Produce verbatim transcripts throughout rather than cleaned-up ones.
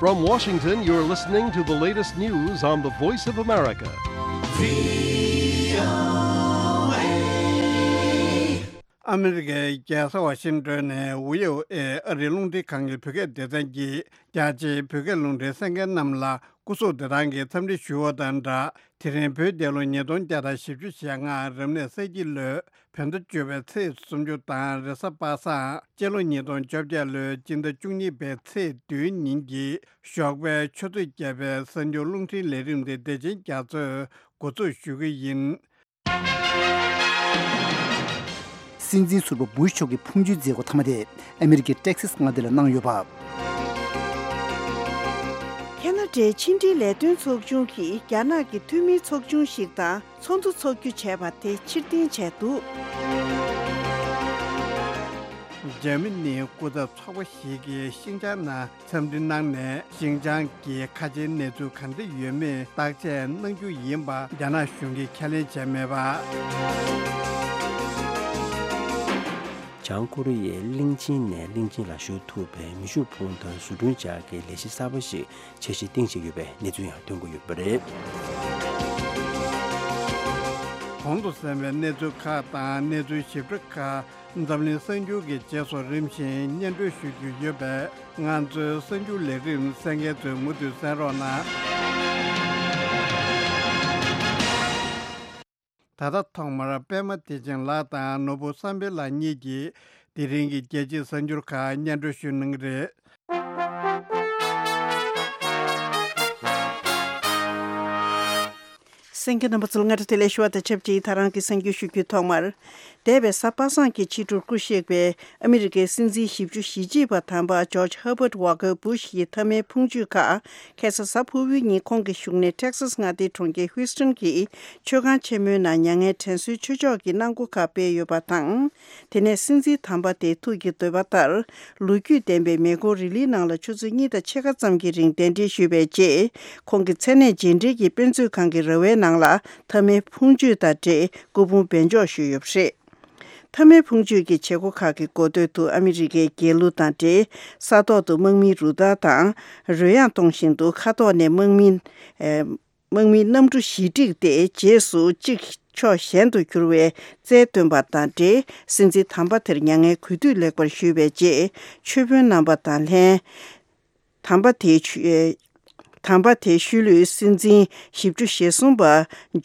From Washington, you're listening to the latest news on the Voice of America. ཨ་མི་རི་ཀའི་རྒྱལ་ས་ཝ་ཤིང་ཏོན་ནས་ཝི་ཨོ་ཨེ་ཨ་རིའི་རླུང་འཕྲིན་ཁང་གི་བོད་སྐད་སྡེ་ཚན་གྱིས་རྒྱ་ཆེའི་བོད་སྐད་རླུང་འཕྲིན་གསན་མཁན་རྣམས་ལ་སྐུ་གཟུགས་བདེ་ཐང་གི་འཚམས་འདྲི་ཞུ་བ་དང་སྦྲགས། དེ་རིང་བོད་རྒྱལ་ལོ་ཉིས་སྟོང་བརྒྱ་དང་བཞི་བཅུ་ཞེ་ལྔ་རབ་གནས་ས་ཁྱི་ལོའི་བོད་ཟླ་བཅུ་པའི་ཚེས་སུམ་ཅུ་དང་རེས་གཟའ་པ་སངས་སྤྱི་ལོ་ཉིས་སྟོང་བཅོ་བརྒྱད་ལོའི་སྤྱི་ཟླ་བཅུ་གཉིས་པའི་ཚེས་བདུན་ཉིན་གྱི་ཞོགས་པའི་ཆུ་ཚོད་བརྒྱད་པའི་གསར་འགྱུར་རླུང་འཕྲིན་ལས་རིམ་དེ་བདེ་ཆེན་རྒྱ་མཚོས་འགོ་འཛུགས་ཞུ་གི་ཡིན། སྲིད་འཛིན་ཟུར་པ་བུ་ཤ་མཆོག་གི་ཕུང་མཆོད་མཛད་སྒོ་མཐའ་མ་དེ་ཨ་མི་རི་ཀའི་ཊེག་སཱས་མངའ་སྡེ་ལ་གནང་ཡོད་པ། ཁེ་ན་ཌའི་ཕྱི་འབྲེལ་ལས་དོན་ཚོགས་ཆུང་གིས་རྒྱ་ནག་གི་འཐུས་མིའི་ཚོགས་ཆུང་ཞིག་དང་ཚོགས་འདུ་འཚོགས་རྒྱུ་བྱས་པ་དེ་ཕྱིར་འཐེན་བྱས་འདུག། འཇར་མ་ནིའི་སྐུ་ཚབ་ཚོགས་པ་ཞིག་གིས་ཤིན་ཅང་ནང་འཚམས་འདྲི་གནང་ནས། ཤིན་ཅང་གི་ཁ་ཆེའི་གནས་ཚུལ་ག་འདྲ་ཡོད་མེད་བརྟག་དཔྱད་གནང་རྒྱུ་ཡིན་པ་རྒྱ་ནག་གཞུང་གིས་ཁས་ལེན་བྱས་མེད་པ། བྱང་ཀོ་རི་ཡས་གླིང་ཆེན་ནས་གླིང་ཆེན་ལ་བཞུར་ཐུབ་པའི་མེ་ཤུགས་འཕུར་མདའ་བཟོ་སྐྲུན་བྱ་དགའི་ལས་གཞི་གསར་པ་ཞིག་འཆར་གཞི་བཏིང་བཞིན་ཡོད་པའི་གནས་ཚུལ་ཡང་ཐོན་གྱི་ཡོད་པ་རེད། གོང་དུ་གསན་པའི་གནས་ཚུལ་ཁག་དང་གནས་ཚུལ་ཞིབ་ཕྲ་ཁག་འཛམ་གླིང་གསར་འགྱུར་གྱི་རྗེས་སུ་རིམ་བཞིན་སྙན་སྒྲོན་ཞུ་རྒྱུ་ཡོད་པས། ང་ཚོའི་གསར་འགྱུར་ལས་རིམ་གསན་མཁན་ཚོས་མུ་མཐུད་གསན་རོགས་གནང་། ད་ལྟ་ཐོག་མར་པད་མ་བདེ་ཆེན་ལགས་དང་ནོར་བུ་བསམ་འཕེལ་ལགས་གཉིས་ཀྱིས་དེ་རིང་གི་རྒྱལ་སྤྱིའི་གསར་འགྱུར་ཁག་སྙན་སྒྲོན་ཞུ་གནང་གི་རེད། གསན་མཁན་རྣམ་པ་ཚོ་ལ་སྔ་དྲོ་བདེ་ལེགས་ཞུ་བ་དང་ཆབས་ཅིག་ད་རང་གི་གསར་འགྱུར་ཞུ་རྒྱུའི་ཐོག་མར། འདས་པའི་གཟའ་པ་སངས་ཀྱི་ཕྱི་དྲོར་སྐུ་གཤེགས་པའི་ཨ་མི་རི་ཀའི་སྲིད་འཛིན་བཞི་བཅུ་ཞེ་གཅིག་པ་དམ་པ་ཇོརྗ་ཧར་བར་ཝ་ཀར་བུ་ཤ་ཡི་མཐའ་མའི་ཕུང་མཆོད་ཁག་ཁ་སང་གཟའ་ཕུར་བུའི་ཉིན་ཁོང་གི་བཞུགས་གནས་ཊེག་སཱས་མངའ་སྡེའི་གྲོང་ཁྱེར་ཧུའུ་སི་ཊོན་གྱི་མཆོད་ཁང་ཆེན་མོའི་ནང་མྱ་ངན་དྲན་གསོའི་མཆོད་ཆོག་གི་གནང་སྒོ་ཁག་སྤེལ་ཡོད་པ་དང་། དེ་ནས་སྲིད་འཛིན་དམ་པ་དེའི་ཐུགས་ཀྱི་འདོད་པ་ལྟར། ལོ་རྒྱུས་ལྡན་པའི་མེ་འཁོར་རི་ལིའི་ནང་ལ་ཆུ་ཚོད་གཉིས་དང་ཕྱེད་ཀ་ཙམ་གྱི་རིང་གདན་འདྲེན་ཞུས་པའི་རྗེས། ཁོང་གི་མཚན་གནས་རྗེས་འབྲེལ་གྱི་དཔེ་མཛོད་ཁང་གི་ར་བའི་ནང་ལ་མཐའ་མའི་ཕུང་མཆོད་དང་འབྲེལ་སྐུ་ཕུང་སྦས་འཇོག་ཞུས་ཡོད་པ་རེད། མཐའ་མའི་ཕུང་མཆོད་ཀྱི་བྱེད་སྒོ་ཁག་གི་འགོ་སྟོད་དུ་ཨ་མི་རི་ཀའི་རྒྱལ་གླུ་དང་འབྲེལ་ས་ཐོག་ཏུ་དམག་མིའི་རུ་སྟར་དང་རོལ་དབྱངས་གཏོང་བཞིན་དུ་ཁ་ཐོག་ནས་དམག་མི། ཨེ། དམག་མིའི་གནམ་གྲུ་ཞི་འགྲིག་སྟེ་རྗེས་སུ་གཅིག་ཕྱོགས་གཞན་དུ་འགྱུར་བའི་རྩལ་སྟོན་པ་དང་འབྲེལ། སྲིད་འཛིན་དམ་པ་དེར་མྱ་ངན་གུས་འདུད་ལེགས་པར་ཞུས་པའི་རྗེས། མཆོད་དཔོན་རྣམ་པ་དང་ལྷན། དམ་པ་དེའི་ཆུ། དམ་པ་དེའི་ཤུལ་ལུས་སྲིད་འཛིན་བཞི་བཅུ་ཞེ་གསུམ་པ་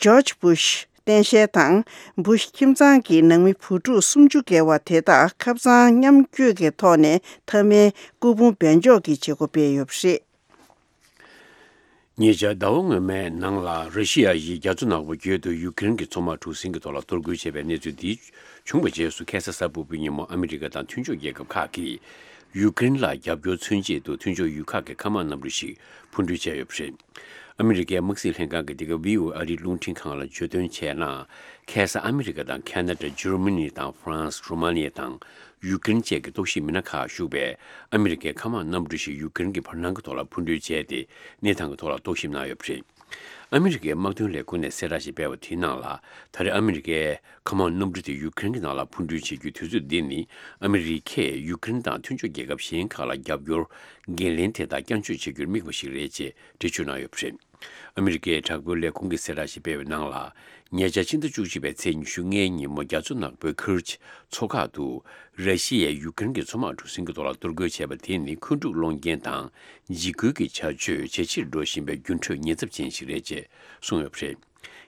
ཇོརྗ་བུ་ཤ་རྟེན་གཞལ་དང་། བུ་ཤ་ཁྱིམ་ཚང་གི་ནང་མི་བུ་ཕྲུག་སུམ་ཅུ་བརྒལ་བ་དེ་དག་ཁབ་གཙང་མཉམ་བསྐྱོད་ཀྱི་ཐོག་ནས་མཐའ་མའི་སྐུ་ཕུང་སྦས་འཇོག་གི་བྱེད་སྒོ་སྤེལ་ཡོད་པ་རེད། ཉེ་ཆར་ཟླ་བ་སྔོན་མའི་ནང་ལ་ར་ཤི་ཡ་ཡིས་རྒྱ་མཚོ་ནག་པོ་བརྒྱུད་དུ་ཡུཀ་རེན་གྱི་མཚོ་དམག་གྲུ་གཟིངས་ཀྱི་ཐོག་ལ་གཏོར་རྒོལ་བྱས་པའི་གནས་ཚུལ་འདི་བྱུང་བའི་རྗེས་སུ། ཁ་སང་གཟའ་ཕུར་བུའི་ཉིན་མོ་ཨ་མི་རི་ཀ་དང་མཐུན་ཕྱོགས་རྒྱལ་ཁབ་ཁག་གིས་ཡུཀ་རེན་ལ་རྒྱབ་སྐྱོར་མཚོན་ཆེད་དུ་མཐུན་ཕྱོགས་ཡུལ་ཁག་གི་མཁའ་དམག་གནམ་གྲུ་ཞིག་འཕུར་འགྲུལ་བྱས་ཡོད་པ་རེད། ཨ་མི་རི་ཀའི་དམག་སྲིད་ལྷན་ཁང་གི་འདི་ག་ཝི་ཨོ་ཨེ་ཨ་རིའི་རླུང་འཕྲིན་ཁང་ལ་བརྗོད་དོན་བྱས་ན། ཁ་སང་ཨ་མི་རི་ཀ་དང་ཁ་ན་ཌ། འཇར་མ་ནི་དང་ཧྥ་རན་སི། རུ་མ་ནི་ཡ་དང་ཡུཀ་རེན་བཅས་ཀྱི་རྟོག་ཞིབ་མི་སྣ་ཁག་ཞུགས་པའི་ཨ་མི་རི་ཀའི་མཁའ་དམག་གནམ་གྲུ་ཞིག་ཡུཀ་རེན་གྱི་བར་སྣང་གི་ཐོག་ལ་འཕུར་འགྲུལ་བྱས་ཏེ། གནས་སྟངས་ཀྱི་ཐོག་ལ་རྟོག་ཞིབ་གནང་ཡོད་པ་རེད། ཨ་མི་རི་ཀའི་དམག་དོན་ལས་ཁུངས་ནས་གསལ་བསྒྲགས་ཤིག་སྤེལ་བ་དེའི་ནང་ལ། ད་རེས་ཨ་མི་རི་ཀའི་མཁའ་དམག་གནམ་གྲུ་དེ་ཡུཀ་རེན་གྱི་ནང་ལ་འཕུར་འགྲུལ་བྱེད་རྒྱུའི་དུས་ཚོད་འདི་ནི། ཨ་མི་རི་ཀས་ཡུཀ་རེན་དང་མཐུན་ཕྱོགས་རྒྱལ་ཁབ་གཞན་ཁག་ལ་རྒྱབ་སྐྱོར་འགན་ལེན་དེ་དག་བསྐྱར་བཅོས་བྱེད་རྒྱུར་དམིགས་པ་ཞིག་རེད་ཅེས་འགྲེལ་བརྗོད་གནང་ཡོད་པ་རེད། ཨ་མི་རི་ཀའི་དྲག་པོའི་ལས་ཁུངས་ཀྱིས་གསལ་བསྒྲགས་ཤིག་སྤེལ་བའི་ནང་ལ། ཉེ་ཆར་ཕྱི་ཟླ་བཅུ་གཅིག་པའི་ཚེས་ཉི་ཤུ་ལྔའི་ཉིན་མོ། རྒྱ་མཚོ་ནག་པོའི་ཁེར་ཆི་མཚོ་ཁག་ཏུ་ར་ཤི་ཡས་ཡུཀ་རེན་གྱི་མཚོ་དམག་གྲུ་གཟིངས་ཀྱི་ཐོག་ལ་གཏོར་རྒོལ་བྱས་པ་དེ་ནི་འཁོན་འཁྲུག་སློང་རྐྱེན་དང་འཇིགས་སྐུལ་གྱི་བྱ་སྤྱོད་ཇེ་ཆེར་འགྲོ་བཞིན་པའི་འགྱུར་འགྲོས་ཉེན་ཚབས་ཅན་ཞིག་རེད་ཅེས་གསུངས་ཡོད་པ་རེད།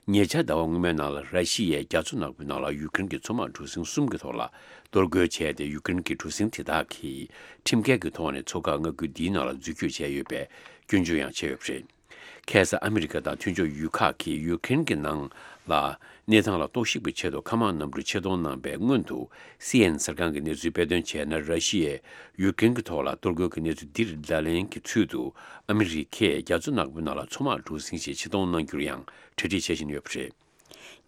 ཉེ་ཆར་ཟླ་བ་སྔོན་མའི་ནང་ལ་ར་ཤི་ཡས་རྒྱ་མཚོ་ནག་པོའི་ནང་ལ་ཡུཀ་རེན་གྱི་མཚོ་དམག་གྲུ་གཟིངས་གསུམ་གྱི་ཐོག་ལ་གཏོར་རྒོལ་བྱས་ཏེ། ཡུཀ་རེན་གྱི་གྲུ་གཟིངས་དེ་དག་གིས་ཁྲིམས་འགལ་གྱི་ཐོག་ནས་མཚོ་འགག་མངའ་ཁུལ་འདིའི་ནང་ལ་འཛུལ་སྐྱོད་བྱས་ཡོད་པའི་སྐྱོན་བརྗོད་ཡང་བྱས་ཡོད་པ་རེད། ཁ་སང་ཨ་མི་རི་ཀ་དང་མཐུན་ཕྱོགས་ཡུལ་ཁག་གིས་ཡུཀ་རེན་གྱི་ནང་ལ་གནས་སྟངས་ལ་རྟོག་ཞིབ་ཀྱི་ཆེད་དུ་མཁའ་དམག་གནམ་གྲུ་ཆེད་གཏོང་གནང་པའི་སྔོན་དུ། སི་ཨེན་ཨེན་གསར་ཁང་གི་གནས་ཚུལ་སྤེལ་དོན་བྱས་ན། ར་ཤི་ཡས་ཡུཀ་རེན་གྱི་ཐོག་ལ་གཏོར་རྒོལ་གྱི་གནས་ཚུལ་འདིར་བརྡ་ལན་གྱི་ཚུལ་དུ། ཨ་མི་རི་ཀས་རྒྱ་མཚོ་ནག་པོའི་ནང་ལ་མཚོ་དམག་གྲུ་གཟིངས་ཤིག་ཆེད་གཏོང་གནང་རྒྱུར་ཡང་གྲ་སྒྲིག་བྱེད་བཞིན་ཡོད་པ་རེད།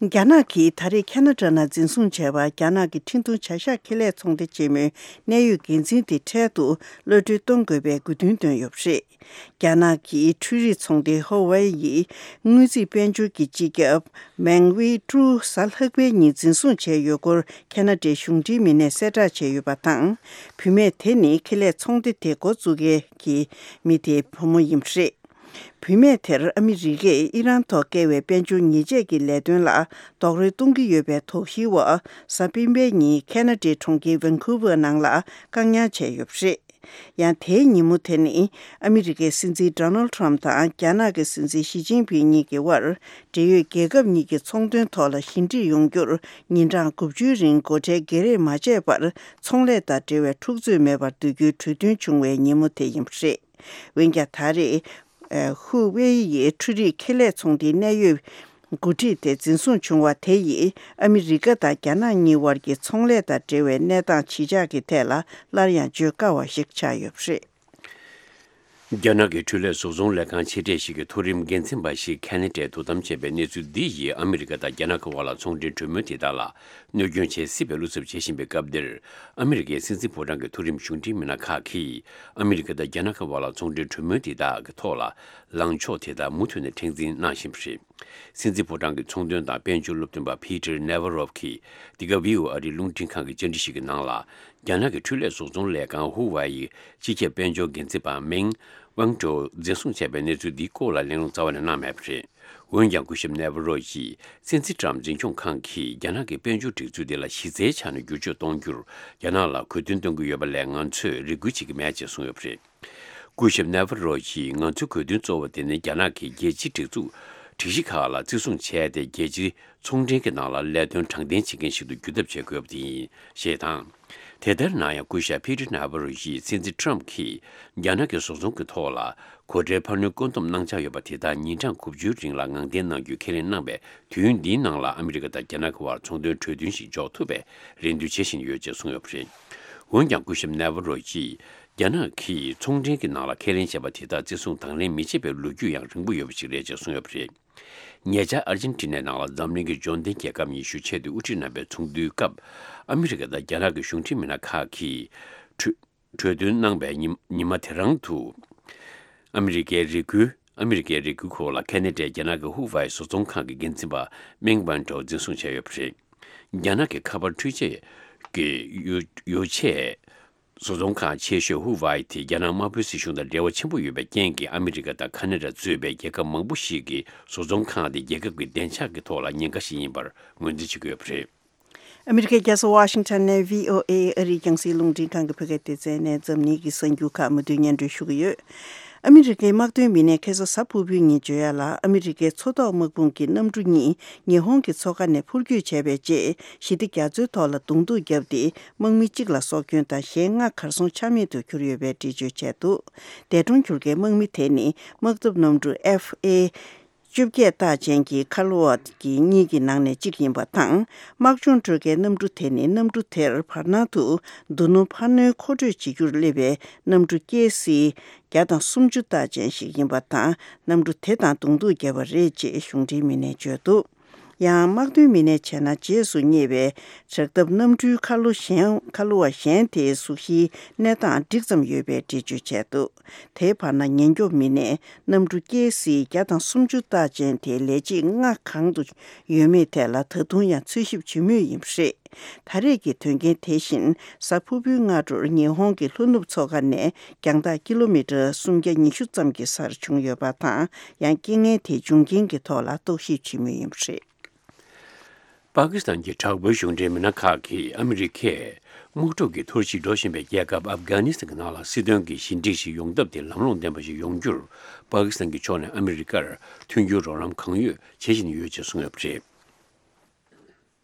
རྒྱ་ནག་གིས་ད་རེས་ཁ་ན་ཌ་ནང་འཛིན་བཟུང་བྱས་པ་རྒྱ་ནག་གི་ཁྲིན་ཏུའུ་བྱ་གཞག་ཁེ་ལས་ཚོང་སྡེ་ཆེན་མོའི་གནད་ཡོད་འགན་འཛིན་དེ་འཕྲལ་དུ་གློད་གྲོལ་གཏོང་དགོས་པའི་དགོས་འདུན་བཏོན་ཡོད་པ་རེད། རྒྱ་ནག་གི་འཕྲུལ་རིག་ཚོང་སྡེ་ཧོ་ཝའེ་ཡི་དངུལ་རྩིས་དཔལ་འབྱོར་གྱི་སྤྱི་ཁྱབ་མེང་ཝེ་ཀྲུའུ་གཟའ་ལྷག་པའི་ཉིན་འཛིན་བཟུང་བྱས་ཡོད་སྐོར་ཁ་ན་ཌའི་གཞུང་འབྲེལ་མི་སྣས་གསལ་བསྒྲགས་བྱས་ཡོད་པ་དང་། བུད་མེད་དེ་ནི་ཁེ་ལས་ཚོང་སྡེ་དེ་འགོ་བཙུགས་མཁན་གྱི་མི་དེའི་བུ་མོ་ཡིན་པ་རེད། བུད་མེད་དེར་ཨ་མི་རི་ཀས་ཨི་རན་ཐོག་བཀལ་བའི་དཔལ་འབྱོར་ཉེས་ཆད་ཀྱི་ལས་དོན་ལ་རྡོག་རོལ་གཏོང་གི་ཡོད་པའི་དོགས་གཞིའི་འོག་གཟའ་སྤེན་པའི་ཉིན་ཁ་ན་ཌའི་གྲོང་ཁྱེར་ཝན་ཁུ་ཝར་ནང་ལ་བཀག་ཉར་བྱས་ཡོད་པ་རེད། ཡང་དེའི་ཉིན་མོ་དེ་ནི་ཨ་མི་རི་ཀའི་སྲིད་འཛིན་ཌོ་ནལ་ཁྲམ་དང་རྒྱ་ནག་གི་སྲིད་འཛིན་ཞི་ཅིན་ཕིང་གཉིས་ཀྱི་དབར་འབྲེལ་ཡོད་རྒྱལ་ཁབ་གཉིས་ཀྱི་ཚོང་དོན་ཐོག་ལ་ཞི་འགྲིག་ཡོང་རྒྱུར་ཉིན་གྲངས་དགུ་བཅུའི་རིང་སྒོ་ཁྲལ་བརྒྱད་རེས་མ་བཅད་པར་ཚོང་ལས་དང་འབྲེལ་བའི་འཁྲུག་རྩོད་མེད་པར་བསྡུ་རྒྱུའི་གྲོས་མཐུན་བྱུང་བའི་ཉིན་མོ་དེ་ཡིན་པ་རེད། འོན་ཀྱང་ད་རེས། ཧུ་ཝེ་ཡི་འཕྲུལ་རིག་ཁེ་ལས་ཚོང་སྡེའི་གནད་ཡོད་འགོ་ཁྲིད་དེ་འཛིན་བཟུང་བྱུང་བ་དེ་ཡིས་ཨ་མི་རི་ཀ་དང་རྒྱ་ནག་གཉིས་དབར་གྱི་ཚོང་ལས་དང་འབྲེལ་བའི་གནས་སྟངས་ཇི་ཆགས་ཀྱི་ཐད་ལ་སླར་ཡང་བརྗོད་དཀའ་བ་ཞིག་ཆགས་ཡོད་པ་རེད། རྒྱ་ནག་གི་འཕྲུལ་ལས་བཟོ་ཚོང་ལས་ཁང་ཆེ་གྲས་ཤིག་གི་མཐོ་རིམ་འགན་འཛིན་པ་ཞིག་ཁ་ན་ཌའི་དོ་དམ་བྱས་པའི་གནས་ཚུལ་འདི་ཡིས་ཨ་མི་རི་ཀ་དང་རྒྱ་ནག་གི་དབར་ལ་ཚོང་འབྲེལ་གྲོས་མོལ་དེ་དག་ལ་གནོད་སྐྱོན་བྱེད་སྲིད་པའི་བློ་འཚབ་བྱེད་བཞིན་པའི་སྐབས་འདིར། ཨ་མི་རི་ཀའི་སྲིད་འཛིན་ཕོ་བྲང་གི་མཐོ་རིམ་གཞུང་འབྲེལ་མི་སྣ་ཁག་གིས་ཨ་མི་རི་ཀ་དང་རྒྱ་ནག་གི་དབར་ལ་ཚོང་འབྲེལ་གྲོས་མོལ་དེ་དག་གི་ཐོག་ལ་ལངས་ཕྱོགས་དེ་དག་མུ་མཐུད་ནས་མཁྲེགས་འཛིན་གནང་བཞིན་པ་རེད། སྲིད་འཛིན་ཕོ་བྲང་གི་ཚོང་དོན་དང་དཔལ་འབྱོར་སློབ་སྟོན་པ་ཕི་ཏར་ནེ་ཝ་རོབ་ཀྱིས་འདི་ག་ཝི་ཨོ་ཨེ་རིགས་རླུང་འཕྲིན་ཁང་གི་བཅར་འདྲི་ཞིག་གི་ནང་ལ། རྒྱ་ནག་གི་འཕྲུལ་ལས་བཟོ་ཚོང་ལས་ཁང་ཧུ་ཝའེ་ཡི་སྤྱི་ཁྱབ་དཔལ་འབྱོར་འགན་འཛིན་པ་མེང་ཝང་ཀྲོའུ་འཛིན་བཟུང་བྱས་པའི་གནས་ཚུལ་འདིའི་སྐོར་ལ་གླེང་སློང་རྩ་བ་ནས་གནང་མེད་པ་རེད། འོན་ཀྱང་སྐུ་ཞབས་ནེ་ཝ་རོ་ཡིས་སྲིད་འཛིན་ཀྲམ་འཛིན་སྐྱོང་ཁང་གིས་རྒྱ་ནག་གི་དཔལ་འབྱོར་སྒྲིག་འཛུགས་དེ་ལ་གཞི་རྩའི་ཆ་ནས་བསྒྱུར་བཅོས་གཏོང་རྒྱུར་རྒྱ་ནག་ལ་གུས་འདུན་གཏོང་གི་ཡོད་པ་ལས་ང་ཚོས་རེ་སྐུལ་བྱེད་ཀྱི་མེད་ཅེས་གསུངས་ཡོད་པ་རེད། སྐུ་ཞབས་ནེ་ཝ་རོ་ཡིས་ང་ཚོའི་གུས་འདུན་གཙོ་བོ་དེ་ནི་རྒྱ་ནག་གིས་རྒྱལ་སྤྱིའི་སྒྲིག་འཛུགས་སྒྲིག་གཞི་ཁག་ལ་བརྩི་སྲུང་བྱས་ཏེ་རྒྱལ་སྤྱིའི་ཚོང་འབྲེལ་གྱི་ནང་ལ་ལས་དོན་དྲང་བདེན་བྱེད་མཁན་ཞིག་ཏུ་འགྱུར་ཐབས་བྱེད་དགོས་པ་དེ་ཡིན་ཞེས་དང་། དེ་ལྟར་ན་ཡང་སྐུ་ཞབས་ཕི་ཏྲི་ནེ་ཝ་རོ་ཡིས་སྲིད་འཛིན་ཁྲམ་གྱིས་རྒྱ་ནག་གི་བཟོ་ཚོང་གི་ཐོག་ལ་གོ་ཁྲལ་འཕར་སྣོན་བཀོད་འདོམས་གནང་འཆར་ཡོད་པ་དེ་དག་ཉིན་གྲངས་དགུ་བཅུའི་རིང་ལ་ངང་འཐེན་གནང་རྒྱུའི་ཁས་ལེན་གནང་བའི་དུས་ཡུན་འདིའི་ནང་ལ་ཨ་མི་རི་ཀ་དང་རྒྱ་ནག་གི་དབར་ཚོང་དོན་གྲོས་མཐུན་ཞིག་འཇོག་ཐུབ་པའི་རེ་འདུན་བྱེད་བཞིན་ཡོད་ཅེས་གསུངས་ཡོད་པ་རེད། འོན་ཀྱང་སྐུ་ཞབས་ནེ་ཝ་རོ་ཡིས་རྒྱ་ནག་གིས་ཚོང་འབྲེལ་གྱི་ནང་ལ་ཁས་ལེན་བྱས་པ་དེ་དག་བརྩི་སྲུང་དང་ལེན་མི་བྱེད་པའི་ལོ་རྒྱུས་ཡང་རིང་པོ་ཡོད་པ་ཞིག་རེད་ཅེས་གསུངས་ཡོད་པ་རེད། ཉེ་ཆར་ཨར་ཇེན་ཊི་ནའི་ནང་ལ་འཛམ་གླིང་གི་འབྱོར་ལྡན་རྒྱལ་ཁབ་ཉི་ཤུ་ཆེད་དུ་དབུ་ཁྲིད་རྣམ་པའི་ཚོགས་འདུའི་སྐབས། ཨ་མི་རི་ཀ་དང་རྒྱ་ནག་གི་གཞུང་འབྲེལ་མི་སྣ་ཁག་གིས་གྲོས་གྲོས་མཐུན་གནང་པའི་ཉི་ཉི་མ་དེ་རང་དུ། ཨ་མི་རི་ཀའི་རེ་སྐུལ། ཨ་མི་རི་ཀའི་རེ་སྐུལ་སྐོར་ལ་ཁ་ན་ཌའི་རྒྱ་ནག་གི་ཧུ་ཝའེ་བཟོ་ཚོང་ཁང་གི་འགན་འཛིན་པ་མེང་ཝན་ཀྲོའུ་འཛིན་བཟུང་བྱས་ཡོད་པ་རེད། རྒྱ་ནག་གི་ཁ་པར་འཕྲུལ་ཆས་ཀྱི་ཡོ་ཡོ་ཆས། བཟོ་ཚོང་ཁང་ཆེ་ཤོས་ཧུ་ཝའེ་དེ་རྒྱ་ནག་དམར་པོའི་སྲིད་གཞུང་དང་འབྲེལ་བ་ཆེན་པོ་ཡོད་པའི་རྐྱེན་གྱིས་ཨ་མི་རི་ཀ་དང་ཁ་ན་ཌ་གཙོས་པའི་རྒྱལ་ཁབ་མང་པོ་ཞིག་གིས་བཟོ་ཚོང་ཁང་དེ་རྒྱལ་ཁབ་ཀྱི་བདེ་འཇགས་ཀྱི་ཐོག་ལ་ཉེན་ཁ་ཞིག་ཡིན་པར་ངོས་འཛིན་བྱེད་ཀྱི་ཡོད་པ་རེད། ཨ་མི་རི་ཀའི་རྒྱལ་ས་ཝ་ཤིང་ཊོན་ནས་ཝི་ཨོ་ཨེ་ཨ་རིའི་རྒྱང་སྲིང་རླུང་འཕྲིན་ཁང་གི་བོད་སྐད་སྡེ་ཚན་ནས་འཛམ་གླིང་གི་གསར་འགྱུར་ཁག་མུ་མཐུད་སྙན་སྒྲོན་ཞུ་གི་ཡོད། ཨ་མི་རི་ཀའི་དམག་དོན་མི་སྣས་ཁ་སང་གཟའ་ཕུར་བུའི་ཉིན་བརྗོད་ཡ་ལ། ཨ་མི་རི་ཀའི་མཚོ་ཐོག་དམག་དཔུང་གི་གནམ་གྲུ་གཉིས་ཉི་ཧོང་གི་མཚོ་ཁ་ནས་འཕུར་སྐྱོད་བྱས་པའི་རྗེས། ཞི་བདེ་རྒྱ་མཚོའི་ཐོག་ལ་གདོང་ཐུག་བརྒྱབ་སྟེ། དམག་མི་གཅིག་ལ་སྲོག་སྐྱོན་དང་གཞན་ལྔ་གར་སོང་ཆ་མེད་དུ་གྱུར་ཡོད་པའི་འགྲེལ་བརྗོད་བྱས་འདུག་འདས་གྲོངས་གྱུར་མཁན་དམག་མི་དེ་ནི་དམག་འཐབ་གནམ་གྲུ་ཨེཕ་ཨེ་བཅོ་བརྒྱད་རྟགས་ཅན་གྱི་ཁ་ལོ་བ་གི་གཉིས་ཀྱི་ནང་ནས་གཅིག་ཡིན་པ་དང་། དམག་སྦྱོང་སྤྲོད་མཁན་གནམ་གྲུ་དེ་ནི་གནམ་གྲུ་དེར་བར་སྣང་དུ་རྡོ་སྣུམ་འཕར་སྣོན་མཁོ་སྤྲོད་བྱེད་རྒྱུར་སླེབས་པའི་གནམ་གྲུ་ཀེ་སི་བརྒྱ་དང་སུམ་ཅུ་རྟགས་ཅན་ཞིག་ཡིན་པ་དང་། གནམ་གྲུ་དེ་དང་གདོང་ཐུག་བརྒྱབ་པ་རེད་ཅེས་གཞུང་འབྲེལ་མི་སྣས་བརྗོད་འདུག་ཡང་དམག་དོན་མི་སྣས་བྱས་ན། རྗེས་སུ་སྙེག་པའི་དྲག་འཐབ་གནམ་གྲུའི་ཁ་ལོ་གཞན་ཁ་ལོ་བ་གཞན་དེའི་གཟུགས་གཞིའི་གནས་སྟངས་འགྲིག་ཙམ་ཡོད་པའི་འགྲེལ་བརྗོད་བྱས་འདུག་དེའི་བར་ན། ཉེན་སྐྱོབ་མི་སྣས་གནམ་གྲུ་ཀེ་སི་བརྒྱ་དང་སུམ་ཅུ་རྟགས་ཅན་དེ་ལས་བྱེད་ལྔ་གང་དུ་ཡོད་མེད་ཐད་ལ་ད་དུང་ཡང་འཚོལ་ཞིབ་བྱེད་མུས་ཡིན་པ་རེད། ད་རེས་ཀྱི་དོན་རྐྱེན་དེ་བཞིན་གཟའ་ཕུར་བུའི་སྔ་དྲོར་ཉི་ཧོང་གི་ལྷོ་ནུབ་མཚོ་ཁ་ནས་རྒྱང་ཐག་ཀི་ལོ་མི་ཊར་སུམ་བརྒྱ་ཉི་ཤུ་ཙམ་གྱི་སར་བྱུང་ཡོད་པ་དང་། ཡང་རྐྱེན་ངན་དེའི་འབྱུང་རྐྱེན་གྱི་ཐོག་ལ་རྟོག་ཞིབ་བྱེད་མུས་ཡིན་པ་རེད། པ་ཀི་སི་ཐན་གྱི་དྲག་པོའི་གཞུང་འབྲེལ་མི་སྣ་ཁག་གིས་ཨ་མི་རི་ཀས་དམག་འཁྲུག་གི་འཐོར་ཞིག་འགྲོ་བཞིན་པའི་རྒྱལ་ཁབ་ཨབ་གྷ་ནི་སི་ཐན་གྱི་ནང་ལ་སྲིད་དོན་གྱི་ཞི་འགྲིག་ཞིག་ཡོང་ཐབས་དེ་ལམ་ལྷོང་ལྡན་པ་ཞིག་ཡོང་རྒྱུར། པ་ཀི་སི་ཐན་གྱི་ཕྱོགས་ནས་ཨ་མི་རི་ཀར་མཐུན་འགྱུར་རོགས་རམ་གང་ཡོད་བྱེད་བཞིན་ཡོད་ཅེས་གསུངས་ཡོད་པ་རེད།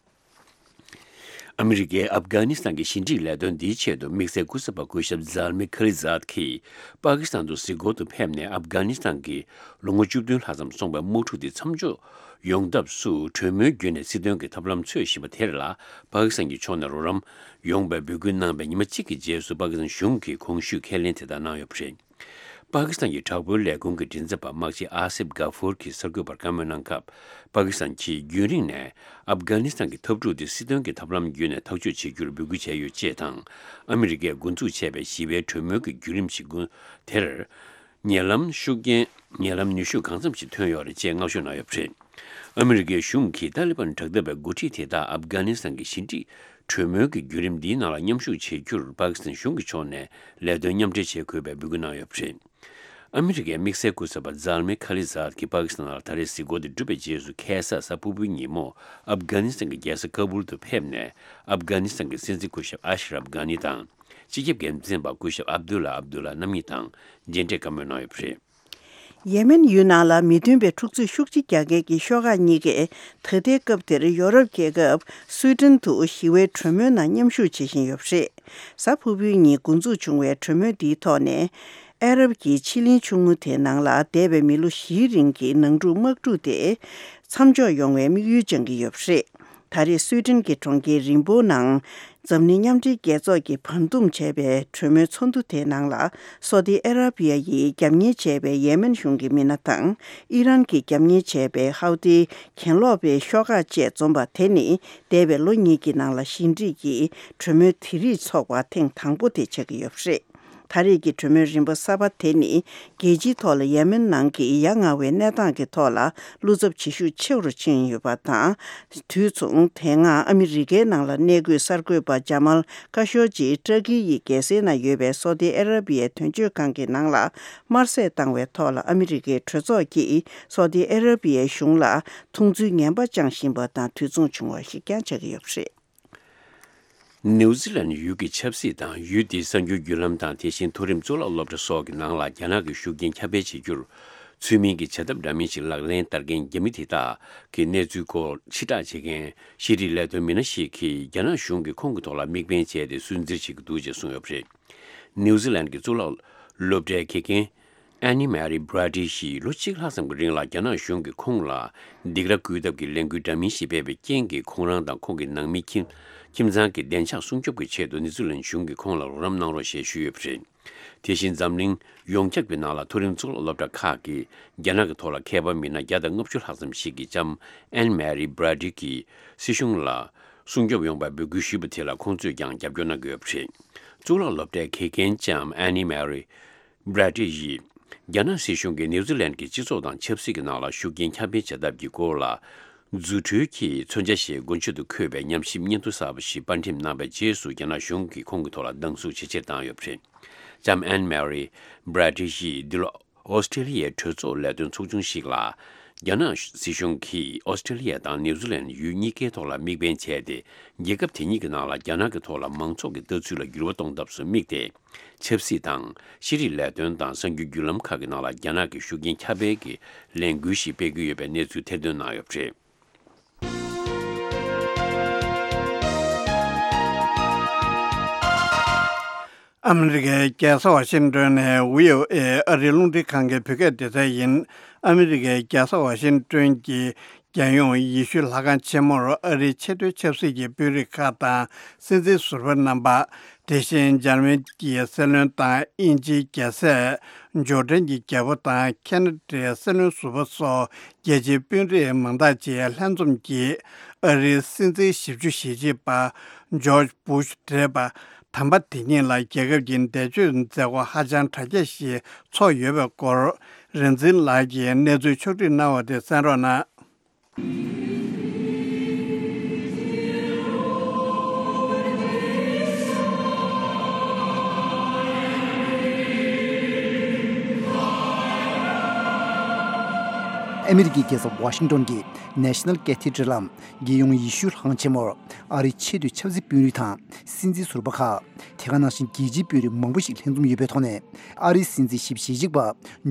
ཨ་མི་རི་ཀས་ཨབ་གྷ་ནི་སི་ཐན་གྱི་ཞི་འགྲིག་ལས་དོན་འདིའི་ཆེད་དུ་དམིགས་བསལ་སྐུ་ཚབ་པ་སྐུ་ཞབས་ཛལ་མི་ཁ་ལི་ཛད་ཀྱིས་པ་ཀི་སི་ཐན་དུ་གཟིགས་སྐོར་དུ་ཕེབས་ནས། ཨབ་གྷ་ནི་སི་ཐན་གྱི་ལོ་ངོ་བཅུ་བདུན་ལྷག་ཙམ་སོང་བའི་དམག་འཁྲུག་དེ་མཚམས་འཇོག་ཡོང་ཐབས་སུ་གྲོས་མོལ་བརྒྱུད་ནས་སྲིད་དོན་གྱི་ཐབས་ལམ་འཚོལ་བཞིན་པ་དེར་ལ། པ་ཀི་སི་ཐན་གྱི་ཕྱོགས་ནས་རོགས་རམ་ཡོང་བའི་འབོད་སྐུལ་གནང་བའི་ཉི་མ་གཅིག་གི་རྗེས་སུ། པ་ཀི་སི་ཐན་གཞུང་གིས་གོང་ཞུས་ཁས་ལེན་དེ་དག་གནང་ཡོད་པ་རེད། པ་ཀི་སི་ཐན་གྱི་དྲག་པོའི་ལས་ཁུངས་ཀྱི་མགྲིན་ཚབ་པ་དམག་སྤྱི་ཨ་སིབ་གྷ་ཧྥུར་གྱིས་གསར་འགོད་པར་བཀའ་མོལ་གནང་སྐབས། པ་ཀི་སི་ཐན་གྱིས་རྒྱུན་རིང་ནས་ཨབ་གྷ་ནི་སི་ཐན་གྱི་འཐབ་འཁྲུག་དེ་སྲིད་དོན་གྱི་ཐབས་ལམ་བརྒྱུད་ནས་ཐག་གཅོད་བྱེད་རྒྱུར་འབོད་སྐུལ་བྱས་ཡོད་ཅེས་དང་། ཨ་མི་རི་ཀས་འགོ་འཛུགས་བྱས་པའི་ཞི་བའི་གྲོས་མོལ་གྱི་བརྒྱུད་རིམ་ཞིག་དེར། ཉེ་ལམ་ཤུགས་རྐྱེན། ཉེ་ལམ་ནུས་ཤུགས་གང་འཚམ་ཞིག་ཐོན་ཡོད་རེད་ཅེས་སྔ་ཞོགས་གནང་ཡོད་པ་རེད། ཨ་མི་རི་ཀའི་གཞུང་གིས་ཏཱ་ལི་བན་དྲག་འཐབ་པའི་འགོ་ཁྲིད་དེ་དག་ཨབ་གྷ་ནི་སི་ཐན་གྱི་ཞི་འགྲིག་གྲོས་མོལ་གྱི་བརྒྱུད་རིམ་འདིའི་ནང་ལ་མཉམ་ཞུགས་བྱེད་རྒྱུར་པ་ཀི་སི་ཐན་གཞུང་གི་ཕྱོགས་ནས་ལས་དོན་མཉམ་འབྲེལ་བྱེད་དགོས་པའི་འབོད་སྐུལ་གནང་ཡོད་པ་རེད། ཨ་མི་རི་ཀའི་དམིགས་བསལ་སྐུ་ཚབ་པ་ཛལ་མི་ཁ་ལི་ཛཱད་ཀྱིས་པ་ཀི་སི་ཐན་ནང་ལ་ད་རེས་གཟིགས་སྐོར་དེ་གྲུབ་པའི་རྗེས་སུ་ཁ་སང་གཟའ་ཕུར་བུའི་ཉིན་མོ་ཨབ་གྷ་ནི་སི་ཐན་གྱི་རྒྱལ་ས་ཀ་བུལ་དུ་ཕེབས་ནས། ཨབ་གྷ་ནི་སི་ཐན་གྱི་སྲིད་འཛིན་སྐུ་ཞབས་ཨ་ཤ་རབ་གྷ་ནི་དང་། སྤྱི་ཁྱབ་འགན་འཛིན་པ་སྐུ་ཞབས་ཨབ་དུ་ལ་ཨབ་དུ་ལ་རྣམ་གཉིས་དང་མཇལ་འཕྲད་བཀའ་མོལ་གནང་ཡོད་པ་རེད། ཡེ་མེན་ཡུལ་ནང་ལ་མི་མཐུན་པའི་འཁྲུག་རྩོད་ཤུགས་ཆེ་རྒྱག་མཁན་གྱི་ཤོག་ཁག་གཉིས་ཀས་ད་ལྟའི་སྐབས་དེར་ཡོ་རོབ་རྒྱལ་ཁབ་སུའེ་ཏན་དུ་ཞི་བའི་གྲོས་མོལ་ནང་མཉམ་ཞུགས་བྱེད་བཞིན་ཡོད་པ་རེད། གཟའ་ཕུར་བུའི་ཉིན་འགོ་འཛུགས་བྱུང་བའི་གྲོས་མོལ་འདིའི་ཐོག་ནས། ཨ་རབ་ཀྱི་ཕྱེད་གླིང་ཆུང་ངུ་དེའི་ནང་ལ་འདས་པའི་མི་ལོ་བཞིའི་རིང་གི་ནང་འཁྲུག་དམག་འཁྲུག་དེ་མཚམས་འཇོག་ཡོང་བའི་དམིགས་ཡུལ་བཅངས་ཀྱི་ཡོད་པ་རེད། ད་རེས་སུའེ་ཏན་གྱི་གྲོང་ཁྱེར་རིམ་པོའི་ནང་འཛམ་གླིང་མཉམ་འབྲེལ་རྒྱལ་ཚོགས་ཀྱིས་བར་འདུམ་བྱས་པའི་གྲོས་མོལ་ཚོགས་འདུ་དེའི་ནང་ལ། སོ་ཏི་ཨ་ར་བི་ཡ་ཡིས་རྒྱབ་གཉེར་བྱས་པའི་ཡེ་མེན་གཞུང་གི་མི་སྣ་དང་། ཨི་རན་གྱིས་རྒྱབ་གཉེར་བྱས་པའི་ཧའུ་ཏི་གྱེན་ལོག་པའི་ཤོག་ཁག་བཅས་འཛོམས་པ་དེ་ནི་འདས་པའི་ལོ་གཉིས་ཀྱི་ནང་ལ་ཞི་འགྲིག་གི་གྲོས་མོལ་དེ་རིགས་ཚོགས་པ་ཐེངས་དང་པོ་དེ་ཆགས་ཀྱི་ཡོད་པ་རེད། ད་རེས་ཀྱི་གྲོས་མོལ་རིམ་པ་གསར་པ་དེ་ནི། རྒྱལ་སྤྱིའི་ཐོག་ལ་ཡེ་མེན་ནང་གི་ཡ་ང་བའི་གནས་སྟངས་ཀྱི་ཐོག་ལ་བློ་འཚབ་བྱེད་ཤུགས་ཆེ་རུ་ཕྱིན་ཡོད་པ་དང་། དུས་མཚུངས་དེ་སྔ་ཨ་མི་རི་ཀའི་ནང་ལ་གནས་འཁོད་གསར་འགོད་པ་ཇ་མལ་ཁ་ཤོ་ཇི་ཏྲ་ཀི་ཡི་རྒྱལ་སའི་ནང་ཡོད་པའི་སོ་ཏི་ཨ་ར་བི་ཡའི་དོན་གཅོད་ཁང་གི་ནང་ལ་དམར་གསོད་བཏང་བའི་ཐོག་ལ་ཨ་མི་རི་ཀའི་གྲོས་ཚོགས་ཀྱིས་སོ་ཏི་ཨ་ར་བི་ཡའི་གཞུང་ལ་མཐོང་ཚུལ་ངན་པ་བཅངས་བཞིན་པ་དང་དུས་མཚུངས་བྱུང་བ་ཞིག་ཀྱང་ཆགས་ཀྱི་ཡོད་པ་རེད། ནིའུ་ཛི་ལན་ཡུལ་གྱི་ཆབ་སྲིད་དང་ཡུལ་དེའི་གསར་འགྱུར་བརྒྱུད་ལམ་དང་དེ་བཞིན་མཐོ་རིམ་གཙུག་ལག་སློབ་གྲྭ་སོགས་ཀྱི་ནང་ལ་རྒྱ་ནག་གི་ཤུགས་རྐྱེན་ཁྱབ་སྤེལ་བྱེད་རྒྱུར་ཚུལ་མིན་གྱི་བྱ་ཐབས་འདྲ་མིན་ཞིག་ལག་ལེན་བསྟར་མཁན་རྒྱ་མི་དེ་དག་གི་གནས་ཚུལ་སྐོར་ཕྱིར་བསྒྲགས་བྱེད་མཁན་ཤེས་རིག་ལས་དོན་མི་སྣ་ཞིག་གིས་རྒྱ་ནག་གཞུང་གིས་ཁོང་གི་ཐོག་ལ་དམིགས་འབེན་བྱས་ཏེ་སུན་གཙེར་བྱེད་ཀྱི་འདུག་ཅེས་གསུངས་ཡོད་པ་རེད། ནིའུ་ཛི་ལན་གྱི་གཙུག་ལག་སློབ་གྲྭའི་དགེ་རྒན་ཨན་ནི་མེ་རི་བྷ་ར་ཏི་ཞིས་ལོ་གཅིག་ལྷག་ཙམ་གྱི་རིང་ལ་རྒྱ་ནག་གཞུང་གིས་ཁོང་ལ་སྡིགས་ར་བསྐུལ་ཐབས་ཀྱི་ལས་འགུལ་འདྲ་མིན་ཞིག་སྤེལ་བའི་རྐྱེན་གྱིས་ཁོང་རང་དང་ཁོང་གི་ནང་མི་ཁྱིམ་ཁྱིམ་ཚང་གི་བདེ་འཇགས་སྲུང་སྐྱོབ་ཀྱི་ཆེད་དུ་ནི་ཛི་ལན་གཞུང་གིས་ཁོང་ལ་རོགས་རམ་གནང་རོགས་ཞེས་ཞུས་ཡོད་པ་རེད། དེ་བཞིན་འཛམ་གླིང་ཡོངས་ཁྱབ་ཀྱི་ནང་ལ་མཐོ་རིམ་གཙུག་ལག་སློབ་གྲྭ་ཁག་གིས་རྒྱ་ནག་གི་ཐོག་ལ་མཁས་པ་མི་སྣ་བརྒྱ་དང་ལྔ་བཅུ་ལྷག་ཙམ་ཞིག་གིས་ལྕམ་ཨན་མེ་རི་བྷ་ར་ཏི་གིས་སྲིད་གཞུང་ལ་སྲུང་སྐྱོབ་ཡོང་བའི་འབོད་སྐུལ་ཞུས་པ་དེ་ལ་ཁོང་ཚོས་ཀྱང་རྒྱབ་སྐྱོར་གནང་གི་ཡོད་པ་རེད། གཙུག་ལག་སློབ་གྲྭའི་དགེ་རྒན་ལྕམ་ཨན་ནི་མེ་རི་བྷ་ར་ཏི་ཡིས། རྒྱ་ནག་སྲིད་གཞུང་གིས་ནིའུ་ཛི་ལན་གྱི་སྤྱི་ཚོགས་དང་ཆབ་སྲིད་ཀྱི་ནང་ལ་ཤུགས་རྐྱེན་ཁྱབ་སྤེལ་བྱ་ཐབས་ཀྱི་སྐོར་ལ། རྫུ་འཕྲུལ་གྱི་མཚོན་ཆ་ཞེས་མགོ་མཇུག་ཏུ་འཁོད་པའི་ཉམས་ཞིབ་སྙན་ཐོ་གསར་པ་ཞིག་པར་འགྲེམས་གནང་བའི་རྗེས་སུ་རྒྱ་ནག་གཞུང་གིས་ཁོང་གི་ཐོག་ལ་སྡང་ཟུག་ཇེ་ཆེར་བཏང་ཡོད་པ་རེད། ལྕམ་ཨན་མེ་རི་བྷ་ར་ཏི་ཡིས་འདི་ལོ་ཨོ་སི་ཀྲེ་ལི་ཡའི་གྲོས་ཚོགས་ལས་དོན་ཚོགས་ཆུང་ཞིག་ལ། རྒྱ་ནག་སྲིད་གཞུང་གིས་ཨོ་སི་ཀྲེ་ལི་ཡ་དང་ནིའུ་ཛི་ལན་ཡུལ་གཉིས་ཀའི་ཐོག་ལ་དམིགས་འབེན་བྱས་ཏེ། རྒྱལ་ཁབ་དེ་གཉིས་ཀྱི་ནང་ལ་རྒྱ་ནག་གི་ཐོག་ལ་མང་ཚོགས་ཀྱི་ལྟ་ཚུལ་ལ་འགྱུར་བ་གཏོང་ཐབས་སུ་དམིགས་ཏེ། ཆབ་སྲིད་དང་། ཤེས་རིག་ལས་དོན་དང་གསར་འགྱུར་བརྒྱུད་ལམ་ཁག་གི་ནང་ལ་རྒྱ་ནག་གི་ཤུགས་རྐྱེན་ཁྱབ་སྤེལ་གྱི་ལས་འགུལ་ཞིག་སྤེལ་གྱི་ཡོད་པའི་གནས་ཚུལ་ཐེར་འདོན་གནང་ཡོད་པ་རེད། ཨ་མི་རི་ཀའི་རྒྱལ་ས་ཝ་ཤིང་ཏོན་ནས་བྷི་ཨོ་ཨེ་ཨ་རིའི་རླུང་འཕྲིན་ཁང་གི་བོད་སྐད་སྡེ་ཚན་ཡིན། ཨ་མི་རི་ཀའི་རྒྱལ་ས་ཝ་ཤིང་ཏོན་གྱི་རྒྱལ་ཡོངས་ཡེ་ཤུའི་ལྷ་ཁང་ཆེན་མོར་ཨ་རིའི་ཆེས་མཐོའི་ཆབ་སྲིད་ཀྱི་དཔོན་རིགས་ཁག་དང་སྲིད་འཛིན་ཟུར་པ་རྣམ་པ། དེ་བཞིན་འཇར་མན་གྱི་སྲིད་བློན་དང་དབྱིན་ཇིའི་རྒྱལ་སྲས། ཇོར་ཌན་གྱི་རྒྱལ་པོ་དང་ཁེ་ན་ཌའི་སྲིད་བློན་ཟུར་པ་སོགས་རྒྱལ་སྤྱིའི་དཔོན་རིགས་མང་དག་བཅས་ལྷན་འཛོམས་ཀྱིས་ཨ་རིའི་སྲིད་འཛིན་ཞེ་གཅིག་པ་ཇོརྗ་བྷུ་ཤ་བགྲེས་པ་དམ་པ་དེ་ཉིད་ལ་རྒྱལ་ཁབ་ཀྱི་འདས་མཆོད་མཛད་སྒོ་ཧ་ཅང་གྲ་རྒྱས་ཤིག་ཚོགས་ཡོད་པའི་སྐོར་རིག་འཛིན་ལགས་ཀྱིས་གནས་ཚུལ་ཕྱོགས་བསྒྲིགས་གནང་བ་དེ་གསན་རོགས་གནང་། ཨ་མི་རི་ཀའི་རྒྱལ་ས་ཝ་ཤིང་ཏོན་གྱི་National Cathedral ལམ་རྒྱལ་ཡོངས་ཡེ་ཤུའི་ལྷ་ཁང་ཆེན་མོར་ཨ་རིའི་ཆེས་མཐོའི་ཆབ་སྲིད་དཔོན་རིགས་དང་སྲིད་འཛིན་ཟུར་པ་ཁག་དེ་ག་ནང་བཞིན་རྒྱལ་སྤྱིའི་དཔོན་རིགས་མང་པོ་ཞིག་ལྷན་འཛོམས་ཡོད་པའི་ཐོག་ནས། ཨ་རིའི་སྲིད་འཛིན་ཞེ་གཅིག་པ་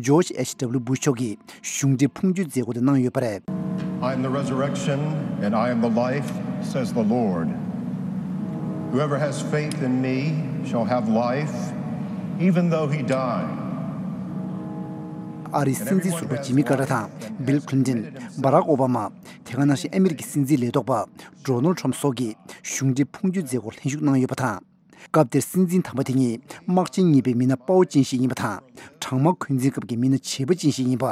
ཇོརྗ་ཨེཆ་ཌབ་ལིའུ་བྷུ་ཤ་མཆོག་གིས་གཞུང་འབྲེལ་ཕུགས་འབྱོར་མཛད་སྒོ་དེ་གནང་ཡོད་པ་རེད། I am the resurrection and I am the life, says the Lord. Whoever has faith in me shall have life, even though he die. ཨ་རིའི་སྲིད་འཛིན་ཟུར་པ་ཇི་མི་ཀར་ཏར་དང་། བྷིལ་ཁི་ལིན་ཏོན། བྷ་རག་ཨོ་བྷ་མ། དེ་ག་ནང་བཞིན་ཨ་མི་རི་ཀའི་སྲིད་འཛིན་ལས་ཐོག་པ་ཌོ་ནལ་ཊམ་སོགས་ཀྱིས་གཞུང་འབྲེལ་ཕུགས་འབྱོར་མཛད་སྒོར་ལྷན་ཞུགས་གནང་ཡོད་པ་དང་། སྐབས་དེར་སྲིད་འཛིན་དམ་པ་དེ་ཉིད་དམག་ཆེན་གཉིས་པའི་མི་སྣ་དཔའ་བོ་ཅན་ཞིག་ཡིན་པ་དང་། གྲང་དམག་འཁོན་འཛིན་སྐབས་ཀྱི་མི་སྣ་བྱེད་པོ་ཅན་ཞིག་ཡིན་པ།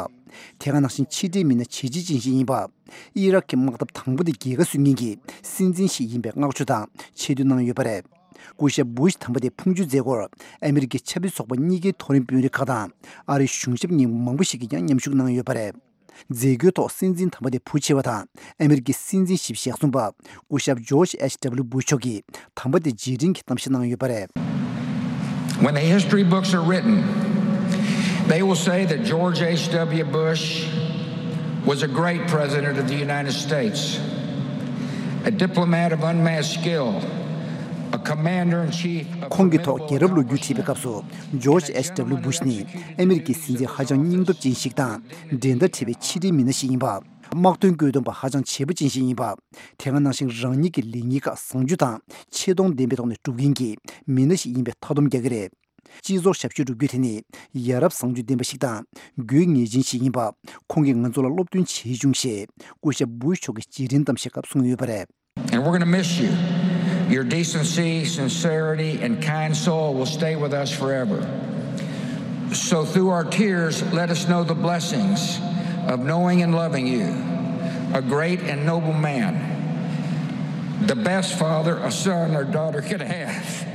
དེ་ག་ནང་བཞིན་ཕྱི་འབྲེལ་མི་སྣ་བྱས་རྗེས་ཅན་ཞིག་ཡིན་པ། ཨི་རག་གི་དམག་འཐབ་དང་པོ་དེ་རྒྱལ་ཁ་བཟོ་མཁན་གྱི་སྲིད་འཛིན་ཞིག་ཡིན་པའི་བསྔགས་བརྗོད་དང་ཆེ་བསྟོད་གནང་ཡོད་པ་རེད། སྐུ་ཞབས་བུ་ཤ་དམ་པ་དེའི་ཕུང་མཆོད་མཛད་སྒོར་ཨ་མི་རི་ཀའི་ཆབ་སྲིད་ཚོགས་པ་གཉིས་ཀའི་མཐོ་རིམ་དཔོན་རིགས་ཁག་དང་། ཨ་རིའི་གཞུང་ཞབས་གཉིས་མང་པོ་ཞིག་གིས་ཀྱང་མཉམ་ཞུགས་གནང་ཡོད་པ་རེད། མཛད་སྒོའི་ཐོག་སྲིད་འཛིན་དམ་པ་དེའི་བུ་ཆེ་བ་དང་ཨ་མི་རི་ཀའི་སྲིད་འཛིན་ཞིབ་ཞལ་གསུམ་པ་སྐུ་ཞབས་ཇོརྗ་ཨེཆ་ཌབ་ལིའུ་བུ་ཤ་མཆོག་གིས་དམ་པ་དེ་རྗེས་དྲན་གྱི་གཏམ་བཤད་གནང་ཡོད་པ་རེད། When the history books are written, they will say that George H W. Bush was a great president of the United States, a diplomat of unmatched skill, a commander in chief of ཁོང་གི་ཐོག་རྒྱལ་རབས་ལོ་རྒྱུས་བྲིས་པའི་སྐབས་སུ། ཇོརྗ་ཨེཆ་ཌབ་ལིའུ་བུ་ཤ་ནི་ཨ་མི་རི་ཀའི་སྲིད་འཛིན་ཧ་ཅང་སྙིང་སྟོབས་ཅན་ཞིག་དང་། འགྲན་ཟླ་བྲལ་བའི་ཕྱི་འབྲེལ་མི་སྣ་ཞིག་ཡིན་པ། དམག་དོན་བཀོད་འདོམས་པ་ཧ་ཅང་བྱེད་པོ་ཅན་ཞིག་ཡིན་པ། དེ་ག་ནང་བཞིན་རང་ཉིད་ཀྱི་ལེགས་ཉེས་ཁག་བཟང་སྤྱོད་དང་ཆེ་མཐོང་ལྡན་པའི་ཐོག་ནས་སྒྲུབ་མཁན་གྱི་མི་སྣ་ཞིག་ཡིན་པའི་མཐའ་སྡོམ་རྒྱག་གི་རེད། སྤྱི་ཚོགས་ཞབས་ཞུ་སྒྲུབ་རྒྱུ་དེ་ནི་ཡ་རབས་བཟང་སྤྱོད་ལྡན་པ་ཞིག་དང་དགོས་ངེས་ཅན་ཞིག་ཡིན་པ། ཁོང་གིས་ང་ཚོ་ལ་སློབ་སྟོན་བྱས་བྱུང་ཞེས་སྐུ་ཞབས་བུ་ཤ་མཆོག་གིས་རྗེས་དྲན་གཏམ་བཤད་སྐབས་གསུངས་ཡོད་པ་རེད། And we're going to miss you. Your decency, sincerity, and kind soul will stay with us forever. So, through our tears, let us know the blessings of knowing and loving you, a great and noble man, the best father a son or daughter could have.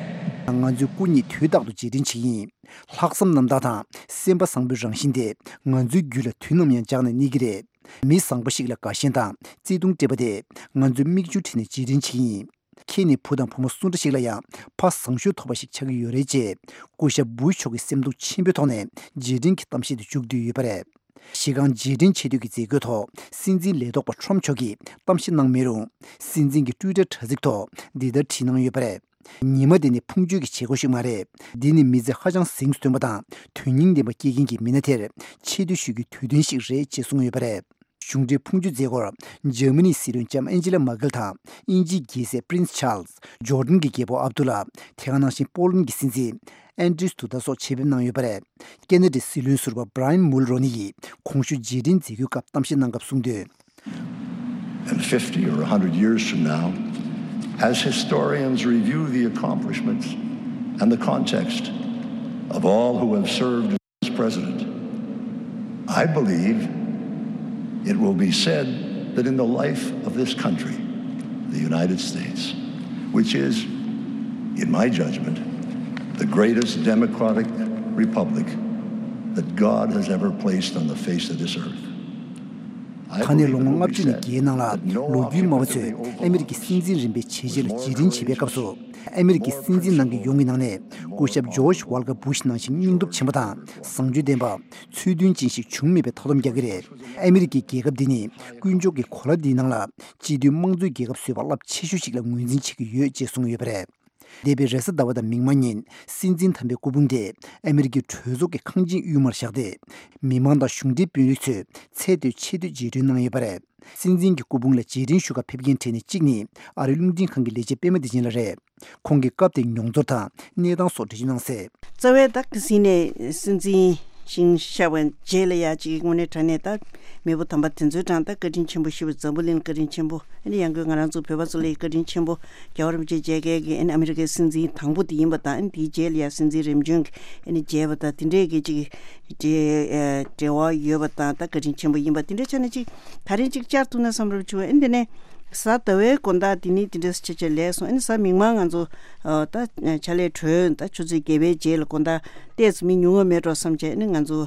ང་ཚོས་སྐུ་ཉིད་དུས་རྟག་ཏུ་རྗེས་དྲན་བྱེད་ཀྱི་ཡིན། ལྷག་བསམ་རྣམ་དག་དང་སེམས་པ་བཟང་པོའི་རང་བཞིན་དེ་ང་ཚོའི་རྒྱུད་ལ་དུས་ནམ་ཡང་འཇགས་ནས་གནས་ཀྱི་རེད། མི་བཟང་པོ་ཞིག་ལ་དགའ་ཞེན་དང་བརྩེ་དུང་སྤྲད་པ་དེ་ང་ཚོས་མིག་ཆུ་བྲིས་ནས་རྗེས་དྲན་བྱེད་ཀྱི་ཡིན། ཁྱེད་ནི་བུ་དང་བུ་མོ་སུ་འདྲ་ཞིག་ལ་ཡང་ཕ་བཟང་ཤོས་ཐོབ་པ་ཞིག་ཆགས་ཀྱི་ཡོད་རེད་ཅེས་སྐུ་ཞབས་བུ་ཤ་མཆོག་གིས་སེམས་གཏིང་ཆེན་པོའི་ཐོག་ནས་རྗེས་དྲན་གྱི་གཏམ་བཤད་དུ་འཇུག་བསྡད་ཡོད་པ་རེད། གཞི་རྐང་རྗེས་དྲན་ཆེ་བསྟོད་ཀྱི་མཛད་སྒོའི་ཐོག་སྲིད་འཛིན་ལས་ཐོག་པ་ཁྲོམ་མཆོག་གིས་གཏམ་བཤད་གནང་མེད་རུང་། སྲིད་འཛིན་གྱི་ཊུའི་ཊར་དྲ་ཚིགས་ཐོག་འདི་ལྟར་བྲིས་གནང་ཡོད་པ་རེད། ཉི་མ་དེ་ནི་ཕུང་མཆོད་ཀྱི་བྱེད་སྒོ་ཞིག་མ་རེད། འདི་ནི་མི་ཚེ་ཧ་ཅང་གཟེངས་སུ་ཐོན་པ་དང་དོན་སྙིང་ལྡན་པ་སྐྱེལ་མཁན་གྱི་མི་སྣ་དེར་ཆེ་བསྟོད་ཞུ་རྒྱུའི་དུས་སྟོན་ཞིག་རེད་ཅེས་གསུངས་ཡོད་པ་རེད། གཞུང་འབྲེལ་ཕུང་མཆོད་མཛད་སྒོར་འཇར་མ་ནིའི་སྲིད་བློན་ལྕམ་ཨན་ཇི་ལ་མར་ཀེལ་དང་དབྱིན་ཇིའི་རྒྱལ་སྲས་པྲིན་སི་ཆཱལ་སི། ཇོར་ཌན་གྱི་རྒྱལ་པོ་ཨབ་དུ་ལ། དེ་ག་ནང་བཞིན་པོ་ལན་གྱི་སྲིད་འཛིན་ཨན་ཌྲིས་དུ་ད་སོགས་ཆེད་ཕེབས་གནང་ཡོད་པ་རེད། ཁེ་ན་ཌའི་སྲིད་བློན་ཟུར་པ་བྷ་ར་ཡན་མུལ་རོ་ནི་ཡིས་གོང་ཞུས་རྗེས་དྲན་མཛད་སྒོའི་སྐབས་གཏམ་བཤད་གནང་སྐབས་གསུངས་དོན། And fifty or a hundred years from now, as historians review the accomplishments and the context of all who have served as president, I believe it will be said that in the life of this country, the United States, which is, in my judgment, the greatest democratic republic that God has ever placed on the face of this earth. ད་ནས་ལོ་ངོ་ལྔ་བཅུ་ནས་བརྒྱད་ནང་ལ་ལོ་རྒྱུས་སྨྲ་བ་ཚོས་ཨ་མི་རི་ཀའི་སྲིད་འཛིན་རིམ་པའི་བྱས་རྗེས་ལ་རྗེས་དྲན་བྱེད་པའི་སྐབས་སུ། ཨ་མི་རི་ཀའི་སྲིད་འཛིན་ནང་གི་ཡོངས་ཀྱི་ནང་ནས་སྐུ་ཞབས་ཇོརྗ་ཝལ་ཀར་བུ་ཤ་ནང་བཞིན་སྙིང་སྟོབས་ཆེན་པོ་དང་བཟང་སྤྱོད་ལྡན་པ། ཚུལ་མཐུན་ཅན་ཞིག་བྱུང་མེད་པའི་མཐའ་སྡོམ་རྒྱག་གི་རེད། ཨ་མི་རི་ཀའི་རྒྱལ་ཁབ་འདི་ནི་དཀོན་མཆོག་གི་གོ་ལ་འདིའི་ནང་ལ་སྤྱི་མཐུན་དམངས་གཙོའི་རྒྱལ་ཁབ་བཟོས་པ་རླབས་ཆེ་ཤོས་ཤིག་ལ་ངོས་འཛིན་བྱེད་ཀྱི་ཡོད་ཅེས་གསུངས་ཡོད་པ་རེད། འདས་པའི་རེས་གཟའ་ཟླ་བ་དང་མིག་དམར་ཉིན་སྲིད་འཛིན་དམ་པའི་སྐུ་ཕུང་དེ་ཨ་མི་རི་ཀའི་གྲོས་ཚོགས་ཀྱི་ཁང་ཆེན་དབུས་མར་བཞག་སྟེ། མི་མང་དང་གཞུང་འབྲེལ་དཔོན་རིགས་ཚོས་ཚད་མཐོའི་ཆེ་བསྟོད་རྗེས་དྲན་གནང་ཡོད་པ་རེད། སྲིད་འཛིན་གྱི་སྐུ་ཕུང་ལ་རྗེས་དྲན་ཞུ་གར་ཕེབས་མཁན་གྲས་ནས་གཅིག་ནི་ཨ་རིའི་རླུང་འཕྲིན་ཁང་གི་ལས་བྱེད་པད་མ་བདེ་ཆེན་ལགས་རེད། ཁོང་གིས་སྐབས་དེའི་མྱོང་ཚོར་དང་གནས་སྟངས་སོགས་འགྲེལ་བརྗོད་གནང་གསལ། རྩ་བའི་ད་ག་ཟིན་ནས་སྲིད་འཛིན་ཞིང་ཤར་བའི་རྗེས་ལ་ཡ་གཅིག་དངོས་གནས་དྲང་གནས་ད་མེས་པོ་དམ་པ་དེ་ཚོའི་གྲངས་ད་བཀའ་དྲིན་ཆེན་པོ་ཞེ་པོ་འཛམ་བུ་གླིང་བཀའ་དྲིན་ཆེན་པོ། ཨ་ནི་ཡང་སྒོས་ང་རང་ཚོ་བོད་པ་ཚོ་ལ་ཡི་བཀའ་དྲིན་ཆེན་པོ། རྒྱལ་བ་རིན་པོ་ཆེ་མཇལ་མཁན་གྱི་ཨ་ནི་ཨ་མི་རི་ཀའི་སྲིད་འཛིན་དང་པོ་དེ་ཡིན་པ་དང་། ཨ་ནི་དེའི་རྗེས་ལ་ཡ་སྲིད་འཛིན་རིམ་བྱོན་གྱི་ཨ་ནི་མཇལ་བ་དང་དེ་འདྲས་ཀྱི་ཅིག་འབྲེལ་འབྲེལ་བ་ཡོད་པ་དང་། ད་བཀའ་དྲིན་ཆེན་པོ་ཡིན་པ་དེ་འདྲས་ཆ་ནས་ཅིག་ད་རིང་ཅིག་བཅར་ཐུབ་ན་བསམ་རབས་བྱུང་། ཨ་ནི་དེ་ནས་གཟའ་ཟླ་བའི་དགོང་དག་དེ་ནི་དེ་འདྲས་ཆ་ཆ་ལས་སོང་། ཨ་ནི་གཟའ་མིག་དམར་ང་ཚོ་ད་ཕྱག་ལས་གྲོལ། ད་ཆུ་ཚོད་བརྒྱད་པའི་རྗེས་ལ་དགོང་དག་ཏོག་ཙམ་མི་ཉུང་ངུ་མེད་འགྲོ་བསམ་བྱས། ཨ་ནི་ང་ཚོ་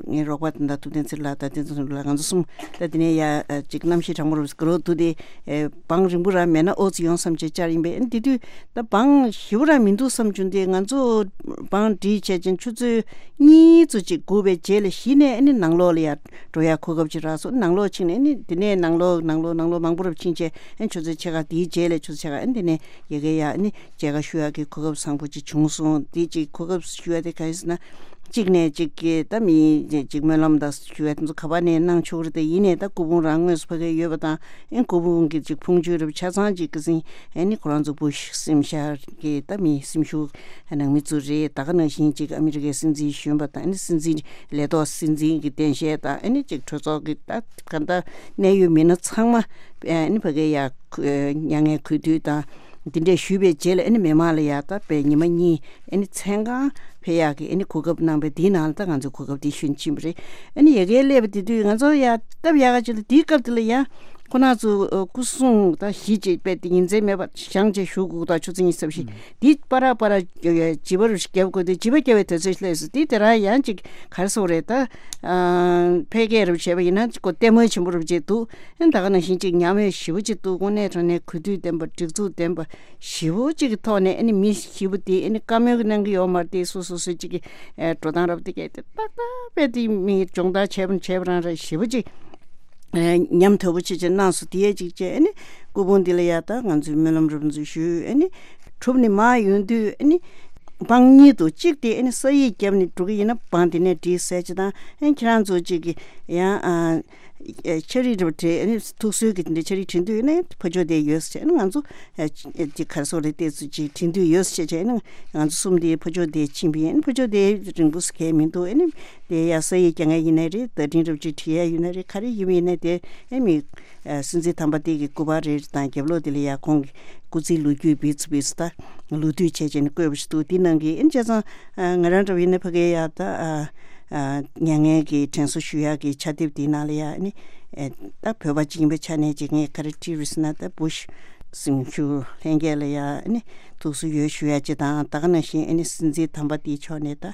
ངའི་རོགས་པ་དེ་འདྲ་ཐུབ་བསྟན་ཚེ་རིང་ལགས་དང་བསྟན་འཛིན་ཚེ་རིང་ལགས། ང་ཚོ་གསུམ་ད་དེ་ནས་ཡ་ཅིག་གནམ་གཤིས་གྲང་མོ་རུ་ག་རོ་འདུག་སྟེ། བང་རིང་པོ་རང་མེད་ན་ཨོ་ཙི་ཡོང་བསམ་བྱས་བཅར་ཡིན་པས། ཨ་ནི་དེ་དུས་ད་བང་ཞེ་པོ་རང་མི་འདུག་བསམ་བྱུང་སྟེ། ང་ཚོ་བང་སྒྲིག་བྱས་ཅིང་ཆུ་ཚོད་གཉིས་ཙམ་ཅིག་སྒུག་པའི་རྗེས་ལ་གཞི་ནས་ཨ་ནི་ནང་ལོགས་ལ་ཡ་འགྲོ་ཡ་གོ་སྐབས་ཅིག་རག་སོང་། ནང་ལོགས་ཕྱིན་ནས་ཨ་ནི་དེ་ནས་ནང་ལོགས་ནང་ལོགས་ནང་ལོགས་མང་པོ་རུ་ཕྱིན་བྱས། ཨ་ནི་ཆུ་ཚོད་ཕྱེད་ཀ་དེའི་རྗེས་ལ་ཆུ་ཚོད་ཕྱེད་ཀ་ཨ་ནི་དེ་ནས་ཡ་གི་ཡ་ཨ་ནི་མཇལ་ཁ་ཞུ་ཡ་གི་གོ་སྐབས་བཟང་པོ་ཅིག་བྱུང་སོང་། དེ་ཅིག་གོ་སྐབས་ཞུ་ཡ་དེ་ག་རེ་ཟེར་ན། གཅིག་ནས་གཅིག་གིས་ད་མི་གཅིག་སྨོན་ལམ་དང་ཞུ་བའི་དེ་ཚོ་ག་པ་ནས་གནང་ཆོག་རེད། དེ་ཡིན་ནས་ད་སྐུ་ཕུང་རང་དངོས་སུ་ཕ་གིར་ཡོད་པ་དང་། ཨེ་སྐུ་ཕུང་གི་གཅིག་ཕུང་མཆོད་རབ་ཆ་ཚང་གཅིག་གི་སྲིང་ཨེ་ནི་ཁོ་རང་ཚོ་བུ་སྲིང་ཤར་གྱི་ད་མི་སེམས་ཤུགས་ནང་མི་ཚོ་རེད། ད་ག་ནང་བཞིན་གཅིག་ཨ་མི་རི་ཀའི་སྲིད་འཛིན་གཞོན་པ་དང་ཨེ་ནི་སྲིད་འཛིན་ལས་ཐོག་སྲིད་འཛིན་གྱི་གདན་ཞལ་དང་ཨེ་ནི་གཅིག་གྲོས་ཚོགས་ཀྱི་ད་ག་ད་གནད་ཡོད་མི་སྣ་ཚང་མ་ཨེ་ནི་ཕ་གིར་ཡ་མྱ་ངན་གུས་འདུད་དང་། འདི་འདྲས་ཞུས་པའི་རྗེས་ལ་ཨ་ནི་མི་མང་ལ་ཡ་ད་པའི་ཉི་མ་གཉིས་ཨ་ནི་མཚན་གང་ཕེབས་ཡག་གི་ཨ་ནི་གོ་སྐབས་གནང་བས་འདིའི་ནང་ལ་ད་ང་ཚོས་གོ་སྐབས་འདི་ཞུ་ཕྱིན་པ་རེད། ཨ་ནི་ཡ་གིར་སླེབས་པ་དེ་དུས་ང་ཚོ་ཡ་སྟབས་ཡག་ག་ཅིག་ལ་འདིའི་སྐབས་དེ་ལ་ཡ་ཁོ་ན་ཚོ་སྐུ་སྲུང་ད་གཞི་བྱས་པའི་དེ་ཉིན་མཚན་མེད་པ་བཞེངས་བྱས་བཞུགས་དགོས་ད་ཆུ་ཚོད་ཉི་ཤུ་རྩ་བཞི་འདི་པ་ར་པ་ར་བྱིས་པ་རུ་ཞིག་རྒྱབ་དགོས་དེ་བྱིས་པ་རྒྱབ་པའི་དུས་ཚོད་སླེབས་སོང་། འདི་དེ་རང་ཡང་ཅིག་ག་རེ་ཟེར་དགོས་རེད་ད། ཕལ་སྐད་རུ་བྱས་པ་ཡིན་ན་ཅིག་གོ་ལྟད་མོ་ཆེན་པོ་རུ་བྱས་འདུག་ཨ་ནི་ད་ག་ནང་བཞིན་ཅིག་ཉམས་མྱོང་ཞེ་པོ་ཅིག་འདུག་དངོས་གནས་དྲང་གནས་གུས་འདུད་ལྡན་པ་སྒྲིག་འཛུགས་ལྡན་པ་ཞེ་པོ་ཅིག་གི་ཐོག་ནས་ཨ་ནི་མི་ཞེ་པོ་དེ་ཨ་ནི་བཀའ་མོལ་གནང་གི་ཡོད་མ་རེད་དེ་སོ་སོ་སོ་ཅིག་གི་འགྲོ་སྟངས་རབ་དེ་གས་དེ་ཏག་ཏག་དཔེ་དེ་མི་སྦྱོང་བརྡར་བྱས་པ་བྱས་པ་རང་རེད་ཞེ་པོ་ཅིག་ཉམས་དོད་པོ་ཅིག་ཅིག་གནང་སོང་། དེ་ཡས་ཅིག་བྱས་ཨ་ནི་སྐུ་ཕུང་འདི་ལ་ཡ་ད་ང་ཚོས་སྨོན་ལམ་རབ་ཚུལ་ཞུས་ཨ་ནི་གྲུབ་ནས་མར་ཡོང་དུས་ཨ་ནི་འབངས་གཉིས་འདུག་གཅིག་དེ་ཨ་ནི་ས་ཡིག་བརྒྱབ་ནས་འགྲོ་གི་ཡིན་ན་འབངས་དེ་ནས་བྲིས་ཟེར་ཅིག་དང་ཨ་ནི་ཁྱེད་རང་ཚོ་ཅིག་གི་ཡང་ཨ། ཨེ་ཆ་རིགས་འདྲ་བྲིས་ཨ་ནི་ཐུགས་གསོའི་གི་དེ་འདྲ་ཆ་རིགས་བྲིས་འདོད་ཡོད་ན་ཕ་ཕྱོགས་དེ་ཡོད་ཟེར་བྱས་ཨ་ནི་ང་ཚོ་ཨེ་ཅིག་ག་རེ་ཟེར་དགོས་རེད་དེ་ཚོ་ཅིག་བྲིས་འདོད་ཡོད་ཟེར་བྱས་ཨ་ནི་ང་ཚོ་གསུམ་དེ་ཕ་ཕྱོགས་དེ་ཕྱིན་པ་ཡིན། ཕ་ཕྱོགས་དེ་རིང་པོ་ཟེར་གས་མི་འདུག་ཨ་ནི་དེ་ཡ་ས་ཡིག་རྒྱག་མཁན་ཡིན་ན་རེད། བརྡ་འཕྲིན་འདྲ་བོ་ཅིག་བྲིས་ཡ་ཡོད་ན་རེད། ག་རེ་ཡིན་པ་ཡིན་ན་དེ་ཨ་ནི་ཨེ་སྲིད་འཛིན་དམ་པ་དེ་གི་སྐུ་པར་རེ་རེ་དང་རྒྱབ་ལོགས་དེ་ལ་ཡ་ཁོང་གི་སྐུ་ཚེའི་ལོ་རྒྱུས་བེད་ཚུ་བེད་ཚུ་ད་ལོ་དུས་བྱས་བྱས་ནས་བཀོད་པ་ཞིག་འདུག་དེ་ནང་གི་ཨ་ནི་བྱས་ཙང་ང་རང་འདྲ་བོ་ཡིན་ན་ཕ་གིའི་ཡ་ད་ཨ། ཨ། མྱ་ངན་གྱི་དྲན་གསོ་ཞུ་ཡག་གི་ཕྱག་དེབ་དེའི་ནང་ལ་ཡ་ཨ་ནི་ཨེ། ད་བོད་པ་གཅིག་ཡིན་པའི་ཆ་ནས་ཅིག་ངས་ག་རེ་བྲིས་རེད་ཟེར་ན་ད་བུ་ཤ་སེམས་ཤུགས་ལྷན་རྒྱས་ལ་ཡ་ཨ་ནི་ཐུགས་གསོ་ཡོད་ཞུ་ཡག་ཅིག་དང་ད་ག་ནང་བཞིན་ཨ་ནི་སྲིད་འཛིན་དམ་པ་དེའི་ཕྱོགས་ནས་ད་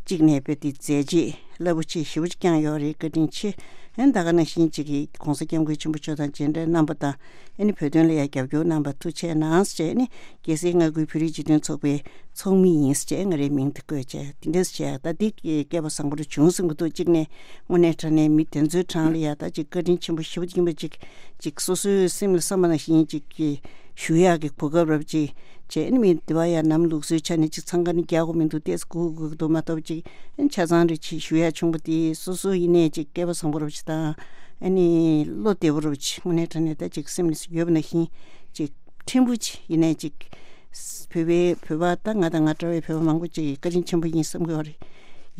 གཅིག་ནས་དཔེ་དེ་མཛད་རྗེས་རླབས་པོ་ཆེ་ཞེ་པོ་ཅིག་བསྐྱངས་ཡོད་རེད། བཀའ་དྲིན་ཆེ། ཨ་ནི་ད་ག་ནང་བཞིན་ཅིག་གི་༸གོང་ས་༸སྐྱབས་མགོན་ཆེན་པོ་མཆོག་དང་མཇལ་འཕྲད་གནང་པ་དང་ཨ་ནི་བོད་དོན་ལ་ཡ་རྒྱབ་སྐྱོར་གནང་པ་ཐུགས་རྗེ་གནང་ཟེར་ཨ་ནི་རྒྱལ་སྲས་མངའ་ཁུལ་བོད་རིགས་སྤྱི་མཐུན་ཚོགས་པའི་ཚོགས་མི་ཡིན་ཟེར་བྱས་ང་རའི་མིང་དེ་བཀོད་བྱས་དེ་འདྲས་བྱས་ད་འདི་སྐལ་པ་བཟང་པོ་རུ་བྱུང་ཟིན་གི་འདུག་གཅིག་ནས་དངོས་གནས་དྲང་གནས་མི་དེ་ཚོའི་གྲས་ལ་ཡ་ད་ཅིག་བཀའ་དྲིན་ཆེན་པོ་ཞེ་པོ་ཡིན་པ་ཅིག་ཅིག་སོ་སོའི་སེམས་ལ་བསམ་པ་ནང་བཞིན་ཅིག་གི་ཞུ་ཡག་གི་གོ་སྐབས་རབ་ཅིག་བྱས་ཨ་ནི་མི་དེ་བ་ཡ་ནམ་ལུགས་སྲོལ་ཆ་ནས་ཅིག་འཚང་ཁ་ནི་རྒྱག་དགོས་མི་འདུག་ཏེས་སྒུག་དགོས་ཀྱི་འདུག་མ་གཏོགས་ཅིག་ཨ་ནི་ཆ་ཚང་རེ་ཅིག་ཞུ་ཡག་བྱུང་པ་དེ་སོ་སོ་ཡིན་ནས་ཅིག་སྐལ་པ་བཟང་པོ་རབ་ཅིག་དང་ཨ་ནི་བློ་བདེ་པོ་རབ་ཅིག་དངོས་གནས་དྲང་གནས་ད་ཅིག་སེམས་ནས་ཡོད་པ་ནང་བཞིན་ཅིག་ཕྲན་བུ་ཅིག་ཡིན་ནའི་ཅིག་བོད་པའི་བོད་པ་ད་ང་དང་ང་འདྲ་བའི་བོད་པ་མང་པོ་ཅིག་གིས་བཀའ་དྲིན་ཆེན་པོ་ཡིན་བསམ་གྱི་ཡོད་རེད།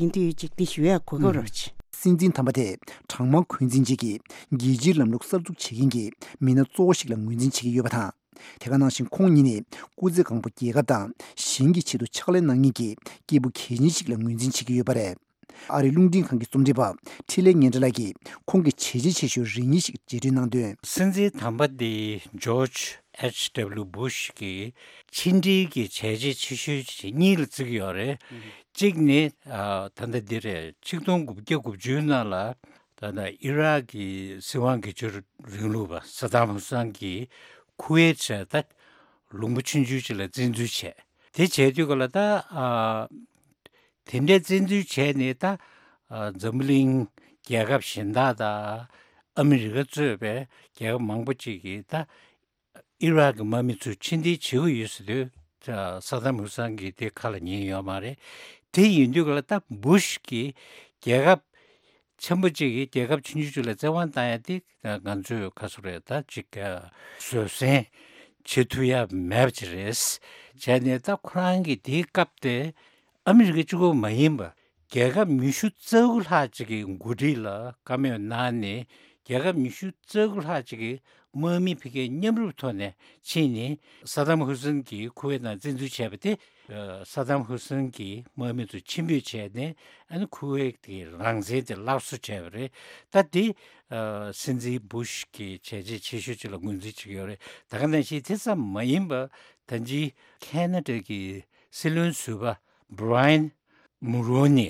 ཡིན་དུས་ཅིག་འདི་ཞུ་ཡག་གོ་སྐབས་རོགས་ཅིག་སྲིད་འཛིན་དམ་པ་དེ་གྲངས་མང་འཁོན་འཛིན་བྱེད་ཀྱི་རྒྱལ་སྤྱིའི་ལམ་ལུགས་གསར་འཛུགས་བྱེད་མཁན་གྱི་མི་སྣ་གཙོ་བོ་ཞིག་ལ་ངོས་འཛིན་བྱེད་ཀྱི་ཡོད་པ་དང་། དེ་ག་ནང་བཞིན་ཁོང་ཉིད་ནི་སྐུ་ཚེ་གང་པོ་རྒྱལ་ཁབ་དང་གཞན་གྱི་ཆེད་དུ་ཕྱག་ལས་གནང་མཁན་གྱི་སྐྱེས་བུ་གལ་ཆེན་ཞིག་ལ་ངོས་འཛིན་བྱེད་ཀྱི་ཡོད་པ་རེད། ཨ་རིའི་རླུང་འཕྲིན་ཁང་གི་རྩོམ་སྒྲིག་པ་འཕྲིན་ལས་སྙན་གྲགས་ལགས་ཀྱིས་ཁོང་གི་བྱས་རྗེས་ཆེ་ཤོས་རེ་གཉིས་ཤིག་རྗེས་དྲན་གནང་དོན། སྲིད་འཛིན་དམ་པ་འདི་ཇོརྗ་ཨེཆ་ཌབ་ལིའུ་བུ་ཤ་གི་ཕྱི་འབྲེལ་གྱི་བྱས་རྗེས་ཆེ་ཤོས་གཉིས་ལ་བརྩི་གི་ཡོད་རེད། གཅིག་ནི་ཨ་ད་ལྟ་འདི་རེད། ཆིག་སྟོང་དགུ་བརྒྱ་དགུ་བཅུ་ནང་ལ་ད་ལྟ་ཨི་རག་གི་སྲིད་དབང་སྒེར་གཅོད་རིང་ལུགས་པ་སཱ་དམ་ཧུ་སན་གྱིས་ཁུ་ཝེད་ད་ལུང་པ་ཆུང་ཆུང་ཅིག་ལ་བཙན་འཛུལ་བྱས། དེ་བྱས་དུས་ག་ལ་ད་ཨ། དེ་འདྲའི་བཙན་འཛུལ་བྱས་ནས་ད་ཨ་འཛམ་བུ་གླིང་རྒྱལ་ཁབ་གཞན་དག་དང་ཨ་མི་རི་ཀ་གཙོས་པའི་རྒྱལ་ཁབ་མང་པོ་ཅིག་གིས་ད་ཨི་རག་གི་དམག་མི་ཚོ་ཕྱིར་འཐེན་བྱེད་ཀྱི་ཡོད་ཟེར་དུས་ད་སཱ་དམ་ཧུ་སན་གྱིས་དེ་ཁ་ལ་ཉན་ཡོད་མ་རེད། དེ་ཡིན་དུས་ག་ལ་ད་བུ་ཤ་གིས་རྒྱལ་ཁབ་ཆེན་པོ་གཅིག་གིས་རྒྱལ་ཁབ་ཆུང་ཆུང་གཅིག་ལ་བཙན་དབང་བཏང་ཡ་དེ་ང་ཚོས་ཁ་སོ་རེད་ད་ཅིག་བཟོད་བསྲན་བྱེད་ཐུབ་ཡ་མེད་པ་ཅིག་རེད། བྱས་ནས་ད་ཁོ་རང་གིས་དེའི་སྐབས་དེ་ཨ་མི་རི་ཀ་གཅིག་པོ་མ་ཡིན་པ་རྒྱལ་ཁབ་ཉི་ཤུ་རྩ་དགུ་ལྷག་ཅིག་གི་འགོ་ཁྲིད་ལ་བཀའ་མོལ་གནང་ནས་རྒྱལ་ཁབ་ཉི་ཤུ་རྩ་དགུ་ལྷག་ཅིག་གི་དམག་མི་ཕ་གིའི་མཉམ་རུབ་ཐོག་ནས་ཕྱིན་ནས་སཱ་དམ་ཧུ་སན་གྱིས་ཁུ་ཝེད་ནང་བཙན་འཛུལ་བྱས་པ་དེ། ཨ་སཱ་དམ་ཧུ་སན་གྱི་དམག་མི་ཚོ་ཕྱིར་འབུད་བྱས་ནས་ཨ་ནི་ཁུ་ཝེད་ཀྱི་རང་བཙན་དེ་སླར་གསོ་བྱས་པ་རེད། ད་དེ་ཨ་སྲིད་འཛིན་བུ་ཤ་གི་བྱས་རྗེས་ཆེ་ཤོས་ཅིག་ལ་ངོས་འཛིན་བྱེད་ཀྱི་ཡོད་རེད། ད་ག་ནང་བཞིན་དེ་ཙམ་མ་ཡིན་པར་ད་ཅི་ཁེ་ན་ཌ་གི་སྲིད་བློན་ཟུར་པ་བྷི་ར་ཡན་མུ་རོ་ནི།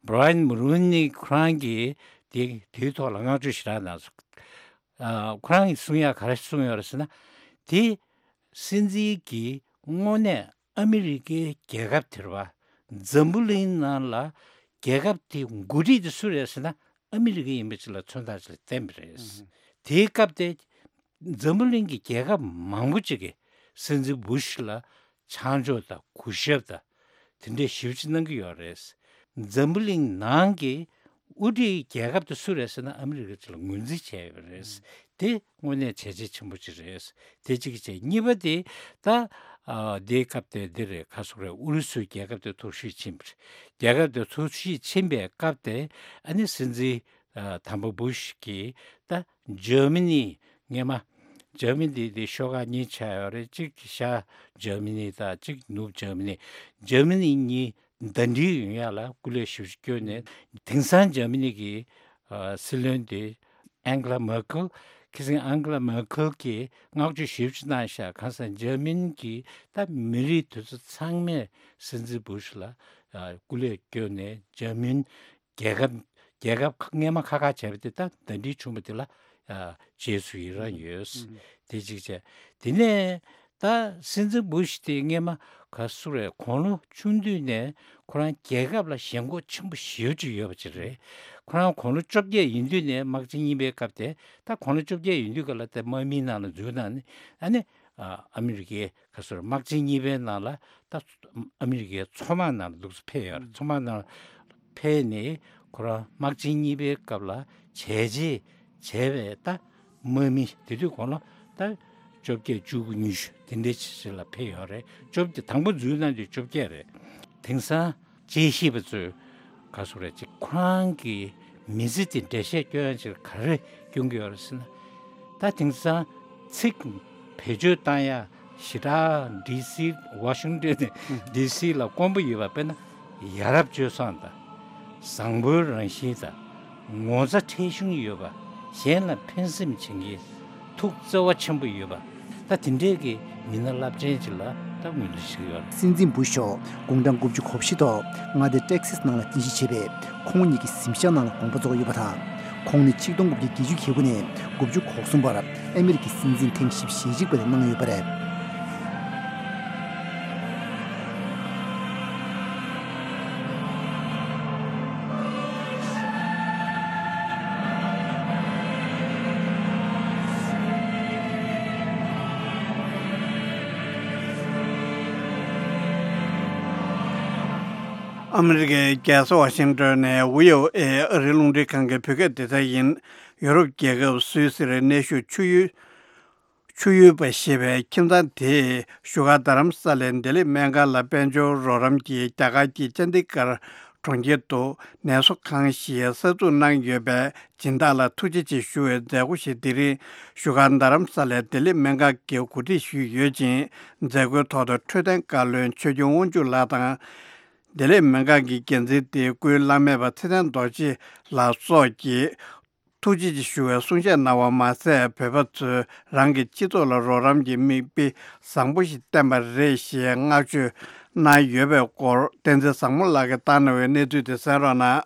བྷི་ར་ཡན་མུ་རོ་ནི་ཁོ་རང་གིས་དེ་དེའི་ཐོག་ལ་བསྔགས་བརྗོད་ཞེ་དྲག་གནང་སོང་། ཨ་ཁོ་རང་གིས་གསུང་ཡག་ག་རེ་གསུངས་ཡོད་རེད་ཟེར་ན། དེ་སྲིད་འཛིན་གྱིས་དངོས་གནས་ཨ་མི་རི་ཀའི་རྒྱལ་ཁབ་དེར་བ་འཛམ་བུ་གླིང་ནང་ལ་རྒྱལ་ཁབ་དེ་འགོ་ཁྲིད་དེ་སུ་རེད་ཟེར་ན་ཨ་མི་རི་ཀ་ཡིན་པ་ཅིག་ལ་མཚོན་རྟགས་ཅིག་ལ་བསྟན་པ་རེད། དེའི་སྐབས་དེ་འཛམ་བུ་གླིང་གི་རྒྱལ་ཁབ་མང་པོ་ཅིག་གིས་སྲིད་འཛིན་བུ་ཤ་ལ་ཆང་འཇོག་དང་གུས་ཞབས་དང་དེ་འདྲའི་ཞིབ་ཅིག་གནང་གི་ཡོད་རེད། འཛམ་བུ་གླིང་ནང་གི་དབུ་ཁྲིད་རྒྱལ་ཁབ་དེ་སུ་རེད་ཟེར་ན་ཨ་མི་རི་ཀ་ཅིག་ལ་ངོས་འཛིན་བྱས་ཡོད་རེད། དེ་དངོས་གནས་བྱས་རྗེས་ཆེན་པོ་ཅིག་རེད། དེ་གཅིག་བྱས། གཉིས་པ་དེ་ད་ཨ་དེའི་སྐབས་དེ་འདི་རེད། ཁ་སོག་རེད། ཨུ་རུ་སུའི་རྒྱལ་ཁབ་དེ་འཐོར་ཞིག་ཕྱིན་པ་རེད། རྒྱལ་ཁབ་དེ་འཐོར་ཞིག་ཕྱིན་པའི་སྐབས་དེ་ཨ་ནི་སྲིད་འཛིན་ཨ་དམ་པ་བུ་ཤ་གིས་ད་འཇར་མ་ནི་སྔས་མ་ འཇར་མ་ནི་དེ་ཤོག་ཁག་གཉིས་ཆགས་ཡོད་རེད། གཅིག་ཤར་འཇར་མ་ནི་དང་གཅིག་ནུབ་འཇར་མ་ནི། འཇར་མ་ནི་གཉིས་ཟླ་སྒྲིལ་ཡོང་ཡ་ལ་སྐུ་ལས་ཞབས་ཕྱི་བསྐྱོན་ནས། དེང་སང་འཇར་མ་ནི་གི་ཨ་སྲིད་བློན་དེ་ཨན་གྷི་ལ་མར་ཁེལ། ཁ་སང་ཨན་གྷི་ལ་མར་ཁེལ་གྱིས་བསྔགས་བརྗོད་ཞེ་པོ་ཅིག་གནང་ཤག་གང་ཟེར་འཇར་མ་ནི་གི་ད་མི་རིགས་དེ་ཚོ་ཚང་མས་སྲིད་འཛིན་བུ་ཤི་ལ་ཨ་སྐུ་ལས་བསྐྱོན་ནས། འཇར་མ་ནི་རྒྱལ་ཁབ་རྒྱལ་ཁབ་སྔས་མ་ཁག་ཁག་བྱས་པ་དེ་ད་ཟླ་སྒྲིལ་བྱུང་བ་དེ་ལ་ཨ་རྗེས་སུ་ཡི་རང་ཡོད། ཨུ། དེ་གཅིག་བྱས། དེ་ནས་ད་སྲིད་འཛིན་བུ་ཤི་དེ་སྔས་མ་ག་སུ་རེད། དགུང་ལོ་ཆུང་དུས་ནས་ཁོ་རང་རྒྱལ་ཁབ་ལ་ཞེན་ཁོག་ཆེན་པོ་ཞེ་པོ་ཅིག་ཡོད་པ་ཅིག་རེད། ཁོ་རང་དགུང་ལོ་བཅོ་བརྒྱད་ཡིན་དུས་ནས། དམག་ཆེན་གཉིས་པའི་སྐབས་དེ། ད་དགུང་ལོ་བཅོ་བརྒྱད་ཡིན་དུས་ག་ལ་དེ་དམག་མིའི་ནང་ལ་འཛུལ་གནང་ནས། ཨ་ནི་ཨ་ཨ་མི་རི་ཀའི་ག་སོར་དམག་ཆེན་གཉིས་པའི་ནང་ལ་ད་ཨ་མི་རི་ཀའི་མཚོ་དམག་ནང་ལ་འདུག་སེ་ཕེབས་ཡོད་རེད། མཚོ་དམག་ནང་ཕེབས་ནས་ཁོ་རང་དམག་ཆེན་གཉིས་པའི་སྐབས་ལ་བྱས་རྗེས་བྱས་པའི་ད་དམག་མི། དེ་དུས་དགུང་ལོ་ད་བཅོ་བརྒྱད་བཅུ་དགུ་ཉི་ཤུ་དེ་འདྲའི་ཆེ་ཆེ་ལ་ཕེབས་ཡོད་རེད། བཅོ་བརྒྱད། དང་པོ་འཛུལ་གནང་དུས་བཅོ་བརྒྱད་རེད། དེང་སང་དཔྱད་ཞིབ་པ་ཚོས་ག་སོ་རེད་ཅིག་ཁོ་རང་གི་མི་ཚེ་དེ་འགྲེལ་བཤད་སྐྱོན་ཡ་ཅིག་ག་རེ་སྐྱོན་གྱི་ཡོད་རེད་ཟེར་ན། ད་དེང་སང་ཚིག་བེད་སྤྱོད་བཏང་ཡ་ཞེ་དྲག་ཌི་སི། ཝ་ཤིང་ཊོན་ནས་ཌི་སི་ལ་དཀོན་པོ་ཡོད་པ། དཔེར་ན་ཡ་རབས་སྤྱོད་བཟང་དང་། བཟང་པོའི་རང་བཞིན་དང་། ངོ་ཚ་ཁྲེལ་གཞུང་ཡོད་པ། གཞན་ལ་ཕན་སེམས་བྱེད་མཁན། ཐུགས་བརྩེ་བ་ཆེན་པོ་ཡོད་པ། ད་དེ་འདྲའི་གི་མི་སྣ་རླབས་ཆེན་ཅིག་ལ་ད་ངོས་འཛིན་བྱེད་ཀྱི་ཡོད་རེད། སྲིད་འཛིན་བུ་ཤི་མཆོག་དགུང་གྲངས་དགུ་བཅུ་གོ་བཞི་ཐོག་མངའ་སྡེ་ཊེག་སིས་ནང་ལ་རྟེན་གཞི་བྱས་པའི་ཁོང་ཉིད་ཀྱི་གཟིམ་ཤག་ནང་ལ་དགོངས་པ་རྫོགས་ཡོད་པ་དང་། ཁོང་ནི་ཆིག་སྟོང་དགུ་བརྒྱ་བརྒྱད་ཅུ་གྱ་དགུ་ནས་དགུ་བཅུ་གོ་གསུམ་བར་ཨ་མི་རི་ཀའི་སྲིད་འཛིན་ཐེངས་བཞི་བཅུ་ཞེ་གཅིག་པ་དེ་གནང་ཡོད་པ་རེད། ཨ་མི་རི་ཀའི་རྒྱལ་ས་ཝ་ཤིང་ཊོན་ནས་ཝི་ཨོ་ཨེ་ཨ་རིའི་རླུང་འཕྲིན་ཁང་གི་བོད་སྐད་སྡེ་ཚན་ཡིན། ཡོ་རོབ་རྒྱལ་ཁབ་སུད་སིར་གནས་བཞུགས་ཆུ་ཡུལ། ཆུ་ཡུལ་པ་ཞེས་པའི་ཁྱིམ་ཚང་དེས་བཞུགས་སྒར་རྡ་རམ་ས་ལའི་བདེ་ལེགས་སྨན་ཁང་ལ་དཔལ་འབྱོར་རོགས་རམ་གྱིས་རྒྱ་གར་གྱི་ཅན་དི་གར་གྲོང་ཁྱེར་དུ་ནད་གསོ་ཁང་ཞིག་གསར་འཛུགས་གནང་ཡོད་པའི་སྦྱིན་བདག་ལ་ཐུགས་རྗེ་ཆེ་ཞུ་བའི་མཛད་སྒོ་ཞིག་དེ་རིང་བཞུགས་སྒར་རྡ་རམ་ས་ལའི་བདེ་ལེགས་སྨན་ཁང་གིས་གོ་སྒྲིག་ཞུས་ཡོད་ཅིང་། མཛད་སྒོའི་ཐོག་ཏུ་འཕྲོད་བསྟེན་བཀའ་བློན་ཆོས་སྐྱོང་དབང་ཕྱུག་ལགས་དང་། བདེ་ལེགས་སྨན་ཁང་གི་འགན་འཛིན་དེ་སྐུའི་བླ་མེད་པ་ཚེ་བརྟན་རྡོ་རྗེ་ལགས་སོགས་ཀྱིས་ཐུགས་རྗེ་ཆེ་ཞུ་བའི་གསུང་བཤད་གནང་བ་མ་ཟད། བོད་པ་ཚོས་རང་གི་སྤྱི་ཚོགས་ལ་རོགས་རམ་གྱི་མིག་དཔེ་བཟང་པོ་ཞིག་བསྟན་པ་རེད་ཞེས་བསྔགས་བརྗོད་གནང་ཡོད་པའི་སྐོར། བསྟན་འཛིན་བཟང་མོ་ལགས་ཀྱིས་བཏང་གནང་བའི་གནས་ཚུལ་དེ་གསན་རོགས་གནང་།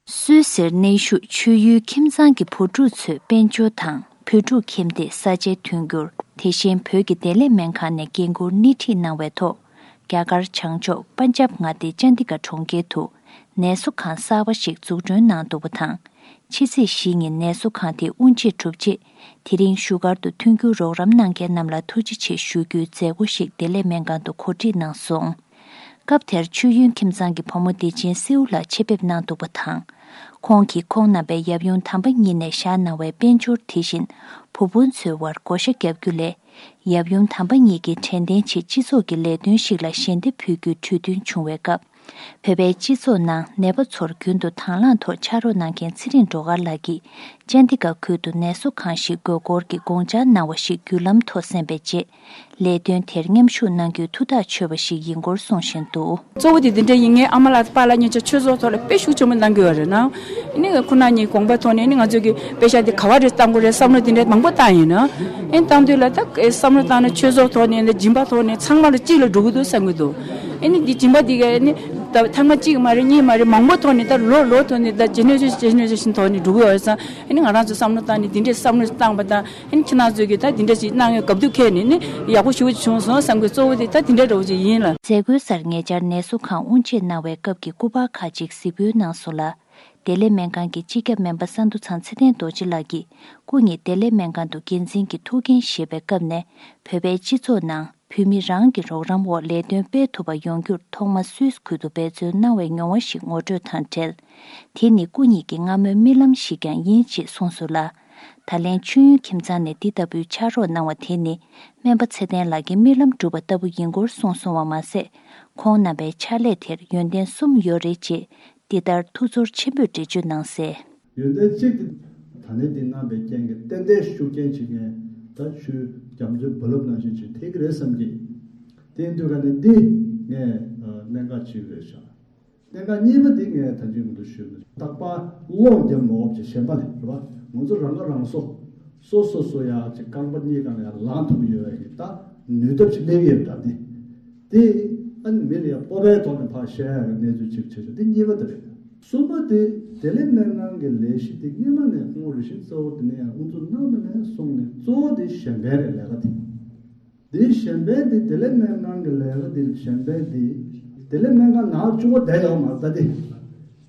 སུད་སིར་གནས་བཞུགས་ཆོས་ཡུལ་ཁྱིམ་ཚང་གི་བུ་ཕྲུག་ཚོས་དཔལ་འབྱོར་དང་བོད་ཕྲུག་ཁྱིམ་སྡེས་ས་ཆའི་མཐུན་འགྱུར། དེ་བཞིན་བོད་ཀྱི་བདེ་ལེགས་སྨན་ཁང་ནས་འགན་འཁུར་སྣེ་ཁྲིད་གནང་བའི་ཐོག་རྒྱ་གར་བྱང་ཕྱོགས་པན་ཇབ་མངའ་སྡེའི་ཅན་དི་ག་གྲོང་ཁྱེར་དུ་ནད་གསོ་ཁང་གསར་པ་ཞིག་འཛུགས་སྐྲུན་གནང་འདུག་པ་དང་། ཕྱི་ཚེས་བཞི་ཉིན་ནད་གསོ་ཁང་དེ་དབུ་འབྱེད་གྲུབ་རྗེས། དེ་རིང་བཞུགས་སྒར་དུ་མཐུན་འགྱུར་རོགས་རམ་གནང་མཁན་རྣམས་ལ་ཐུགས་རྗེ་ཆེ་ཞུ་རྒྱུའི་མཛད་སྒོ་ཞིག་བདེ་ལེགས་སྨན་ཁང་དུ་གོ་སྒྲིག་གནང་སོང་། སྐབས་དེར་མཆོད་ཡོན་ཁྱིམ་ཚང་གི་བུ་མོ་བདེ་ཆེན་སེའུ་ལགས་ཆེད་ཕེབས་གནང་འདུག་པ་དང་། ཁོང་གིས་ཁོང་རྣམ་པས་ཡབ་ཡུམ་དམ་པ་གཉིས་ནས་བཞག་གནང་བའི་དཔལ་འབྱོར། དེ་བཞིན་བུ་སྤུན་ཚོའི་དབར་བགོ་བཤའ་བརྒྱབ་རྒྱུ་ལས། ཡབ་ཡུམ་དམ་པ་གཉིས་ཀྱིས་དྲན་རྟེན་ཆེད་སྤྱི་ཚོགས་ཀྱི་ལས་དོན་ཞིག་ལ་ཞལ་འདེབས་ཕུལ་རྒྱུའི་གྲོས་མཐུན་བྱུང་བའི་སྐབས། བོད་པའི་སྤྱི་ཚོགས་ནང་ནད་པ་ཚོར་རྒྱུན་དུ་དང་བླངས་ཐོག་ཕྱག་རོགས་གནང་མཁན་ཚེ་རིང་སྒྲོལ་དཀར་ལགས་ཀྱིས། ཅན་དི་ག་ཁུལ་དུ་ནད་གསོ་ཁང་ཞིག་དགོས་སྐོར་གྱི་དགོངས་འཆར་གནང་བ་ཞིག་བརྒྱུད་ལམ་ཐོག་གསན་པའི་རྗེས། ལས་དོན་དེར་མཉམ་ཞུགས་གནང་རྒྱུའི་ཐུགས་ཐག་ཆོད་པ་ཞིག་ཡིན་སྐོར་གསུང་བཞིན་འདུག། གཙོ་བོ་དེ་འདི་འདྲ་ཡིན། ངའི་ཨ་མ་ལགས་དང་པཱ་ལགས་གཉིས་ཆ་ཆོས་ཚོགས་ཐོག་ལ་དཔེ་ཤུགས་ཆེན་པོ་གནང་གི་ཡོད་རེད་ན། ཨ་ནི་ཁོ་ན་ཉིད་དགོངས་པ་ཐོག་ནས་ཨ་ནི་ང་ཚོས་ཀྱི་དཔེ་ཆ་འདི་ག་བ་རེ་བཏང་དགོས་རེད་བསམ་བློ་དེ་འདྲ་མང་པོ་བཏང་ཡིན་ན། ཨ་ནི་བཏང་དུས་ལ་ད་བསམ་བློ་བཏང་ན་ཆོས་ཚོགས་ཐོག་ནས་འདི་སྦྱིན་པ་ཐོག་ནས་ཚང་མ་ལ་གཅིག་ལ་འགྲོ་གི་འདུག་བསམ་གི་འདུག། ཨ་ནི་འདི་སྦྱིན་པ་འདི་ག་ཨ་ནི་ད་ཐེངས་མ་གཅིག་མ་རེད། གཉིས་མ་རེད། མང་པོ་ཐོག་ནས་ད་ལོ་ལོ་ཐོག་ནས་ད་ཇེ་ནེ་རེ་ཤན་ཇེ་ནེ་རེ་ཤན་ཐོག་ནས་འགྲོ་གི་ཡོད་ཙང་། ཨ་ནི་ང་རང་ཚོ་བསམ་བློ་བཏང་ནས་འདི་འདྲའི་བསམ་བློ་བཏང་པ་དང་། ཨ་ནི་ཁྱེད་རང་ཚོས་ཀྱིས་ད་འདི་འདྲ་ཞིག་གནང་ཡོད། སྐབས་དུས་ཁེལ་ནས་ནི་ཡག་པོ་ཞེ་པོ་ཅིག་བྱུང་སོང་བསམ་གི། གཙོ་བོ་དེ་ད་འདི་འདྲ་འདྲ་བོ་ཅིག་ཡིན་ལ། མཛད་སྒོའི་སར་ཉེ་ཆར་ནད་གསོ་ཁང་དབུ་འབྱེད་གནང་བའི་སྐབས་ཀྱི་སྐུ་པར་ཁག་ཅིག་གཟིགས་འབུལ་གནང་སོང་ལ། བདེ་ལེགས་སྨན་ཁང་གི་སྤྱི་ཁྱབ་སྨན་པ་ས་འདུ་ཚང་ཚེ་བརྟན་རྡོ་རྗེ་ལགས་ཀྱིས་སྐུ་ཉིད་བདེ་ལེགས་སྨན་ཁང་དུ་འགན་འཛིན་གྱི་ཐུགས་འགན་བཞེས་པའི་སྐབས་ནས། བོད་པའི་སྤྱི་ཚོགས་ནང་བོད་མི་རང་གི་རོགས་རམ་འོག་ལས་དོན་སྤེལ་ཐུབ་པ་ཡོང་རྒྱུར་ཐོག་མ་སུད་སི་ཁུལ་དུ་འབད་བརྩོན་གནང་བའི་མྱོང་བ་ཞིག་ངོ་སྤྲོད་དང་འབྲེལ། དེ་ནི་སྐུ་ཉིད་ཀྱི་སྔ་མོའི་རྨི་ལམ་ཞིག་ཀྱང་ཡིན་ཅེས་གསུངས་སོང་ལ། ད་ལན་མཆོད་ཡོན་ཁྱིམ་ཚང་ནས་འདི་ལྟ་བུའི་ཕྱག་རོགས་གནང་བ་དེ་ནི་སྨན་པ་ཚེ་བརྟན་ལགས་ཀྱི་རྨི་ལམ་འགྲུབ་པ་ལྟ་བུ་ཡིན་སྐོར་གསུངས་སོང་བ་མ་ཟད། ཁོང་རྣམ་པའི་ཕྱག་ལས་དེར་ཡོན་ཏན་གསུམ་ཡོད་རེད་ཅེས་འདི་ལྟར་ཐུགས་ཚོར་ཆེན་པོས་འགྲེལ་བརྗོད་གནང་གསལ། ཡོན་ཏན་གཅིག་དེ་ད་ནི་འདི་གནང་བའི་རྐྱེན་གྱིས་ཏན་ཏན་ཤུགས་རྐྱེན་བྱེད་མཁན་ ད་ཆུའི་རྒྱ་མཚོའི་རྦ་རླབས་ནང་བཞིན་ཅིག་ཐེག་གི་རེད་བསམ་གྱི། དེ་ཡིན་དུས་ག་ནས་འདི་ངས་གནད་འགག་ཅིག་རེད་ཤག་གནད་འགག་གཉིས་པ་དེ་ངས་ད་ཅི་མུ་མཐུད་ཞུས་ན། རྟག་པར་གློག་རྒྱབ་མ་འོབ་ཅིག་གཞན་པ་ལས་རེད་པ། ང་ཚོ་རང་ཁ་རང་གསོ། སོ་སོ་སོ་ཡ་ཅིག་རྐང་པ་གཉིས་སྒང་ལ་ཡ་ལངས་ཐུབ་ཀྱི་ཡོད་པའི་གི་ད་ནུས་སྟོབས་ཅིག་སླེབས་ཡོད་པ་འདྲ་དེ། དེ་ཨ་ནི་མི་ལ་ཡ་སྤོབས་པའི་ཐོག་ནས་ཕར་བཤད་ཡ་གི་གནས་ཚུལ་ཅིག་བྱེད་ཆོག་འདི་གཉིས་པ་དེ་རེད། གསུམ་པ་དེ་བདེ་ལེགས་སྨན་ཁང་གི་ལས་གཞི་དེ་སྔོན་མ་ནས་ཁོང་རེ་ཞིག་གཙོ་བོ་དེ་ནས་ཡང་དབུ་འཛུགས་གནང་བ་ནས་བཟུང་ནས་གཙོ་བོ་དེ་གཞན་ཕན་རེད་ལས་ཀ་དེ། དེའི་གཞན་ཕན་དེ་བདེ་ལེགས་སྨན་ཁང་གི་ལས་ཀ་དེ་གཞན་ཕན་དེ་བདེ་ལེགས་སྨན་ཁང་ནང་བཅུག་པ་བསྡད་ཡོད་མ་རེད་ད་དེ།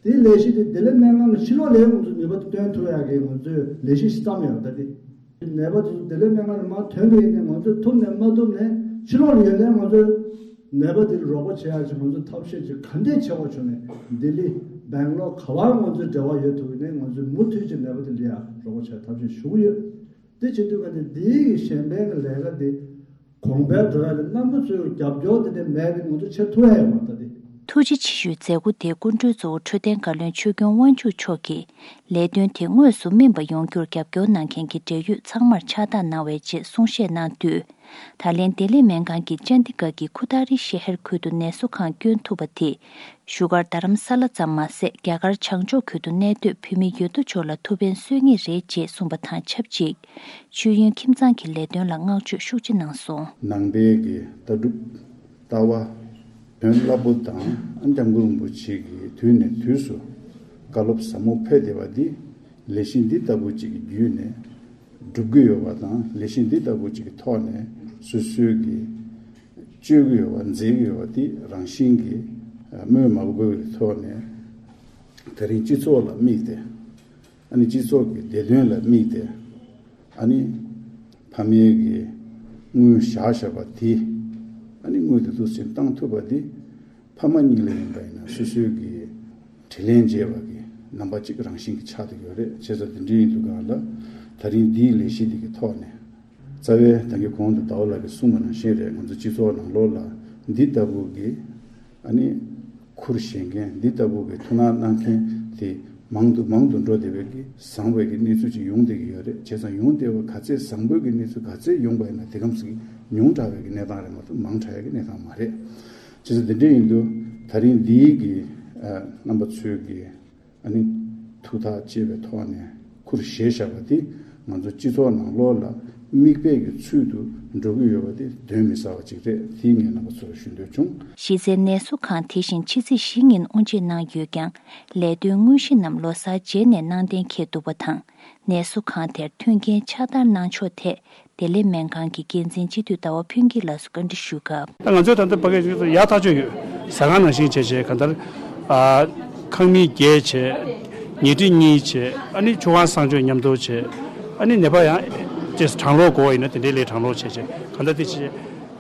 དེའི་ལས་གཞི་དེ་བདེ་ལེགས་སྨན་ཁང་གི་ཕྱི་ལོགས་ལ་ཡང་ང་ཚོས་ནུས་པ་དེ་བཏོན་ཐུབ་ཡག་གི་ང་ཚོས་ལས་གཞི་ཞིག་བརྩམས་ཡོད་རེད་ད་དེ། ནད་པ་དེ་ཚོ་བདེ་ལེགས་སྨན་ཁང་ནས་མར་ཐོན་པ་ཡིན་ནའི་ང་ཚོས་ཐུབ་ནས་མ་ཐུབ་ནས་ཕྱི་ལོགས་ལ་ཡོད་ནའི་ང་ཚོས་ནད་པ་དེ་ལ་རོགས་པ་བྱེད་ཡག་ཅིག་ང་ཚོས་ཐབས་ཤེས་ཅིག་ག་འདྲས་བྱེད་དགོས་བྱུང་ནས་ལྡི་ལི་སྦེང་ལོར་ག་པར་ང་ཚོས་འབྲེལ་བ་ཡོད་ཐུབ་ཡིན་ནའི་ང་ཚོས་མུ་མཐུད་ཀྱི་ནད་པ་དེ་ལ་ཡ་རོགས་པ་བྱེད་ཐབས་ཤེས་ཞུ་གི་ཡོད། དེ་བྱེད་དུས་ག་ནས་འདིའི་གི་གཞན་ཕན་གྱི་ལས་ཀ་དེ་གོང་འཕེལ་འགྲོ་ཡ་ལ་རྣམ་པ་ཚོའི་རྒྱབ་སྐྱོར་དེ་འདྲ་མེད་པའི་ང་ཚོ་བྱེད་ཐུབ་ཡ་ཡོད་མ་རེད་ད་དེ། ཐུགས་རྗེ་ཆེ་ཞུའི་མཛད་སྒོ་དེ་སྐུ་མགྲོན་གཙོ་བོ་འཕྲོད་བསྟེན་བཀའ་བློན་ཆོས་སྐྱོང་དབང་ཕྱུག་མཆོག་གིས་ལས་དོན་དེ་དངོས་སུ་སྨིན་པ་ཡོང་རྒྱུར་རྒྱབ་སྐྱོར་གནང་མཁན་གྱི་འབྲེལ་ཡོད་ཚང་མར་ཕྱག་རྟགས་གནང་བའི་རྗེས་གསུང་བཤད་གནང་དུས། ད་ལན་བདེ་ལེགས་སྨན་ཁང་གིས་ཅན་ཌི་གྷར་གྱི་ཁུ་ཐ་རི་ཤེ་ཧར་ཁུལ་དུ་ནད་གསོ་ཁང་བསྐྱོན་ཐུབ་པ་དེས། བཞུགས་སྒར་རྡ་རམ་ས་ལ་ཙམ་མ་ཟད། རྒྱ་གར་བྱང་ཕྱོགས་ཁུལ་དུ་གནས་སྡོད་བོད་མི་ཡོད་དོ་ཅོག་ལ་ཐུགས་ཕན་གསོས་ངེས་རེད་ཅེས་གསུངས་པ་དང་ཆབས་ཅིག་མཆོད་ཡོན་ཁྱིམ་ཚང་གི་ལས་དོན་ལ་བསྔགས་བརྗོད་ཤུགས་ཆེ་གནང་སོང་། ནང་པའི་གི་ལྟ་གྲུབ། ལྟ་བ། དོན་བརླག་པོ་དང་སྐྱབས་མགོན་རིན་པོ་ཆེ་གིས་དུས་ནས་དུས་སུ་བཀའ་སློབ་ཟབ་མོ་ཕེབས་བསྡད་པ་འདི་ལས་གཞི་འདི་ལྟ་བུ་ཅིག་གི་བརྒྱུད་ནས་སྒྲུབ་ཀྱི་ཡོད་པ་དང་ལས་གཞི་འདི་ལྟ་བུ་ཅིག་གི་ཐོག་ནས་སོ་སོའི་གི་སྤྱོད་ཀྱི་ཡོད་པ་མཛད་ཀྱི་ཡོད་པ་འདི་རང་བཞིན་གྱིས་སྨོས་མ་དགོས་པའི་ཐོག་ནས་ད་རིང་སྤྱི་ཚོགས་ལ་དམིགས་ཏེ། ཨ་ནི་སྤྱི་ཚོགས་ཀྱི་བདེ་དོན་ལ་དམིགས་ཏེ། ཨ་ནི་ཕ་མའི་གི་དངུལ་བཞག་བཞག་པ་དེ། ཨ་ནི་དངུལ་དེ་ཚོ་ཕྱིར་བཏང་ཐུབ་པ་དེ། ཕ་མ་གཉིས་ལ་ཡིན་པ་ཡིན་ན་སོ་སོའི་གི་དྲིན་ལན་འཇལ་བ་གི་རྣམ་པ་གཅིག་རང་བཞིན་གྱི་ཆགས་བསྡད་ཡོད་རེད། བྱས་ཙང་དེ་འདྲ་ཡིན་དུས་གང་ལ་ད་རིང་འདིའི་ལས་གཞི་འདི་གི་ཐོག་ནས། རྩ་བའི་ད་གིན་གོང་དུ་ཟླ་བ་ལགས་ཀྱིས་གསུངས་པ་ནང་བཞིན་རེད། ང་ཚོ་སྤྱི་ཚོགས་ནང་ལོགས་ལ་འདི་ལྟ་བུ་གི་ཨ་ནི་ཁུར་བཞེས་མཁན་འདི་ལྟ་བུ་གི་ཐུགས་སྣང་གནང་མཁན་དེ་མང་དུ་མང་དུ་འགྲོ་བསྡད་པའི་གི་བཟང་བའི་གི་གནས་ཚུལ་ཅིག་ཡོང་བསྡད་ཀྱི་ཡོད་རེད། བྱས་ཙང་ཡོང་བསྡད་པ་ག་ཚད་བཟང་པོའི་གི་གནས་ཚུལ་ག་ཚད་ཡོང་པ་ཡིན་ན་དེ་གམ་ཞིག་ཉུང་དྲགས་པའི་གི་གནས་སྟངས་རེད་མ་གཏོགས་མང་དྲགས་ཡ་གི་གནས་སྟངས་མ་རེད། བྱས་ཙང་དེ་འདྲ་ཡིན་དུས་ད་རིང་འདིའི་གི་ཨ་རྣམ་པ་ཚོའི་གི་ཨ་ནི་ཐུགས་ཐག་བཅད་པའི་ཐོག་ནས་ཁུར་བཞེས་བཞག་པ་དེ་ང་ཚོ་སྤྱི་ཚོགས་ནང་ལོགས་ལ་མིག་དཔེ་གི་ཚུལ་དུ་འགྲོ་གི་ཡོད་པ་དེ་གདོན་མི་ཟ་བ་ཅིག་རེད། དེ་ངས་རྣམ་པ་ཚོར་ཞུ་འདོད་བྱུང་། གཞི་རྩའི་ནད་གསོ་ཁང་དེ་བཞིན་ཕྱི་ཚེས་བཞི་ཉིན་དབུ་འབྱེད་གནང་ཡོད་ཀྱང་། ལས་དོན་དངོས་གཞི་རྣམས་ལོ་གསར་རྗེས་ནས་གནང་གཏན་འཁེལ་འདུག་པ་དང་། ནད་གསོ་ཁང་དེར་མཐུན་རྐྱེན་ཕྱག་བསྟར་གནང་ཕྱོགས་ཐད། བདེ་ལེགས་སྨན་ཁང་གི་འགན་འཛིན་སྤྱི་འཐུས་ཟླ་བ་ཕུན་སྐྱིད་ལགས་སུ་བཀའ་འདྲི་ཞུས་སྐབས། ད་ང་ཚོས་ད་ལྟ་ཕ་གིར་ཡག་ཐག་ཆོད་ཡོད། ཟ་ཁང་ནང་བཞིན་བྱས་བྱས་གང་ལྟར། ཨ། ཁང་མིག་བརྒྱད་བྱས། ཉལ་ཁྲི་གཉིས་བྱས། ཨ་ནི་ཆུ་ཁང་གསང་སྤྱོད་མཉམ་དུ་བྱས། ཨ་ནི་ནད་པ་ཡང་ཅེས་གྲང་གློག་དགོས་ཡིན་ན་དེ་འདྲའི་ལས་གྲང་གློག་བྱས་བྱས་གང་ལྟར་དེ་བྱས།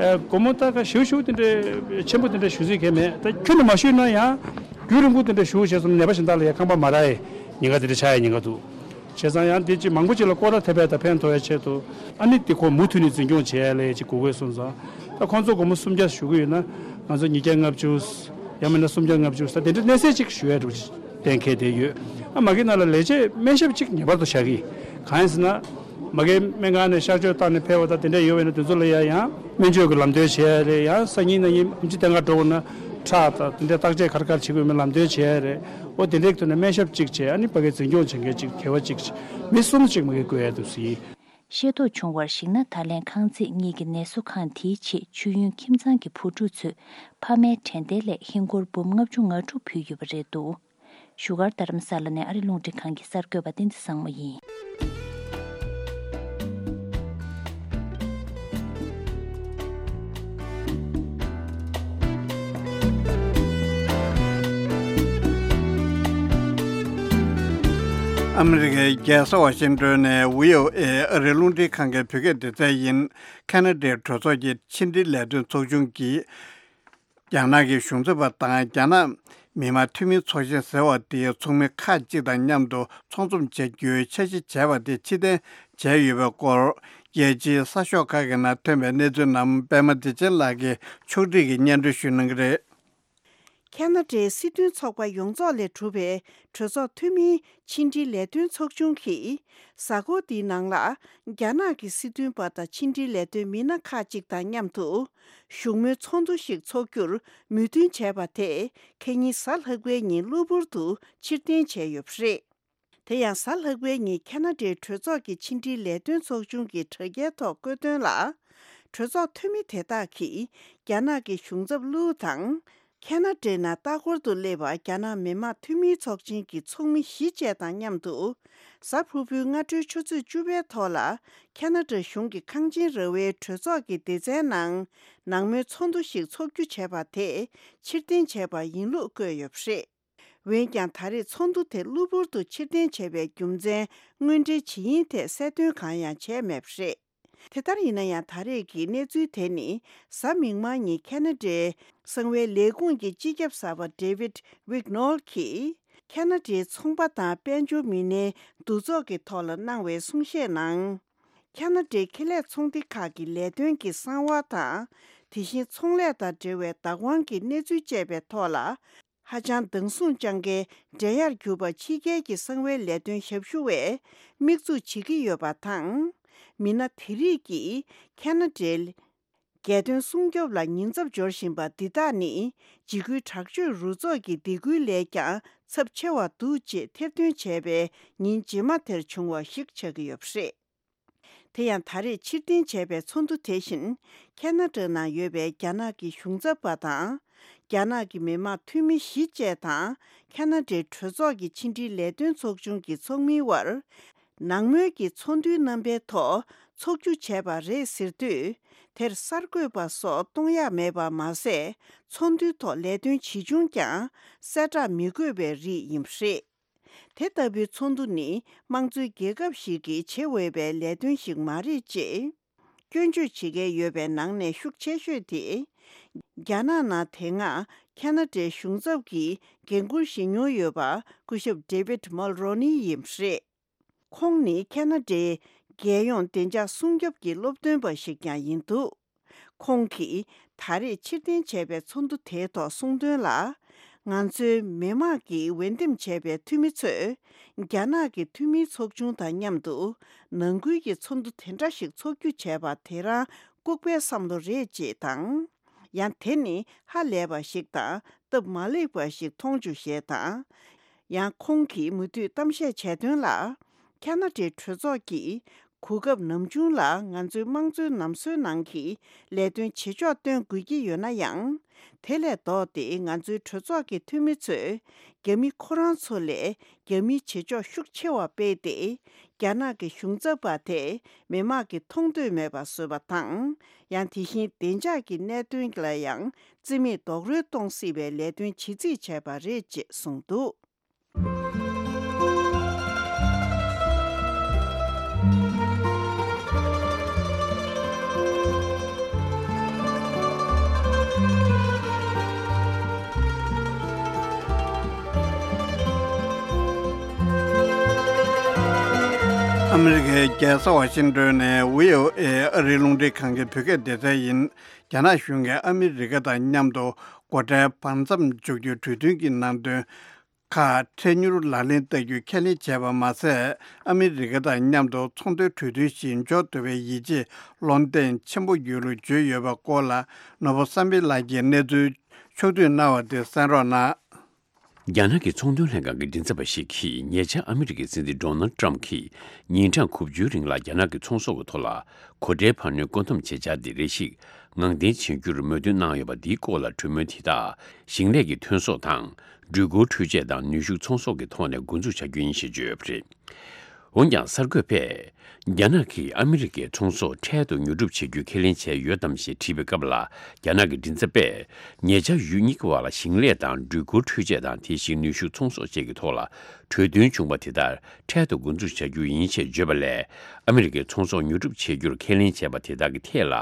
ཨ། སྒོར་མོ་ད་ག་ཞུ་ཞུ་དེ་འདྲའི་ཆེན་པོ་དེ་འདྲ་ཞུ་རྩིས་གས་མེད། ད་ཁྱོན་ནས་མ་ཞུས་ན་ཡང་རྒྱུན་རིང་པོ་དེ་འདྲ་ཞུ་བྱས་སོང་ན་ནད་པ་གཞན་དག་ལ་ཡང་ཁང་པ་མ་རག་ཡས་ཉེན་ཁ་དེ་འདྲ་ཆགས་ཡས་ཉེན་ཁ་འདུག་བྱས་ཙང་ཡང་འདི་ཅིག་མང་པོ་ཅིག་ལ་སྐོར་ར་ཐེབས་པ་དང་ཕན་ཐོགས་ཡ་ཆེད་དུ་ཨ་ནི་འདི་ཁོ་མུ་མཐུད་ནས་འཛིན་སྐྱོང་བྱེད་ཡ་ལས་ཅིག་དགོས་དགོས་སོང་ཙང་། ད་ཁོང་ཚོ་སྒོར་མོ་སུམ་བརྒྱ་ཞུ་གི་ཡོད་ན་ང་ཚོ་ཉིས་བརྒྱ་ལྔ་བཅུ། ཡང་མིན་ན་སུམ་བརྒྱ་ལྔ་བཅུ་ས་དེ་འདྲ་གནས་ཚད་ཅིག་ཞུ་ཡ་འགྲོ་གཏན་འཁེལ་བསྡད་ཡོད། ཨ་མ་གི་ནང་ལ་ལས་བྱེད་སྨན་ཞབས་ཅིག་ངེས་པར་དུ་བཞག་གི། གང་ཡིན་ཟེར་ན། མ་གི་སྨན་ཁང་ནས་གཤགས་བཅོས་བཏང་ནས་ཕེབས་པ་དང་དེ་འདྲ་ཡོད་པ་ཡིན་ན་དེ་ཚོ་ལ་ཡ་ཡང་སྨན་བཅོས་ཀྱི་ལམ་སྟོན་བྱེད་ཡ་རེད། ཡང་སང་ཉིན་གནངས་ཉིན་ཨེམ་ཆི་ལྟེ་ཁ་འགྲོ་དགོས་ན་ཁྲག་དང་དེ་འདྲ་བརྟག་དཔྱད་ག་རེ་ག་རེ་བྱེད་དགོས་མིན་ལམ་སྟོན་བྱེད་ཡ་རེད། འོ་དེ་འདྲའི་ཐོག་ནས་སྨན་ཞབས་གཅིག་བྱས། ཨ་ནི་ཕ་གིའི་འཛིན་སྐྱོང་བྱེད་མཁན་གཅིག་སྒེར་བ་གཅིག་བྱས། མི་གསུམ་གཅིག་མ་གིར་བསྐོ་ཡ་འདུག་ཟེར། ཤེས་རྟོགས་བྱུང་བར་གཞིགས་ན། ད་ལན་ཁང་ཚན་གཉིས་ཀྱི་ནད་གསོ་ཁང་དེའི་ཆེད་མཆོད་ཡོན་ཁྱིམ་ཚང་གི་བུ་ཕྲུག་ཚོས་ཕ་མའི་དྲན་རྟེན་ལས་ཧིན་སྒོར་འབུམ་ལྔ་བཅུ་ང་དྲུག་ཕུལ་ཡོད་པ་རེད་འདུག་བཞུགས་སྒར་རྡ་རམ་ས་ལ་ནས་ཨ་རི་རླུང་འཕྲིན་ཁང་གི་གསར་འགོད་པ་བསྟན་འཛིན་བཟང་མོ་ཡིན། ཨ་མི་རི་ཀའི་རྒྱལ་ས་ཝ་ཤིང་ཏོན་ནས་བྷི་ཨོ་ཨེ་ཨ་རིའི་རླུང་འཕྲིན་ཁང་གི་བོད་སྐད་སྡེ་ཚན་ཡིན། ཁ་ན་ཌའི་གྲོས་ཚོགས་ཀྱི་ཕྱི་འབྲེལ་ལས་དོན་ཚོགས་ཆུང་གིས། རྒྱ་ནག་གི་གཞུང་ཚབ་པ་དང་རྒྱ་ནག་མི་དམངས་འཐུས་མིའི་ཚོགས་ཆེན་ཟེར་བ་དེའི་ཚོགས་མི་ཁག་ཅིག་དང་མཉམ་དུ་ཚོགས་འཛོམས་བྱ་རྒྱུའི་འཆར་གཞི་བྱས་པ་དེ་ཕྱིར་འཐེན་བྱས་ཡོད་པའི་སྐོར། རྒྱལ་སྤྱིའི་གསར་ཤོག་ཁག་གི་ནང་ཐོན་པའི་གནས་ཚུལ་རྣམས་པད་མ་བདེ་ཆེན་ལགས་ཀྱིས་ཕྱོགས་སྒྲིག་གིས་སྙན་སྒྲོན་ཞུ་གནང་གི་རེད། ཁ་ན་ཌའི་སྲིད་དོན་ཚོགས་པ་ཡོངས་རྫོགས་ལས་གྲུབ་པའི་གྲོས་ཚོགས་འཐུས་མིའི་ཕྱི་འབྲེལ་ལས་དོན་ཚོགས་ཆུང་གིས། གཟའ་འཁོར་འདིའི་ནང་ལ། རྒྱ་ནག་གི་སྲིད་དོན་པ་དང་ཕྱི་འབྲེལ་ལས་དོན་མི་སྣ་ཁག་ཅིག་དང་མཉམ་དུ། བཞུགས་མོལ་ཚོགས་འདུ་ཞིག་འཚོགས་རྒྱུར་མོས་མཐུན་བྱས་པ་དེ། ཁ་ཉིན་གཟའ་ལྷག་པའི་ཉིན་གློ་བུར་དུ་ཕྱིར་འཐེན་བྱས་ཡོད་པ་རེད། དེ་ཡང་གཟའ་ལྷག་པའི་ཉིན་ཁ་ན་ཌའི་གྲོས་ཚོགས་ཀྱི་ཕྱི་འབྲེལ་ལས་དོན་ཚོགས་ཆུང་གི་དྲ་རྒྱའི་ཐོག་བཀོད་དོན་ལ། གྲོས་ཚོགས་འཐུས་མི་དེ་དག་གིས་རྒྱ་ནག་གི་གཞུང་ཚབ་ལུའུ་དང་། ཁ་ན་ཌའི་ནང་ལྟ་སྐོར་དུ་སླེབས་པ་རྒྱ་ནག་མི་དམངས་འཐུས་མིའི་ཚོགས་ཆེན་གྱི་ཚོགས་མི་བཞི་བཅས་དང་མཉམ་དུ། གཟའ་ཕུར་བུའི་སྔ་དྲོའི་ཆུ་ཚོད་བཅུ་པའི་ཐོག་ལ། ཁ་ན་ཌ་གཞུང་གི་ཁང་ཆེན་ར་བའི་གྲོས་ཚོགས་ཀྱི་སྡེ་ཚན་ནང་། ནང་མོལ་ཚོགས་འདུ་ཞིག་འཚོགས་རྒྱུ་བྱས་པ་དེ་ཕྱིར་འཐེན་བྱས་པ་ཡིན་ལུགས་བཀོད་ཡོད་པ་རེད། འོན་ཀྱང་། ད་རེས་ཚོགས་འདུ་དེ་གློ་བུར་དུ་ཕྱིར་འཐེན་བྱས་པའི་རྒྱུ་མཚན་དངོས་འབྲེལ་ཇི་ཡིན་ཐད་གསལ་སྟོན་གང་ཡང་བྱས་མེད་པ་རེད། དེ་ལྟར་ཡིན་ན་ཡང་། ད་རེས་ཀྱི་གནས་ཚུལ་དེ་ནི། གཟའ་མིག་དམར་ཉིན་ཁ་ན་ཌའི་གསང་བའི་ལས་ཁུངས་ཀྱི་སྤྱི་ཁྱབ་གསར་པ་David Wignall གྱིས། ཁ་ན་ཌའི་ཚོང་པ་དང་དཔལ་འབྱོར་མི་སྣའི་འདུ་ཚོགས་ཀྱི་ཐོག་ལ་གནང་བའི་གསུང་བཤད་ནང་། ཁ་ན་ཌའི་ཁེ་ལས་ཚོང་སྡེ་ཁག་གི་ལས་དོན་གྱི་གསང་བ་དང་། དེ་བཞིན་ཚོང་ལས་དང་འབྲེལ་བའི་བདག་དབང་གི་གནས་ཚུལ་བཅས་པའི་ཐོག་ལ། ཧ་ཅང་སྡང་ཟུག་བཅངས་མཁན་འགྲན་ཡར་གྱུར་པ་ཕྱི་རྒྱལ་གྱི་གསང་བའི་ལས་དོན་ཞབས་ཞུ་བས་དམིགས་འཛུགས་བྱེད་ཀྱི་ཡོད་པ་དང་། མི་སྣ་དེ་རིགས་ཀྱིས་ཁ་ན་ཌའི་རྒྱལ་དོན་སྲུང་སྐྱོབ་ལ་ཉེན་ཚབས་སྦྱོར་བཞིན་པ་འདི་དག་ནི། འཇིགས་སྐུལ་དྲག་སྤྱོད་རུ་ཚོགས་ཀྱི་སྡིགས་སྐུལ་ལས་ཀྱང་ཚབས་ཆེ་བ་འདུག་ཅེས་ཐེར་འདོན་བྱས་པའི་ཉིན་རྗེས་མ་དེར་བྱུང་བ་ཞིག་ཆགས་ཀྱི་ཡོད་པ་རེད། དེ་ཡང་། ད་རེས་ཕྱིར་འཐེན་བྱས་པའི་ཚོགས་འདུ་དེ་བཞིན། ཁ་ན་ཌ་ནང་ཡོད་པའི་རྒྱ་ནག་གི་གཞུང་ཚབ་པ་དང་། རྒྱ་ནག་གི་མི་དམངས་འཐུས་མི་བཞི་བཅས་དང་། ཁ་ན་ཌའི་གྲོས་ཚོགས་ཀྱི་ཕྱི་འབྲེལ་ལས་དོན་ཚོགས་ཆུང་གི་ཚོགས་མིའི་དབར། ནང་མོལ་གྱི་ཚོགས་འདུའི་རྣམ་པའི་ཐོག་འཚོགས་རྒྱུ་བྱས་པ་རེད་ཟེར་དུས། དེར་གསར་འགོད་པ་སོགས་གཏོང་ཡག་མེད་པ་མ་ཟད། ཚོགས་འདུའི་ཐོག་ལས་དོན་ཇི་བྱུང་ཀྱང་གསལ་བསྒྲགས་མི་དགོས་པའི་རིགས་ཡིན་པ་རེད། དེ་ལྟ་བུའི་ཚོགས་འདུ་ནི་དམངས་གཙོའི་རྒྱལ་ཁབ་ཞིག་གིས་བྱེད་འོས་པའི་ལས་དོན་ཞིག་མ་རེད་ཅེས་སྐྱོན་བརྗོད་བྱེད་མཁན་ཡོད་པའི་ནང་ནས་ཤུགས་ཆེ་ཤོས་དེ། རྒྱ་ནག་ནང་དེ་སྔ་ཁ་ན་ཌའི་གཞུང་ཚབ་ཀྱི་འགན་འཁུར་བཞེས་མྱོང་ཡོད་པ་སྐུ་ཞབས་David Mulroney ཡིན་པ་རེད། ཁོང་ནི་ཁ་ན་ཌའི་རྒྱལ་ཡོངས་བདེ་འཇགས་སྲུང་སྐྱོབ་ཀྱི་སློབ་སྟོན་པ་ཞིག་ཀྱང་ཡིན་འདུག་ཁོང་གིས་ད་རེས་ཕྱིར་འཐེན་བྱས་པའི་ཚོགས་འདུ་དེའི་ཐོག་གསུངས་དོན་ལ། ང་ཚོའི་མི་དམངས་ཀྱིས་འོས་འདེམས་བྱས་པའི་འཐུས་མི་ཚོས། རྒྱ་ནག་གི་འཐུས་མིའི་ཚོགས་ཆུང་དང་མཉམ་དུ་ནང་ཁུལ་གྱི་ཚོགས་འདུ་དེ་འདྲ་ཞིག་འཚོགས་རྒྱུ་བྱས་པ་དེ་རང་ལྐུགས་པའི་བསམ་བློ་རེད་ཅེས་དང་། ཡང་དེ་ནི་ཧ་ལས་པ་ཞིག་དང་སྟབས་མ་ལེགས་པ་ཞིག་མཐོང་བྱུང་ཞེས་དང་། ཡང་ཁོང་གིས་མུ་མཐུད་གཏམ་བཤད་བྱས་དོན་ལ། ཁ་ན་ཌའི་གྲོས་ཚོགས་ཀྱིས་གོ་སྐབས་ནམ་བྱུང་ལ་ང་ཚོའི་དམངས་གཙོའི་ནམ་སྲོལ་ནང་གི་ལས་དོན་བྱེད་ཕྱོགས་སྟོན་དགོས་ཀྱི་ཡོད་ན་ཡང་། དེ་ལས་ལྡོག་སྟེ་ང་ཚོའི་གྲོས་ཚོགས་ཀྱི་འཐུས་མི་ཚོས་རྒྱ་མི་ཁོ་རང་ཚོ་ལས་རྒྱ་མིའི་བྱེད་ཕྱོགས་ཤུགས་ཆེ་བ་སྤེལ་ཏེ། རྒྱ་ནག་གི་གཞུང་ཚབ་པ་དེ་མི་དམངས་ཀྱིས་མཐོང་འདོད་མེད་པ་བཟོས་པ་དང་། ཡང་དེ་བཞིན་བདེ་འཇགས་ཀྱི་གནད་དོན་ལ་ཡང་རྩིས་མེད་རྡོག་རོལ་གཏོང་སྲིད་པའི་ལས་དོན་བྱེད་རྩིས་བྱས་པ་རེད་ཅེས་གསུངས་འདུག་ཨ་མི་རི་ཀའི་རྒྱལ་ས་ཝ་ཤིང་ཏོན་ནས་བྷི་ཨོ་ཨེ་ཨ་རིའི་རླུང་འཕྲིན་ཁང་གི་བོད་སྐད་སྡེ་ཚན་ཡིན། རྒྱ་ནག་གཞུང་གིས་ཨ་མི་རི་ཀ་དང་མཉམ་དུ་སྒོ་ཁྲལ་བར་མཚམས་འཇོག་རྒྱུའི་གྲོས་མཐུན་གྱི་ནང་དོན་ཁག་འཕྲལ་མྱུར་ལག་ལེན་བསྟར་རྒྱུ་ཁས་ལེན་བྱས་པ་མ་ཟད། ཨ་མི་རི་ཀ་དང་མཉམ་དུ་ཚོང་དོན་གྲོས་མཐུན་ཞིག་འཇོག་ཐུབ་པའི་ཡིད་ཆེས་བློ་གདེང་ཆེན་པོ་ཡོད་ལུགས་བརྗོད་ཡོད་པའི་སྐོར་ལ། ནོར་བུ་བསམ་འཕེལ་ལགས་ཀྱིས་གནས་ཚུལ་ཕྱོགས་བསྡུས་གནང་བ་དེ་གསན་རོགས་གནང་། རྒྱ་ནག་གི་ཚོང་དོན་ལྷན་ཁང་གི་མགྲིན་ཚབ་པ་ཞིག་གིས། ཉེ་ཆར་ཨ་མི་རི་ཀའི་སྲིད་འཛིན་ཌོ་ནལ་ཏྲམ་གྱིས་ཉིན་གྲངས་དགུ་བཅུའི་རིང་ལ་རྒྱ་ནག་གི་ཚོང་ཟོག་གི་ཐོག་ལ་སྒོ་ཁྲལ་འཕར་སྣོན་བཀོད་འདོམས་བྱེད་འཆར་འདི་རེ་ཞིག་ངང་འཐེན་བྱེད་རྒྱུར་མོས་མཐུན་གནང་ཡོད་པ། འདིའི་སྐོར་ལ་གྲོས་མོལ་དེ་དག་ཞིང་ལས་ཀྱི་ཐོན་ཟོག་དང་། འགྲུལ་འཁོར་འཕྲུལ་ཆས་དང་ནུས་ཤུགས་ཚོང་ཟོག་གི་ཐོག་ནས་འགོ་འཛུགས་བྱ་རྒྱུ་ཡིན་ཞེས་བརྗོད་ཡོད་པ་རེད། འོན་ཀྱང་། གསར་འགོད་པས། རྒྱ་ནག་གིས་ཨ་མི་རི་ཀའི་ཚོང་ཟོག་འཕྲལ་དུ་ཉོ་སྒྲུབ་བྱེད་རྒྱུ་ཁས་ལེན་བྱས་ཡོད་དམ་ཞེས་དྲིས་པའི་སྐབས་ལ། རྒྱ་ནག་གི་མགྲིན་ཚབ་པས། ཉེ་ཆར་ཡུལ་གཉིས་ཀྱི་བར་ལ་ཞིང་ལས་དང་འགྲུལ་འཁོར་འཕྲུལ་ཆས་དང་། དེ་བཞིན་ནུས་ཤུགས་ཚོང་ཟོག་བཅས་ཀྱི་ཐོག་ལ་གྲོས་མཐུན་བྱུང་བ་དེ་ལྟར་འཕྲལ་དུ་འགོ་འཛུགས་བྱ་རྒྱུ་ཡིན་ཞེས་བརྗོད་པ་ལས། ཨ་མི་རི་ཀའི་ཚོང་ཟོག་ཉོ་སྒྲུབ་བྱེད་རྒྱུར་ཁས་ལེན་བྱས་པ་དེ་དག་གི་ཐད་ལ་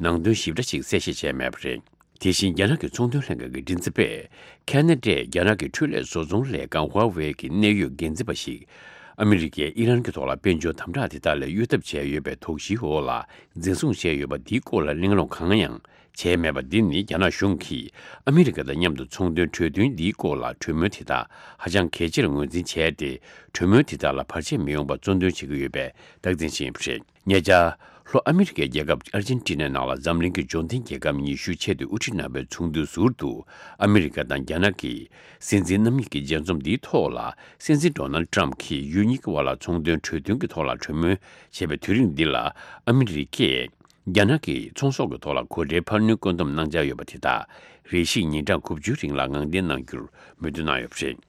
ནང་དོན་ཞིབ་ཕྲ་ཞིག་གསལ་བཤད་བྱས་མེད་པ་རེད། དེ་བཞིན། རྒྱ་ནག་གི་ཚོང་དོན་ལྷན་ཁང་གི་མགྲིན་ཚབ་པས། ཁ་ན་ཌས་རྒྱ་ནག་གི་འཕྲུལ་ལས་བཟོ་ཚོང་ལས་ཁང་ཧྭ་ཝེ་གི་གནད་ཡོད་འགན་འཛིན་པ་ཞིག་ཨ་མི་རི་ཀས་ཨི་རན་གྱི་ཐོག་ལ་དཔལ་འབྱོར་དམ་དྲག་དེ་དག་ལས་གཡོལ་ཐབས་བྱས་ཡོད་པའི་དོགས་གཞིའི་འོག་ལ་འཛིན་བཟུང་བྱས་ཡོད་པ། འདིའི་སྐོར་ལ་གླེང་སློང་གང་ཡང་ བྱས་མེད་པ་འདི་ནི་རྒྱ་ནག་གཞུང་གིས་ཨ་མི་རི་ཀ་དང་མཉམ་དུ་ཚོང་དོན་གྲོས་མཐུན་འདིའི་སྐོར་ལ་གྲོས་མོལ་དེ་དག་ཧ་ཅང་གལ་ཆེར་ངོས་འཛིན་བྱས་ཏེ། གྲོས་མོལ་དེ་དག་ལ་བར་ཆད་མི་ཡོང་པར་གཙོ་འདོན་བྱེད་ཀྱི་ཡོད་པའི་རྟགས་མཚན་ཞིག་ཡིན་པ་རེད། ཉེ་ཆར། ལྷོ་ཨ་མི་རི་ཀའི་རྒྱལ་ཁབ་ཨར་ཇེན་ཊི་ནའི་ནང་ལ་འཛམ་གླིང་གི་འབྱོར་ལྡན་རྒྱལ་ཁབ་ཉི་ཤུའི་ཆེས་མཐོའི་དབུ་ཁྲིད་རྣམ་པའི་ཚོགས་འདུའི་ཟུར་དུ། ཨ་མི་རི་ཀ་དང་རྒྱ་ནག་གི་སྲིད་འཛིན་རྣམ་གཉིས་ཀྱི་མཇལ་འཛོམས་འདིའི་ཐོག་ལ། སྲིད་འཛིན་ཌོ་ནལ་ཌི་ཊརམ་ཕི་གྱིས་ཡུལ་གཉིས་ཀྱི་དབར་ལ་ཚོང་དོན་གྲོས་མཐུན་གྱི་ཐོག་ལ་གྲོས་མོལ་བྱས་པའི་དུས་རིམ་འདི་ལ། ཨ་མི་རི་ཀས་རྒྱ་ནག་གི་ཚོང་ཟོག་གི་ཐོག་ལ་གོད་འདྲེའི་འཕར་སྣོན་བཀོད་འདོམས་གནང་འཆར་ཡོད་པ་དེ་དག་རེ་ཞིག་ཉིན་གྲངས་དགུ་བཅུའི་རིང་ལ་ངང་འདེད་གནང་རྒྱུར་མོས་མཐུན་གནང་ཡོད་པ་རེད།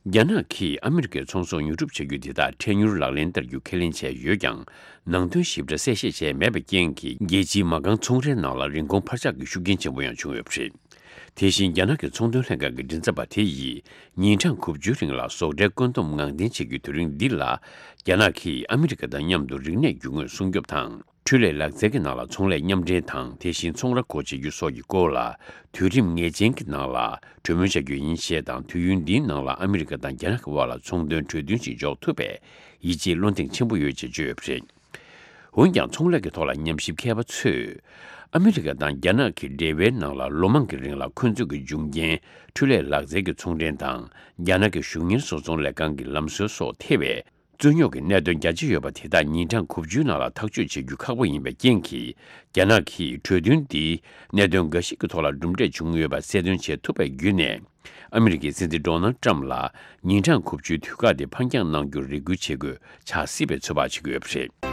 རྒྱ་ནག་གིས་ཨ་མི་རི་ཀའི་ཚོང་ཟོག་ཉོ་སྒྲུབ་བྱ་རྒྱུ་དེ་དག་འཕྲལ་མྱུར་ལག་ལེན་བསྟར་རྒྱུ་ཁས་ལེན་བྱས་ཡོད་ཀྱང་། ནང་དོན་ཞིབ་ཕྲ་གསལ་བཤད་བྱས་མེད་པའི་རྐྱེན་གྱིས། རྒྱལ་སྤྱིའི་མ་རྐང་ཚོང་རའི་ནང་ལ་རིན་གོང་འཕར་ཆག་གི་ཤུགས་རྐྱེན་ཆེན་པོ་ཡང་བྱུང་ཡོད་པ་རེད། དེ་བཞིན་རྒྱ་ནག་གི་ཚོང་དོན་ལྷན་ཁང་གི་མགྲིན་ཚབ་པ་དེ་ཡིས་ཉིན་གྲངས་དགུ་བཅུའི་རིང་ལ་ཟོག་འདྲའི་བཀོད་འདོམས་ངང་འདེད་བྱེད་རྒྱུའི་དུས་རིང་འདི་ལ། རྒྱ་ནག་གིས་ཨ་མི་རི་ཀ་དང་མཉམ་དུ་རིག་གནས་རྒྱུ་དངོས་སྲུང་སྐྱོབ་དང་། འཕྲུལ་ལས་ལག་རྩལ་གྱི་ནང་ལ་ཚོང་ལས་མཉམ་འབྲེལ་དང་། དེ་བཞིན་ཚོང་ར་སྒོ་འབྱེད་རྒྱུ་སོགས་ཀྱི་སྐོར་ལ། དུས་རིམ་ངེས་ཅན་གྱི་ནང་ལ་གྲོས་མོལ་བྱ་རྒྱུ་ཡིན་ཞེས་དང་། དུས་ཡུན་འདིའི་ནང་ལ་ཨ་མི་རི་ཀ་དང་རྒྱ་ནག་གི་དབར་ལ་ཚོང་དོན་གྲོས་མཐུན་ཞིག་འཇོག་ཐུབ་པའི་ཡིད་ཆེས་བློ་གདེང་ཆེན་པོ་ཡོད་ཅེས་བརྗོད་ཡོད་པ་རེད། འོན་ཀྱང་། ཚོང་ལས་ཀྱི་ཐོག་ལ་ཉམས་ཞིབ་མཁས་པ་ཚོས། ཨ་མི་རི་ཀ་དང་རྒྱ་ནག་གི་འབྲེལ་བའི་ནང་ལ། ལོ་མང་གི་རིང་ལ་ཁོང་ཚོས་ཀྱི་འབྱུང་རྐྱེན་འཕྲུལ་ལས་ལག་རྩལ་གྱི་ཚོང་འབྲེལ་དང་། རྒྱ་ནག་གི་གཞུང་གཉེར་བཟོ་ཚོང་ལས་ཁང་གི་ལམ་སྲོལ་སོགས་ཐེ་བའི་རྩོད་རྙོག་གི་གནད་དོན་རྒྱ་ཆེ་ཡོད་པ་དེ་དག་ཉིན་གྲངས་དགུ་བཅུའི་ནང་ལ་ཐག་གཅོད་བྱེད་རྒྱུ་ཁག་པོ་ཡིན་པའི་རྐྱེན་གྱིས། རྒྱ་ནག་གིས་གྲོས་མཐུན་འདིའི་གནད་དོན་འགའ་ཞིག་གི་ཐོག་ལ་གྲུབ་འབྲས་བྱུང་ཡོད་པ་གསལ་སྟོན་བྱེད་ཐུབ་པ་བརྒྱུད་ནས། ཨ་མི་རི་ཀའི་སྲིད་འཛིན་ཌོ་ནལ་ཊམ་ལ་ཉིན་གྲངས་དགུ་བཅུའི་དུས་བཀག་དེ་ཕར་འགྱངས་གནང་རྒྱུར་རེ་སྐུལ་བྱེད་དགོས་ཆགས་སྲིད་པའི་ཚོད་དཔག་བྱེད་ཀྱི་ཡོད་པ་རེད།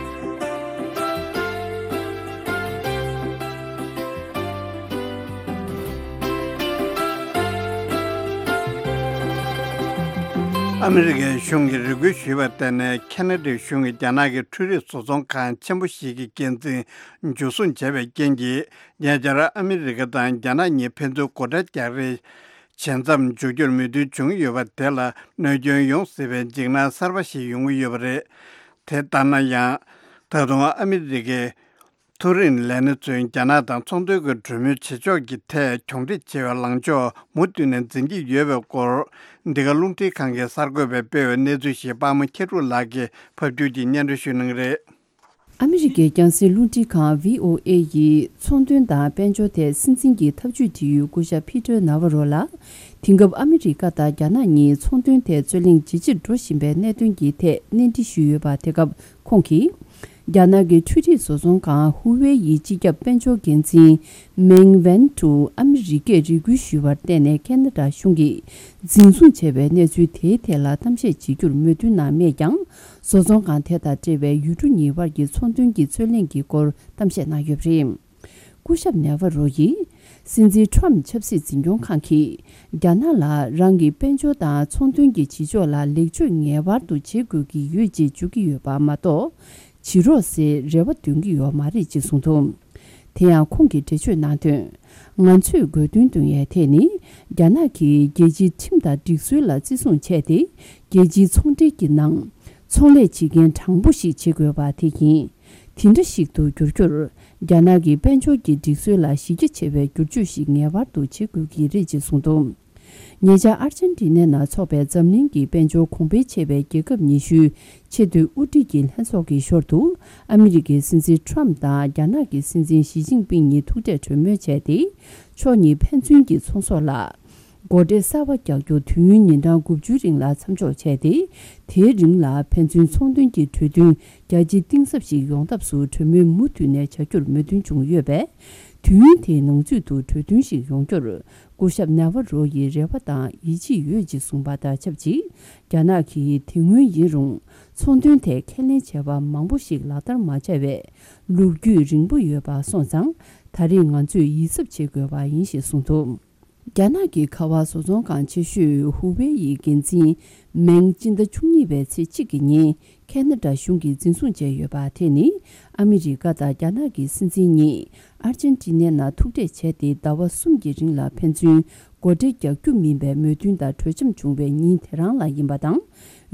ཨ་མི་རི་ཀའི་གཞུང་གིས་རེ་སྐུལ་ཞུས་པར་བརྟེན་ནས། ཁ་ན་ཌའི་གཞུང་གིས་རྒྱ་ནག་གི་འཕྲུལ་རིག་བཟོ་ཚོང་ཁང་ཆེན་པོ་ཞིག་གི་འགན་འཛིན་འཇུ་བཟུང་བྱས་པའི་རྐྱེན་གྱིས། ཉེ་ཆར་ཨ་མི་རི་ཀ་དང་རྒྱ་ནག་གཉིས་ཕན་ཚུན་སྒོ་ཁྲལ་རྒྱག་རེས་བྱེད་མཚམས་འཇོག་རྒྱུར་མོས་མཐུན་བྱུང་ཡོད་པ་དེ་ལ་གནོད་སྐྱོན་ཡོང་སྲིད་པའི་འཇིགས་སྣང་གསར་པ་ཞིག་ཡོང་གི་ཡོད་པ་རེད། དེ་ལྟར་ན་ཡང་། ད་དུང་ཨ་མི་རི་ཀའི་མཐོ་རིམ་ལས་སྣེ་ཚོས་རྒྱ་ནག་དང་ཚོང་དོན་གྱི་གྲོས་མོལ་བྱེད་ཕྱོགས་ཀྱི་ཐད་གྱོང་འཕྲད་བྱེད་པའི་ལངས་ཕྱོགས་མུ་མཐུད་ནས་འཛིན་གྱི་ཡོད་པའི་སྐོར། འདི་ག་རླུང་འཕྲིན་ཁང་གི་གསར་འགོད་པས་སྤེལ་བའི་གནས་ཚུལ་ཞིག་པདྨ་མཁས་གྲུབ་ལགས་ཀྱིས་ཕབ་བསྒྱུར་གྱིས་སྙན་སྒྲོན་ཞུ་གནང་གི་རེད། ཨ་མི་རི་ཀའི་རྒྱང་སྲིང་རླུང་འཕྲིན་ཁང་བྷི་ཨོ་ཨེ་ཡིས་ཚོང་དོན་དང་དཔལ་འབྱོར་ཐད་སྲིད་འཛིན་གྱི་ཐབས་ཇུས་དེ་ཡུལ་སྐུ་ཞབས་ཕི་ཏྲ་ན་ཝ་རོ་ལ། དེང་སྐབས་ཨ་མི་རི་ཀ་དང་རྒྱ་ནག་གཉིས་ཚོང་དོན་ཐད་རྩོད་གླེང་ཇེ་ཆེར་འགྲོ་བཞིན་པའི་གནད་དོན་གྱི་ཐད་གནས་འདྲི་ཞུས་ཡོད་པ། དེ་སྐབས་ཁོང་གིས། རྒྱ་ནག་གི་འཕྲུལ་རིག་བཟོ་ཚོང་ཁང་ཧུ་ཝེ་ཡི་སྤྱི་ཁྱབ་དཔལ་འབྱོར་འགན་འཛིན་མེང་ཝན་ཏུ་ཨ་མི་རི་ཀས་རེ་སྐུལ་ཞུས་པར་བརྟེན་ནས། ཁ་ན་ཌ་གཞུང་གིས་འཛིན་བཟུང་བྱས་པའི་གནས་ཚུལ་དེའི་ཐད་ལ་གཏམ་བཤད་བྱེད་རྒྱུར་མོས་མཐུན་གནང་མེད་ཀྱང་། བཟོ་ཚོང་ཁང་དེ་དང་འབྲེལ་བའི་ཡུལ་གྲུ་གཉིས་བར་གྱི་ཚོང་དོན་གྱི་རྩོད་གླེང་གི་སྐོར་གཏམ་བཤད་གནང་ཡོད་པ་རེད། སྐུ་ཞབས་ནེ་ཝ་རོ་ཡིས། སྲིད་འཛིན་ཁྲོམ་ཆབ་སྲིད་འཛིན་སྐྱོང་ཁང་གིས། རྒྱ་ནག་ལ་རང་གི་དཔལ་འབྱོར་དང་ཚོང་དོན་གྱི་བྱེད་ཕྱོགས་ལ་ལེགས་བཅོས་ངེས་པར་དུ་བྱེད་དགོས་ཀྱི་ཡོད་ཅེས་བརྗོད་ཀྱི་ཡོད་པ་མ་གཏོགས། བྱེད་རོགས་ཟེར་རེ་བ་འདོན་གྱི་ཡོད་མ་རེད་ཅེས་གསུངས་འདུག་དེ་ཡང་ཁོང་གིས་འགྲེལ་བརྗོད་གནང་དོན། ང་ཚོས་དགོས་འདུན་འདོན་ཡའི་ཐད་ནི། རྒྱ་ནག་གིས་རྒྱལ་སྤྱིའི་ཁྲིམས་དང་སྒྲིག་སྲོལ་ལ་བརྩི་སྲུང་བྱས་ཏེ། རྒྱལ་སྤྱིའི་ཚོང་འབྲེལ་གྱི་ནང་། ཚོང་ལས་བྱེད་མཁན་དྲང་པོ་ཞིག་བྱེད་དགོས་པ་དེ་ཡིན། དེ་འདྲ་ཞིག་ཏུ་འགྱུར་རྒྱུར། རྒྱ་ནག་གི་དཔལ་འབྱོར་གྱི་སྒྲིག་སྲོལ་ལ་གཞི་རྒྱ་ཆེ་བའི་བསྒྱུར་བཅོས་ཤིག་ངེས་པར་དུ་བྱེད་དགོས་ཀྱི་རེད་ཅེས་གསུངས་འདུག་ཉེ་ཆར་ཨར་ཇེན་ཊི་ནའི་ནང་འཚོགས་པའི་འཛམ་གླིང་གི་དཔལ་འབྱོར་གོང་འཕེལ་ཆེ་བའི་རྒྱལ་ཁབ་ཉི་ཤུའི་ཆེས་མཐོའི་དབུ་ཁྲིད་ཀྱི་ལྷན་ཚོགས་ཀྱི་ཞོར་དུ། ཨ་མི་རི་ཀའི་སྲིད་འཛིན་ཁྲོམ་དང་རྒྱ་ནག་གི་སྲིད་འཛིན་ཞི་ཅིན་ཕིང་གཉིས་ཐུག་འཕྲད་གྲོས་མོལ་བྱས་ཏེ། ཕྱོགས་གཉིས་ཕན་ཚུན་གྱི་ཚོང་ཟོག་ལ། སྒོ་ཁྲལ་གསར་པ་རྒྱག་རྒྱུ་དུས་ཡུན་ཉིན་གྲངས་དགུ་བཅུའི་རིང་ལ་མཚམས་འཇོག་བྱས་ཏེ། དེའི་རིང་ལ་ཕན་ཚུན་ཚོང་དོན་གྱི་གྲོས་མཐུན་རྒྱ་ཆེ་གཏིང་ཟབ་ཞིག་ཡོང་ཐབས་སུ་གྲོས་མོལ་མུ་མཐུད་ནས་བྱ་རྒྱུར་མོས་མཐུན་བྱུང་ཡོད་པས། དུས་ཡུན་དེའི་ནང་ཚུད་དུ་གྲོས་མཐུན་ཞིག་ཡོང་རྒྱུར། སྐུ་ཞབས་ནེ་ཝ་རོ་ཡིས་རེ་བ་དང་ཡིད་ཆེས་ཡོད་ཅེས་གསུངས་པ་དང་ཆབས་ཅིག་རྒྱ་ནག་གིས་དེ་སྔོན་ཡིན་རུང་། ཚོང་དོན་ཐད་ཁས་ལེན་བྱས་པ་མང་པོ་ཞིག་ལག་བསྟར་མ་བྱས་པའི་ལོ་རྒྱུས་རིང་པོ་ཡོད་པ་སོང་ཙང་། ད་རེས་ང་ཚོས་ཡིད་གཟབ་བྱེད་དགོས་པ་ཡིན་ཞེས་གསུངས་འདུག་རྒྱ་ནག་གི་ཁ་པར་བཟོ་ཚོང་ཁང་ཆེ་ཤོས་ཧུ་ཝེ་ཡི་འགན་འཛིན་མེང་སྤྱི་ཟླ་བཅུ་གཉིས་པའི་ཚེས་གཅིག་གི་ཉིན་ཁ་ན་ཌ་གཞུང་གིས་འཛིན་བཟུང་བྱས་ཡོད་པ་དེ་ནི། ཨ་མི་རི་ཀ་དང་རྒྱ་ནག་གི་སྲིད་འཛིན་གཉིས་ཨར་ཇེན་ཊི་ནའི་ནང་ཐུག་འཕྲད་བྱས་ཏེ་ཟླ་བ་གསུམ་གྱི་རིང་ལ་ཕན་ཚུན་སྒོ་ཁྲལ་རྒྱག་རྒྱུ་མིན་པའི་མོས་མཐུན་དང་གྲོས་འཆམ་བྱུང་བའི་ཉིན་དེ་རང་ལ་ཡིན་པ་དང་།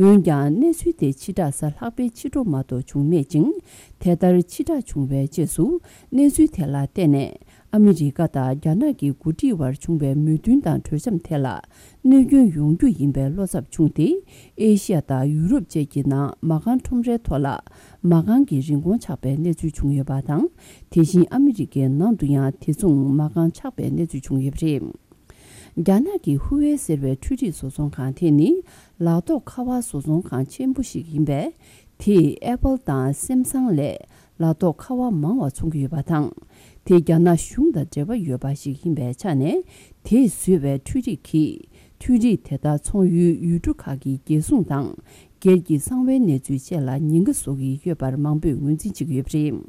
འོན་ཀྱང་གནས་ཚུལ་དེ་ཕྱི་བསྒྲགས་གཟའ་ལྷག་པའི་ཕྱི་དྲོ་མ་གཏོགས་བྱུང་མེད་ཅིང་། དེ་ལྟར་ཕྱི་བསྒྲགས་བྱུང་བའི་རྗེས་སུ་གནས་ཚུལ་དེ་ལ་བརྟེན་ནས། ཨ་མི་རི་ཀ་དང་རྒྱ་ནག་གི་འགོ་ཁྲིད་དབར་བྱུང་བའི་མོས་མཐུན་དང་གྲོས་འཆམ་ཐད་ལ་གནོད་སྐྱོན་ཡོང་རྒྱུ་ཡིན་པའི་བློ་འཚབ་བྱུང་སྟེ། ཨེ་ཤི་ཡ་དང་ཡུ་རོབ་བཅས་ཀྱི་ནང་མ་རྐང་ཁྲོམ་རའི་ཐོག་ལ་མ་རྐང་གི་རིན་གོང་ཆག་པའི་གནས་ཚུལ་བྱུང་ཡོད་པ་དང་། དེ་བཞིན་ཨ་མི་རི་ཀའི་ནང་དུ་ཡང་དེ་མཚུངས་མ་རྐང་ཆག་པའི་གནས་ཚུལ་བྱུང་ཡོད་པ་རེད། རྒྱ་ནག་གི་ཧུ་ཝེ་ཟེར་བའི་འཕྲུལ་རིག་བཟོ་ཚོང་ཁང་དེ་ནི་ལག་ཐོགས་ཁ་པར་བཟོ་ཚོང་ཁང་ཆེན་པོ་ཞིག་ཡིན་པས། དེས་ཨེ་པལ་དང་སེམ་སང་ལས་ལག་ཐོགས་ཁ་པར་མང་བ་འཚོང་གི་ཡོད་པ་དང་། དེ་རྒྱ་ནག་གཞུང་དང་འབྲེལ་བ་ཡོད་པ་ཞིག་ཡིན་པའི་ཆ་ནས། དེས་བཟོས་པའི་འཕྲུལ་རིག་གིས་འཕྲུལ་རིག་དེ་དག་ཚོང་ཡུལ་ཡུལ་གྲུ་ཁག་གི་རྒྱལ་སྲུང་དང་སྒེར་གྱི་གསང་བའི་གནས་ཚུལ་བཅས་ལ་ཉེན་ཁ་བཟོ་གི་ཡོད་པར་མང་པོས་ངོས་འཛིན་བྱེད་ཀྱི་ཡོད་པ་རེད།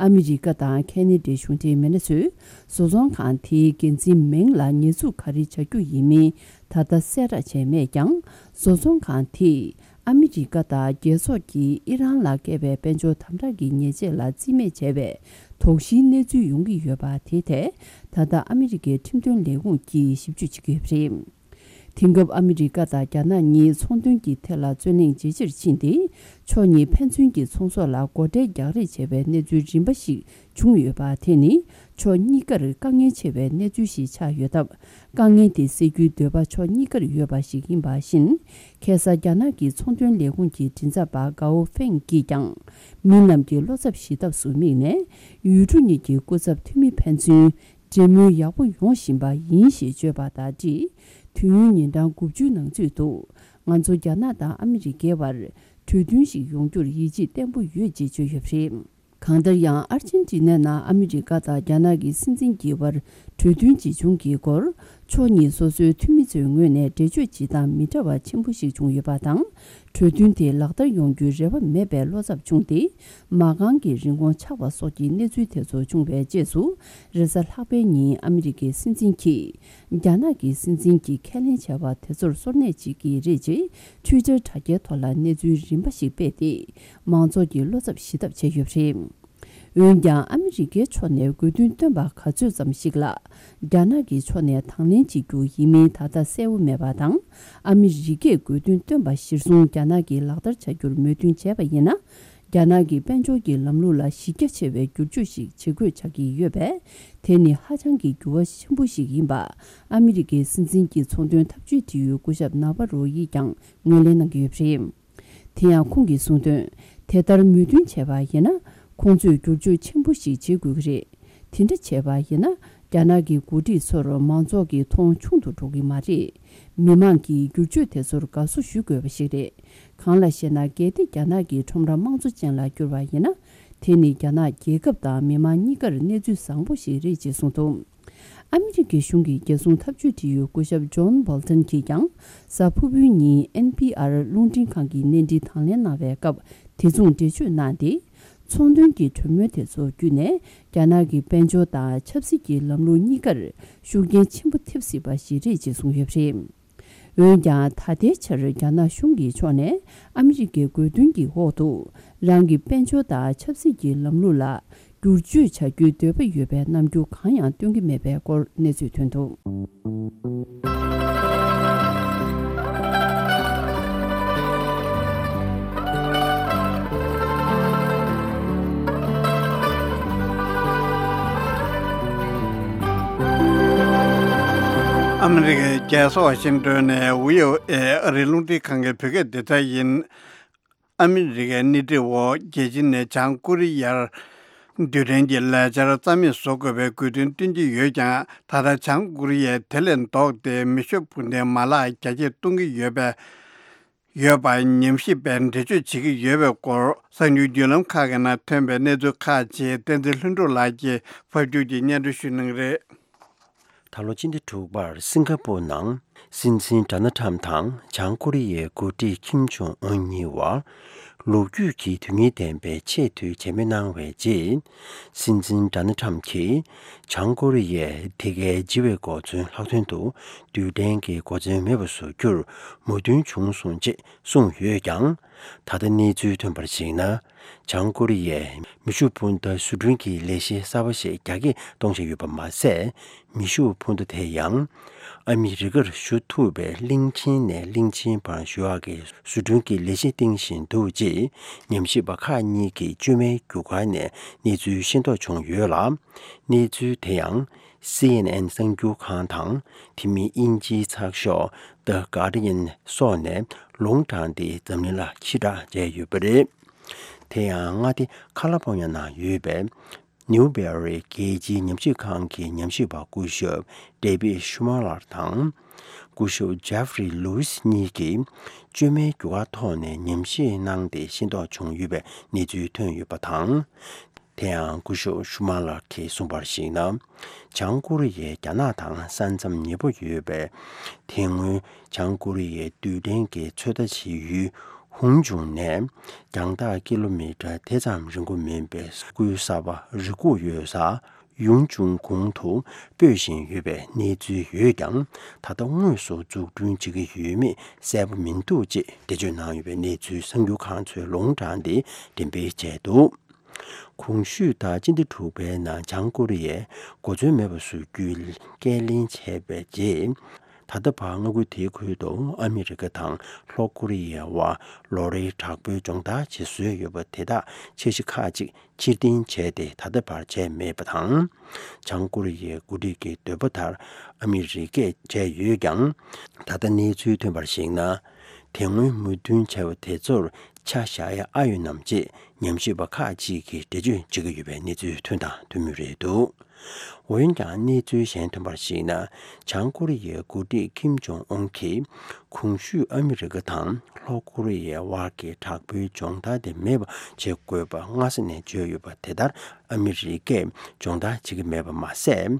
ཨ་མི་རི་ཀ་དང་ཁེ་ན་ཌའི་གཞུང་འབྲེལ་མི་སྣ་ཚོས་བཟོ་ཚོང་ཁང་དེའི་འགན་འཛིན་མིང་ལ་ཉེས་འཛུགས་ག་རེ་བྱ་རྒྱུ་ཡིན་མིན་ད་ལྟ་གསལ་བསྒྲགས་བྱས་མེད་ཀྱང་། བཟོ་ཚོང་ཁང་དེས་ཨ་མི་རི་ཀ་དང་རྒྱལ་ཚོགས་ཀྱིས་ཨི་རན་ལ་བཀལ་བའི་དཔལ་འབྱོར་དམ་དྲག་གི་ཉེས་ཆད་ལ་རྩིས་མེད་བྱས་པའི་དོགས་གཞིའི་གནས་ཚུལ་ཡོང་གི་ཡོད་པ་དེའི་ཐད། ད་ལྟ་ཨ་མི་རི་ཀའི་ཁྲིམས་དོན་ལས་ཁུངས་ཀྱིས་ཞིབ་འཇུག་བྱེད་ཀྱི་ཡོད་པ་རེད། དེང་སྐབས་ཨ་མི་རི་ཀ་དང་རྒྱ་ནག་གཉིས་ཚོང་དོན་གྱི་ཐད་ལ་རྩོད་གླེང་ཇེ་ཆེར་ཕྱིན་ཏེ། ཕྱོགས་གཉིས་ཕན་ཚུན་གྱི་ཚོང་ཟོག་ལ་སྒོ་ཁྲལ་རྒྱག་རེས་བྱས་པའི་གནས་ཚུལ་རིམ་པ་ཞིག་བྱུང་ཡོད་པ་དེ་ནི་ཕྱོགས་གཉིས་ཀར་དཀའ་ངལ་ཆེ་བའི་གནས་ཚུལ་ཞིག་ཆགས་ཡོད་སྟབས། དཀའ་ངལ་དེ་སེལ་རྒྱུའི་འདོད་པ་ཕྱོགས་གཉིས་ཀར་ཡོད་པ་ཞིག་ཡིན་པ་བཞིན། ཁ་སང་རྒྱ་ནག་གི་ཚོང་དོན་ལས་ཁུངས་ཀྱི་མགྲིན་ཚབ་པ་གའོ་ཧྥེང་གིས་ཀྱང་། མི་རྣམས་ཀྱི་བློ་འཚབ་ཞི་ཐབས་སུ་དམིགས་ནས། ཡུལ་གྲུ་གཉིས་ཀྱི་སྐུ་ཚབ་འཐུས་མི་ཕན་ཚུན་འབྲེལ་མོལ་ཡག་པོ་ཡོང་བཞིན་པ་ཡིན་ཞེས་བརྗོད་པ་དང་འབྲེལ། དུས་ཡུན་ཉིན་གྲངས་དགུ་བཅུའི་ནང་ཚུད་དུ་ང་ཚོ་རྒྱ་ནག་དང་ཨ་མི་རི་ཀའི་བར་གྲོས་མཐུན་ཞིག་ཡོང་རྒྱུར་ཡིད་ཆེས་བརྟན་པོ་ཡོད་ཅེས་བརྗོད་ཡོད་པ་རེད། གང་ལྟར་ཡང་ཨར་ཅན་ཏི་ནའི་ནང་ཨ་མི་རི་ཀ་དང་རྒྱ་ནག་གི་སྲིད་འཛིན་གྱི་བར་གྲོས་མཐུན་ཇི་བྱུང་གི་སྐོར། ཕྱོགས་གཉིས་སོ་སོའི་འཐུས་མི་ཚོའི་ངོས་ནས་འགྲེལ་བརྗོད་བྱེད་སྟངས་མི་འདྲ་བ་ཆེན་པོ་ཞིག་བྱུང་ཡོད་པ་དང་། གྲོས་མཐུན་དེ་ལག་བསྟར་ཡོང་རྒྱུའི་རེ་བ་མེད་པའི་བློ་འཚབ་བྱུང་སྟེ། མ་རྐང་གི་རིན་གོང་ཆག་པ་སོགས་ཀྱི་གནས་ཚུལ་དེ་ཚོ་བྱུང་བའི་རྗེས་སུ། རེས་གཟའ་ལྷག་པའི་ཉིན་ཨ་མི་རི་ཀའི་སྲིད་འཛིན་གྱིས། རྒྱ་ནག་གི་སྲིད་འཛིན་གྱིས་ཁས་ལེན་བྱས་པ་དེ་ཚོར་སོར་གནས་བྱེད་ཀྱི་རེད་ཅེས། ཊུའི་ཊར་དྲ་རྒྱའི་ཐོག་ལ་གནས་ཚུལ་རིམ་པ་ཞིག་སྤེལ་ཏེ། མང་ཚོགས་ཀྱི་བློ་འཚབ་ཞི་ཐབས་བྱས་ཡོད་པ་རེད། འོན་ཀྱང་ཨ་མི་རི་ཀའི་ཕྱོགས་ནས་དགོས་འདུན་བཏོན་པ་ག་ཚོད་ཙམ་ཞིག་ལ། རྒྱ་ནག་གི་ཕྱོགས་ནས་དང་ལེན་བྱེད་རྒྱུ་ཡིན་མིན་ད་ལྟ་གསལ་བོ་མེད་པ་དང་། ཨ་མི་རི་ཀས་དགོས་འདུན་བཏོན་པ་གཞིར་བཟུང་རྒྱ་ནག་གིས་ལག་བསྟར་བྱ་རྒྱུར་མོས་མཐུན་བྱས་པ་ཡིན་ན། རྒྱ་ནག་གི་དཔལ་འབྱོར་གྱི་ལམ་ལུགས་ལ་གཞི་རྒྱ་ཆེ་བའི་བསྒྱུར་བཅོས་ཤིག་བྱེད་དགོས་ཆགས་ཀྱི་ཡོད་པས། དེ་ནི་ཧ་ཅང་གི་འགྱུར་བ་ཆེན་པོ་ཞིག་ཡིན་པ། ཨ་མི་རི་ཀའི་སྲིད་འཛིན་གྱི་ཚོང་དོན་འཐབ་ཇུས་འབྲེལ་ཡོད་སྐུ་ཞབས་ན་བ་རོ་ཡིས་ཀྱང་ངོས་ལེན་གནང་གི་ཡོད་པ་རེད། དེ་ཡང་ཁོང་གིས་གསུངས་དོན། དེ་ལྟར་མོས་མཐུན་བྱས་པ་ཡིན་ན། ཁོང་ཚོས་བསྒྱུར་བཅོས་ཆེན་པོ་ཞིག་བྱེད་དགོས་ཀྱི་རེད། དེ་འདྲ་བྱས་པ་ཡིན་ན། རྒྱ་ནག་གི་འགོ་ཁྲིད་ཚོར་མང་ཚོགས་ཀྱི་མཐོང་ཆུང་དུ་འགྲོ་གི་མ་རེད། མི་མང་གིས་བསྒྱུར་བཅོས་དེ་ཚོར་དགའ་བསུ་ཞུ་དགོས་པ་ཞིག་རེད། གང་ལ་ཞེ་ན། གལ་ཏེ་རྒྱ་ནག་གི་ཁྲོམ་ར་དམངས་གཙོ་ཅན་ལ་བསྒྱུར་བ་ཡིན་ན། དེ་ནི་རྒྱ་ནག་རྒྱལ་ཁབ་དང་མི་མང་གཉིས་ཀར་གནས་ཚུལ་བཟང་པོ་ཞིག་རེད་ཅེས་གསུངས་འདུག་ཨ་མི་རི་ཀའི་གཞུང་གི་རྒྱལ་སྲུང་འཐབ་ཇུས་འབྲེལ་ཡོད་སྐུ་ཞབས་ཇོན་བོལ་ཏན་གྱིས་ཀྱང་། གཟའ་ཕུར་བུའི་ཉིན་ཨེན་པི་ཨར་རླུང་འཕྲིན་ཁང་གི་གནས་འཕྲིན་དང་ལེན་གནང་བའི་སྐབས། དེ་མཚུངས་འགྲེལ་བརྗོད་གནང་སྟེ། ཚོང་དོན་གྱི་གྲོས་མོལ་དེ་ཚོ་བརྒྱུད་ནས། རྒྱ་ནག་གི་དཔལ་འབྱོར་དང་ཆབ་སྲིད་ཀྱི་ལམ་ལུགས་གཉིས་ཀར་ཤུགས་རྐྱེན་ཆེན་པོ་ཐེབས་སྲིད་པ་ཞིག་རེད་ཅེས་གསུངས་ཡོད་པ་རེད། འོན་ཀྱང་། ད་ལྟའི་ཆར་རྒྱ་ནག་གཞུང་གི་ཕྱོགས་ནས་ཨ་མི་རི་ཀའི་དགོས་འདུན་གྱི་འོག་ཏུ། རང་གི་དཔལ་འབྱོར་དང་ཆབ་སྲིད་ཀྱི་ལམ་ལུགས་ལ་བསྒྱུར་བཅོས་བྱ་རྒྱུའི་འདོད་པ་ཡོད་པའི་རྣམ་འགྱུར་གང་ཡང་སྟོན་གྱི་མེད་པའི་སྐོར་གནས་ཚུལ་ཐོན་འདུག་ཨ་མི་རི་ཀའི་རྒྱལ་ས་ཝ་ཤིང་ཏོན་ནས་བྷི་ཨོ་ཨེ་ཨ་རིའི་རླུང་འཕྲིན་ཁང་གི་བོད་སྐད་སྡེ་ཚན་ཡིན། ཨ་མི་རི་ཀའི་སྣེ་ཁྲིད་འོག་རྒྱལ་སྤྱི་ནས་བྱང་ཀོ་རི་ཡར་རྡུལ་ཕྲན་གྱི་ལས་འཆར་རྩ་མེད་བཟོ་དགོས་པའི་དགོས་འདུན་བཏོན་གྱི་ཡོད་ཀྱང་། ད་ལྟ་བྱང་ཀོ་རི་ཡས་དེ་ལས་ལྡོག་སྟེ་མེ་ཤུགས་འཕུར་མདེལ་མ་ལག་རྒྱ་སྐྱེད་གཏོང་གི་ཡོད་པའི་ཡོད་པ་ཉམས་ཞིབ་པས་འགྲེལ་བརྗོད་བྱེད་ཀྱི་ཡོད་པའི་སྐོར། གསར་འགྱུར་བརྒྱུད་ལམ་ཁག་གི་ནང་ཐོན་པའི་གནས་ཚུལ་ཁག་ཅིག་བསྟན་འཛིན་ལྷུན་གྲུབ་ལགས་ཀྱིས་ཕབ་སྒྱུར་གྱིས་སྙན་སྒྲོན་ཞུ་གནང་གི་རེད། ད་ལོ་སྤྱི་ཟླ་དྲུག་པར་སིང་ག་པུར་ནང་སྲིད་འཛིན་ཌོ་ནལ་ཁྲམ་དང་བྱང་ཀོ་རི་ཡའི་འགོ་ཁྲིད་ཁིམ་ཇོང་ཨུན་གཉིས་བར་ལོ་རྒྱུས་ཀྱི་དོན་སྙིང་ལྡན་པའི་ཆེས་མཐོའི་མཇལ་མོལ་གནང་བའི་རྗེས། སྲིད་འཛིན་ཌོ་ནལ་ཁྲམ་གྱིས་བྱང་ཀོ་རི་ཡས་དེ་གའི་ལྗི་བའི་གོ་མཚོན་ལྷག་དོན་དུ་རྡུལ་ཕྲན་གྱི་གོ་མཚོན་མེད་པ་བཟོ་རྒྱུར་མོས་མཐུན་བྱུང་སོང་ཅེས་གསུངས་ཡོད་ཀྱང་། ད་ལྟ་གནས་ཚུལ་ཐོན་པར་གཞིགས་ན། བྱང་ཀོ་རི་ཡས་མེ་ཤུགས་འཕུར་མདའ་བཟོ་སྐྲུན་གྱི་ལས་གཞི་གསར་པ་ཞིག་རྒྱ་སྐྱེད་གཏོང་བཞིན་ཡོད་པ་མ་ཟད། མེ་ཤུགས་འཕུར་མདའ་དེ་ཡང་ཨ་མི་རི་ཀར་བཞུ་ཐུབ་པའི་གླིང་ཆེན་ནས་གླིང་ཆེན་བར་བཞུ་ཡག་གི་བཟོ་སྐྲུན་གྱི་ལས་གཞི་སྟེང་བཞིན་འདུག་ཅེས་ཉམས་ཞིབ་པ་ཁག་གཉིས་ཀྱིས་བཅོས་མའི་རྒྱུ་སྐར་ནས་གནས་ཚུལ་ཤེས་རྟོགས་བྱུང་ཡོད་ལ། གནས་ཚུལ་དེ་ཡང་སི་ཨེན་ཨེན་གསར་འགྱུར་ཁང་དང་། དེ་མིན་དབྱིན་ཇིའི་ཚགས་ཤོག་The Guardian སོགས་ནས་ལུང་དྲངས་ཏེ་འཛམ་གླིང་ལ་ཕྱིར་བསྒྲགས་བྱས་ཡོད་པ་རེད། དེ་ཡང་མངའ་སྡེ་ཁ་ལ་ཕོ་ཉ་ནང་ཡོད་པའི་ནིའུ་བེ་རི་རྒྱལ་སྤྱིའི་ཉམས་ཞིབ་ཁང་གི་ཉམས་ཞིབ་པ་སྐུ་ཞབས་ཌེ་བིད་ཤུ་མ་ལར་དང་། སྐུ་ཞབས་ཇེ་ཧྥ་རི་ལུའི་སི་གཉིས་ཀྱིས་བཅོས་མའི་རྒྱུ་སྐར་ཐོག་ནས་ཉམས་ཞིབ་གནང་སྟེ་ཤེས་རྟོགས་བྱུང་ཡོད་པའི་གནས་ཚུལ་ཐོན་ཡོད་པ་དང་། དེ་ཡང་སྐུ་ཞབས་ཤུ་མ་ལར་གྱིས་གསུངས་པར་གཞིགས་ན། བྱང་ཀོ་རི་ཡས་རྒྱ་ནག་དང་ས་མཚམས་ཉེ་པོ་ཡོད་པའི་དེ་སྔོན་བྱང་ཀོ་རི་ཡའི་རྡུལ་ཕྲན་གྱི་ཚོད་ལྟ་བྱེད་ཡུལ་ཧུང་ཆུང་ནས་རྒྱང་ཐག་ཀི་ལོ་མི་ཊར་དེ་ཙམ་རིང་པོ་མིན་པའི་ས་ཁུལ་གསར་པ་རི་ཁུག་ཡོད་ས་ཡུང་ཆུང་གུང་དུ་སྤོས་བཞིན་ཡོད་པའི་གནས་ཚུལ་ཡོད་ཀྱང་། ད་ལྟ་དངོས་སུ་འཛུགས་སྐྲུན་བྱེད་ཀྱི་ཡོད་མེད་གསལ་པོ་མི་འདུག་ཅེས་འགྲེལ་བརྗོད་གནང་ཡོད་པའི་གནས་ཚུལ་གསར་འགྱུར་ཁང་ཚོས་ལུང་དྲངས་ཏེ་འགྲེམས་སྤེལ་བྱས་འདུག། གོང་ཞུས་ལྟར་སྤྱི་ཟླ་དྲུག་པའི་ནང་བྱང་ཀོ་རི་ཡས་གོ་མཚོན་མེད་པ་བཟོ་རྒྱུའི་ཁས་ལེན་བྱས་པའི་རྗེས། ད་ལྟ་བར་མངའ་ཁུལ་དེའི་ཁུལ་དུ་ཨ་མི་རི་ཀ་དང་ལྷོ་ཀོ་རི་ཡའི་དབར་ལོ་རེའི་དྲག་པོའི་སྦྱོང་བརྡར་བྱེད་སྲོལ་ཡོད་པ་དེ་དག་འཆར་གཞི་ཁག་ཅིག་ཕྱིར་འཐེན་བྱས་ཏེ་ད་ལྟ་བར་བྱས་མེད་པ་དང་། བྱང་ཀོ་རི་ཡའི་འགོ་ཁྲིད་ཀྱི་འདོད་པ་ལྟར་ཨ་མི་རི་ཀས་བྱས་ཡོད་ཀྱང་། ད་ལྟ་གནས་ཚུལ་ཐོན་པར་གཞིགས་ན། དེ་སྔོན་མོས་མཐུན་བྱས་པ་དེ་ཚོར་ཆ་བཞག་ཡ་ཨ་ཡོད་ནམ་ཅེས་ཉམས་ཞིབ་པ་ཁག་ཅིག་གིས་འགྲེལ་བརྗོད་བྱེད་ཀྱི་ཡོད་པའི་གནས་ཚུལ་ཐོན་དང་ཐོན་མུས་རེད་འདུག། འོན་ཀྱང་གནས་ཚུལ་གཞན་ཐོན་པར་གཞིགས་ན། བྱང་ཀོ་རི་ཡའི་འགོ་ཁྲིད་ཀིམ་ཇོང་ཨུན་གྱིས་གོང་ཞུས་ཨ་མི་རི་ཀ་དང་ལྷོ་ཀོ་རི་ཡའི་དབར་གྱི་དྲག་པོའི་སྦྱོང་བརྡར་དེ་མེད་པ་བྱེད་དགོས་པ་སྔ་ས་ནས་བརྗོད་ཡོད་པ་དེ་ལྟར་ཨ་མི་རི་ཀས་སྦྱོང་བརྡར་བྱེད་ཀྱི་མེད་པ་མ་ཟད།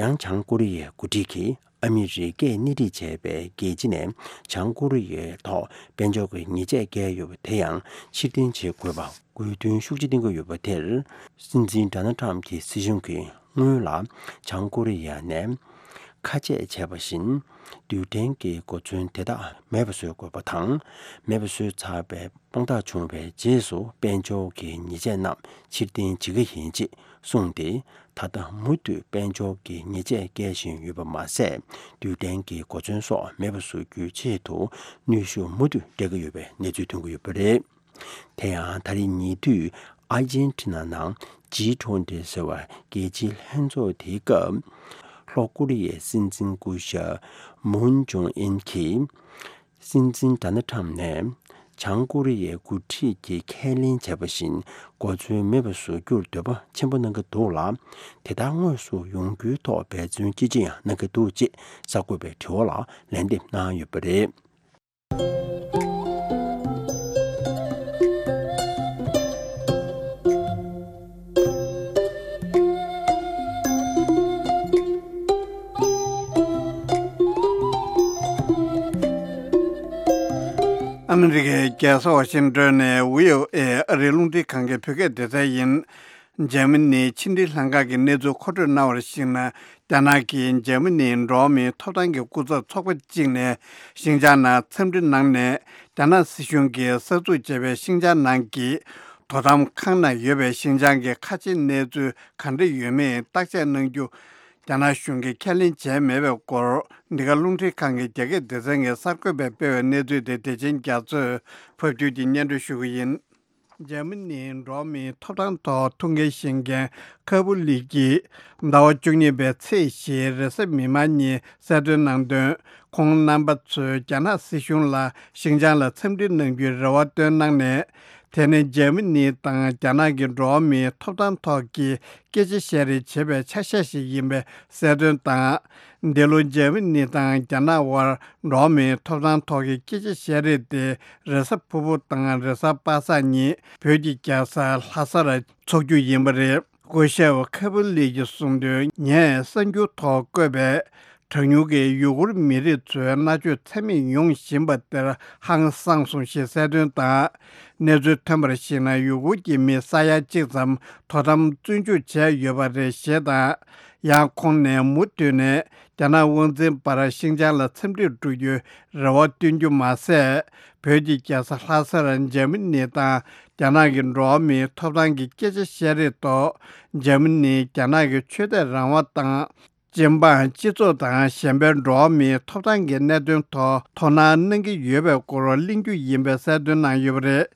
ཡང་བྱང་ཀོ་རི་ཡའི་འགོ་ཁྲིད་ཀྱིས་ཨ་མི་རི་ཀས་སྣེ་ཁྲིད་བྱས་པའི་རྒྱལ་སྤྱི་ནས་བྱང་ཀོ་རི་ཡའི་ཐོག་དཔལ་འབྱོར་གྱི་ཉེས་ཆད་བཀལ་ཡོད་པ་དེ་ཡང་ཕྱིར་འཐེན་བྱེད་དགོས་པ་དགོས་འདུན་ཤུགས་ཆེ་བཏོན་གྱི་ཡོད་པ་དེར། སྲིད་འཛིན་ཌོ་ནལ་ཊམ་གྱི་སྲིད་གཞུང་གིས་སྔོན་ལ་བྱང་ཀོ་རི་ཡ་ནས་ཁ་ཆད་བྱས་པ་བཞིན། རྡུལ་ཕྲན་གྱི་གོ་མཚོན་དེ་དག་མེད་པ་བཟོ་དགོས་པ་དང་། མེད་པ་བཟོས་ཚར་བའི་དཔང་རྟགས་བྱུང་བའི་རྗེས་སུ་དཔལ་འབྱོར་གྱི་ཉེས་ཆད་རྣམས་ཕྱིར་འཐེན་བྱེད་ཀྱི་ཡིན་ཅེས་གསུངས་ཏེ། ད་ལྟ་མུ་མཐུད་དཔལ་འབྱོར་གྱི་ཉེས་ཆད་བཀལ་བཞིན་ཡོད་པ་མ་ཟད། རྡུལ་ཕྲན་གྱི་གོ་མཚོན་སོགས་མེད་པ་བཟོ་རྒྱུའི་ཆེད་དུ་གནོན་ཤུགས་མུ་མཐུད་སྤྲད་ཀྱི་ཡོད་པའི་གནས་ཚུལ་ཐོན་གྱི་ཡོད་པ་རེད། དེ་ཡང་ད་རེས་ཉེ་དུས་ཨར་ཇེན་ཊི་ན་ནང་ཇི་ཊུ་ཝེན་ཊི་ཟེར་བ་རྒྱལ་སྤྱིའི་ལྷན་ཚོགས་དེའི་སྐབས། ལྷོ་ཀོ་རི་ཡའི་སྲིད་འཛིན་སྐུ་ཞབས་མུན་ཇུང་ཨིན་གྱིས། སྲིད་འཛིན་ཌོ་ནལ་ཊམ་ནས་བྱང་ཀོ་རི་ཡའི་འགོ་ཁྲིད་ཀྱིས་ཁས་ལེན་བྱས་པ་བཞིན་གོ་མཚོན་མེད་པ་བཟོ་རྒྱུར་འདོད་པ་ཆེན་པོ་གནང་གི་འདུག་ལ། དེ་ལྟར་དངོས་སུ་ཡོང་རྒྱུའི་ཐོག་འབད་བརྩོན་ཅི་ཅི་ཡང་གནང་གི་འདུག་ཅེས་གསར་འགོད་པའི་དྲི་བ་ལ་ལན་འདེབས་གནང་ཡོད་པ་རེད། ཨ་མི་རི་ཀའི་རྒྱལ་ས་ཝ་ཤིང་ཏོན་ནས་བྷི་ཨོ་ཨེ་ཨ་རིའི་རླུང་འཕྲིན་ཁང་གི་བོད་སྐད་སྡེ་ཚན་ཡིན། འཇར་མ་ནིའི་ཕྱི་འབྲེལ་ལྷན་ཁང་གི་གནས་ཚུལ་མཁོ་སྤྲོད་གནང་བར་གཞིགས་ན། རྒྱ་ནག་གིས་འཇར་མ་ནིའི་འགྲོ་བ་མིའི་ཐོབ་ཐང་གི་སྐུ་ཚབ་ཚོགས་པ་གཅིག་ནས་ཤིན་ཅང་ནང་འཚམས་འདྲི་གནང་ནས། རྒྱ་ནག་སྲིད་གཞུང་གིས་གསར་འཛུགས་བྱས་པའི་ཤིན་ཅང་ནང་གི་དོ་དམ་ཁང་ནང་ཡོད་པའི་ཤིན་ཅང་གི་ཁ་ཆེའི་གནས་ཚུལ་ག་འདྲ་ཡོད་མེད་བརྟག་དཔྱད་གནང་རྒྱུ། རྒྱ་ནག་གཞུང་གིས་ཁས་ལེན་བྱས་མེད་པའི་སྐོར། འདི་ག་རླུང་འཕྲིན་ཁང་གི་རྒྱ་སྐད་སྡེ་ཚན་གྱི་གསར་འགོད་པས་སྤེལ་བའི་གནས་ཚུལ་དེ་བདེ་ཆེན་རྒྱ་མཚོས་ཕབ་སྒྱུར་གྱིས་སྙན་སྒྲོན་ཞུ་གི་ཡིན། འཇར་མ་ནིའི་འགྲོ་བ་མིའི་ཐོབ་ཐང་ཐོག་ཐུགས་འགན་བཞེས་མཁན་ཁ་པུ་ལི་ཀྱིས་ཟླ་བ་བཅུ་གཉིས་པའི་ཚེས་བཞིའི་རེས་གཟའ་མིག་དམར་ཉིན་གསལ་སྟོན་གནང་དོན། ཁོང་རྣམ་པ་ཚོས་རྒྱ་ནག་སྲིད་གཞུང་ལ་ཤིན་ཅང་ལ་འཚམས་འདྲི་གནང་རྒྱུའི་རེ་བ་བཏོན་གནང་ནས། དེ་ནི་འཇར་མ་ནི་དང་རྒྱ་ནག་གི་འགྲོ་བ་མིའི་ཐོབ་ཐང་ཐོག་གི་སྐད་ཆ་བཤད་རེས་བྱེད་པའི་ཆ་ཤས་ཤིག་ཡིན་པའི་གསལ་སྟོན་དང་། འདི་ལོ་འཇར་མ་ནི་དང་རྒྱ་ནག་དབར་འགྲོ་བ་མིའི་ཐོབ་ཐང་ཐོག་གི་སྐད་ཆ་བཤད་རེས་དེ་རེས་གཟའ་ཕུར་བུ་དང་རེས་གཟའ་པ་སངས་ཉིན་བོད་ཀྱི་རྒྱལ་ས་ལྷ་སར་འཚོགས་རྒྱུ་ཡིན་པ་རེད། སྐུ་ཞབས་ཁ་པུ་ལི་ཀྱིས་གསུངས་དོན། ངས་གསར་འགྱུར་ཐོག་བཀོད་པའི་གྲངས་ཉུང་གི་ཡུ་གུར་མི་རིགས་ཚོའི་མནར་གཅོད་ཚད་མེད་ཡོང་བཞིན་པ་དེར་ཧང་སངས་སོང་ཞེས་གསལ་སྟོན་དང་། གནས་ཚུལ་ཐོན་པར་གཞིགས་ན། ཡུ་གུར་གྱི་མི་ས་ཡ་གཅིག་ཙམ་དོ་དམ་བཙོན་འཇུག་བྱས་ཡོད་པ་རེད་ཞེས་དང་། ཡང་ཁོང་ནས་མུ་མཐུད་ནས་ རྒྱ་ནག་དབང་འཛིན་པར་ཤིན་ཅང་ལ་འཚམས་འདྲིར་འགྲོ་རྒྱུའི་རེ་བ་བཏོན་རྒྱུ་མ་ཟད། བོད་ཀྱི་རྒྱལ་ས་ལྷ་སར་འཇར་མ་ནི་དང་རྒྱ་ནག་གི་འགྲོ་བ་མིའི་ཐོབ་ཐང་གི་སྐད་ཆ་བཤད་རེས་ཐོག་འཇར་མ་ནི་རྒྱ་ནག་གི་ཆོས་དད་རང་དབང་དང་། སྤྱི་འབངས་སྤྱི་ཚོགས་དང་གཞན་པའི་འགྲོ་བ་མིའི་ཐོབ་ཐང་གི་གནད་དོན་ཐོག་དོ་སྣང་གནང་གི་ཡོད་པའི་སྐོར་གླེང་རྒྱུ་ཡིན་པའི་གསལ་སྟོན་གནང་ཡོད་པ་རེད།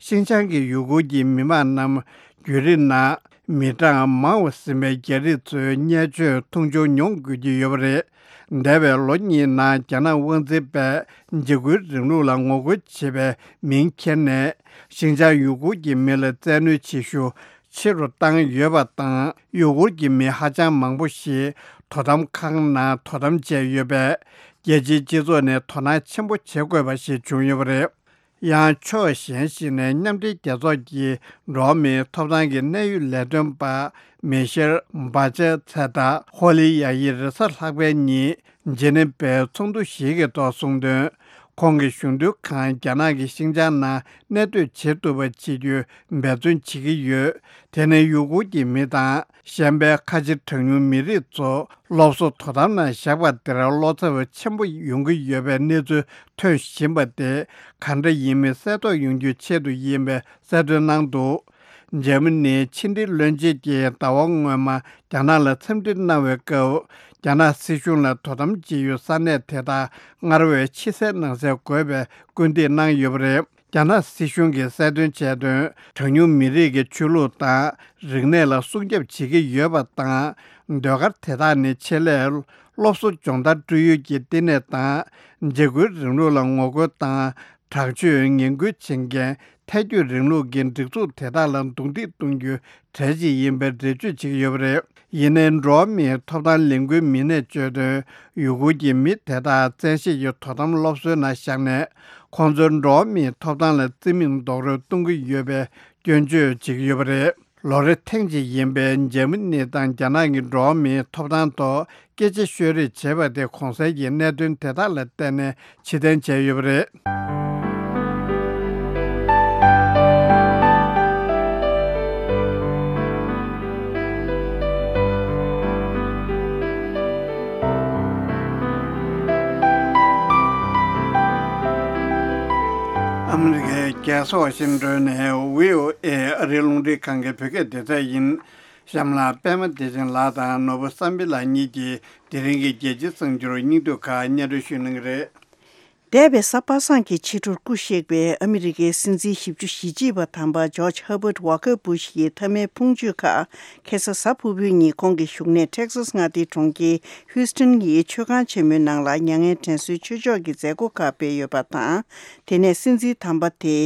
ཤིན་ཅང་གི་ཡུ་གུར་གྱི་མི་མང་རྣམས་བརྒྱུད་རིམ་ནང་མི་གྲངས་མང་བ་ཟིན་པའི་རྒྱ་རིགས་ཚོའི་བརྙས་བཅོས་མཐོང་ཆུང་མྱོང་དགོས་ཀྱི་ཡོད་པ་རེད། འདས་པའི་ལོ་གཉིས་ནང་རྒྱ་ནག་དབང་འཛིན་པས་འཇིགས་སྐུལ་རིང་ལུགས་ལ་ངོ་རྒོལ་བྱེད་པའི་མིང་འཁྱེར་ནས་ཤིན་ཅང་ཡུ་གུར་གྱི་མི་ལ་བཙན་གནོན་བྱེད་ཤུགས་ཆེ་རུ་བཏང་ཡོད་པ་དང་། ཡུ་གུར་གྱི་མི་ཧ་ཅང་མང་པོ་ཞིག་དོ་དམ་ཁང་ནང་དོ་དམ་བྱས་ཡོད་པས། རྒྱལ་སྤྱིའི་སྤྱི་ཚོགས་ནས་དོ་སྣང་ཆེན་པོ་བྱེད་དགོས་པ་ཞིག་བྱུང་ཡོད་པ་རེད། ཡང་ཕྱོགས་གཞན་ཞིག་ནས་མཉམ་འབྲེལ་རྒྱལ་ཚོགས་ཀྱི་འགྲོ་བ་མིའི་ཐོབ་ཐང་གི་གནད་ཡོད་ལས་དོན་པ་མེ་ཤེལ་བྷ་ཅེ་ཚེ་དང་ཧོ་ལི་ཡ་ཡི་རེས་གཟའ་ལྷག་པའི་ཉིན་ཇི་ནི་ཝའི་ཚོགས་འདུ་ཞིག་གི་ཐོག་གསུངས་དོན། ཁོང་གི་གཞུང་དོན་ཁང་རྒྱ་ནག་གི་ཤིན་ཅང་ནང་གནས་སྡོད་བྱེད་ཐུབ་པ་བྱེད་རྒྱུའི་འབད་བརྩོན་བྱེད་ཀྱི་ཡོད། དེ་ནི་ཡུ་གུར་གྱི་མི་དང་གཞན་པའི་ཁ་ཆེ་གྲངས་ཉུང་མི་རིགས་ཚོ་སློབ་གསོ་དོ་དམ་ནང་བཞག་པ་དེར་བློ་འཚབ་ཆེན་པོ་ཡོང་གི་ཡོད་པའི་གནས་ཚུལ་ཐོན་བཞིན་པ་དེ་གང་འདྲ་ཡིན་མིན་གསལ་རྟོགས་ཡོང་རྒྱུའི་ཆེད་དུ་ཡིན་པའི་གསལ་སྟོན་གནང་འདུག་འཇར་མ་ནིའི་ཕྱི་འབྲེལ་བློན་ཆེན་གྱིས་ཟླ་བ་སྔོན་མ་རྒྱ་ནག་ལ་འཚམས་འདྲི་གནང་བའི་སྐབས། རྒྱ་ནག་སྲིད་གཞུང་ལ་དོ་དམ་བྱེད་ཡུལ་ས་གནས་དེ་དག་སྔར་བས་ཕྱི་གསལ་ནང་གསལ་དགོས་པའི་སྐུལ་འདེད་གནང་ཡོད་པ་རེད། རྒྱ་ནག་སྲིད་གཞུང་གིས་གསལ་སྟོན་བྱས་དོན། གྲངས་ཉུང་མི་རིགས་ཀྱི་ཆོས་ལུགས་དང་རིག་གནས་ལ་སྲུང་སྐྱོབ་བྱེད་ཀྱི་ཡོད་པ་དང་། ཟློས་གར་དེ་དག་ནི་ཆེད་ལས་སློབ་གསོ་སྦྱོང་བརྡར་སྤྲོད་ཡུལ་གྱི་བསྟི་གནས་དང་། འཇིགས་སྐུལ་རིང་ལུགས་ལ་ངོ་རྒོལ་དང་། དྲག་སྤྱོད་ངན་སྐུལ་བྱེད་མཁན་ཐལ་སྐྱོད་རིང་ལུགས་ཀྱི་སྒྲིག་འཛུགས་དེ་དག་ལ་རྡུང་རྡེག་གཏོང་རྒྱུའི་གྲས་ཤིག་ཡིན་པའི་འགྲེལ་བརྗོད་བྱེད་ཀྱི་ཡོད་པ་རེད། ཡིན་ནའི་འགྲོ་བ་མིའི་ཐོབ་ཐང་ལས་འགུལ་མི་སྣས་བརྗོད་དོན། ཡུ་གུར་གྱི་མི་དེ་དག་བཙན་ཤེད་ཀྱིས་དོ་དམ་སློབ་གསོའི་ནང་བཞག་ནས། ཁོང་ཚོར་འགྲོ་བ་མིའི་ཐོབ་ཐང་ལ་བརྩི་མེད་རྡོག་རོལ་གཏོང་གི་ཡོད་པའི་སྐྱོན་བརྗོད་བྱེད་ཀྱི་ཡོད་པ་རེད། ལོ་རེ་ཐེངས་གཅིག་ཡིན་པའི་འཇར་མ་ནི་དང་རྒྱ་ནག་གི་འགྲོ་བ་མིའི་ཐོབ་ཐང་ཐོག་སྐད་ཆ་ཤོད་རེས་བྱེད་པ་དེ་གོང་གསལ་གྱི་གནད་དོན་དེ་དག་ལ་བརྟེན་ནས་ཕྱིར་འཐེན་བྱས་ཡོད་པ་རེད། ཨ་མི་རི་ཀའི་རྒྱལ་ས་ཝ་ཤིང་ཏོན་ནས་བྷི་ཨོ་ཨེ་ཨ་རིའི་རླུང་འཕྲིན་ཁང་གི་བོད་སྐད་སྡེ་ཚན་ཡིན། གཤམ་ལ་པད་མ་བདེ་ཆེན་ལགས་དང་ནོར་བུ་བསམ་འཕེལ་ལགས་གཉིས་ཀྱིས་དེ་རིང་གི་རྒྱལ་སྤྱིའི་གསར་འགྱུར་སྙིང་བསྡུས་ཁག་སྙན་སྒྲོན་ཞུ་གནང་གི་རེད། འདས་པའི་གཟའ་པ་སངས་ཀྱི་ཕྱི་དྲོར་སྐུ་གཤེགས་པའི་ཨ་མི་རི་ཀའི་སྲིད་འཛིན་བཞི་བཅུ་ཞེ་གཅིག་པ་དམ་པ་ཇོརྗ་ཧར་བྷར་ཝ་ཀར་བུ་ཤ་ཡི་མཐའ་མའི་ཕུང་མཆོད་ཁག་ཁ་སང་གཟའ་ཕུར་བུའི་ཉིན་ཁོང་གི་བཞུགས་གནས་ཊེག་སཱས་མངའ་སྡེའི་གྲོང་ཁྱེར་ཧུའུ་སྟོན་གྱི་མཆོད་ཁང་ཆེན་མོའི་ནང་ལ་མྱ་ངན་དྲན་གསོའི་ཆོས་ཕྱོགས་ཀྱི་མཛད་སྒོ་ཁག་སྤེལ་ཡོད་པ་དང་། དེ་ནས་སྲིད་འཛིན་དམ་པ་དེ།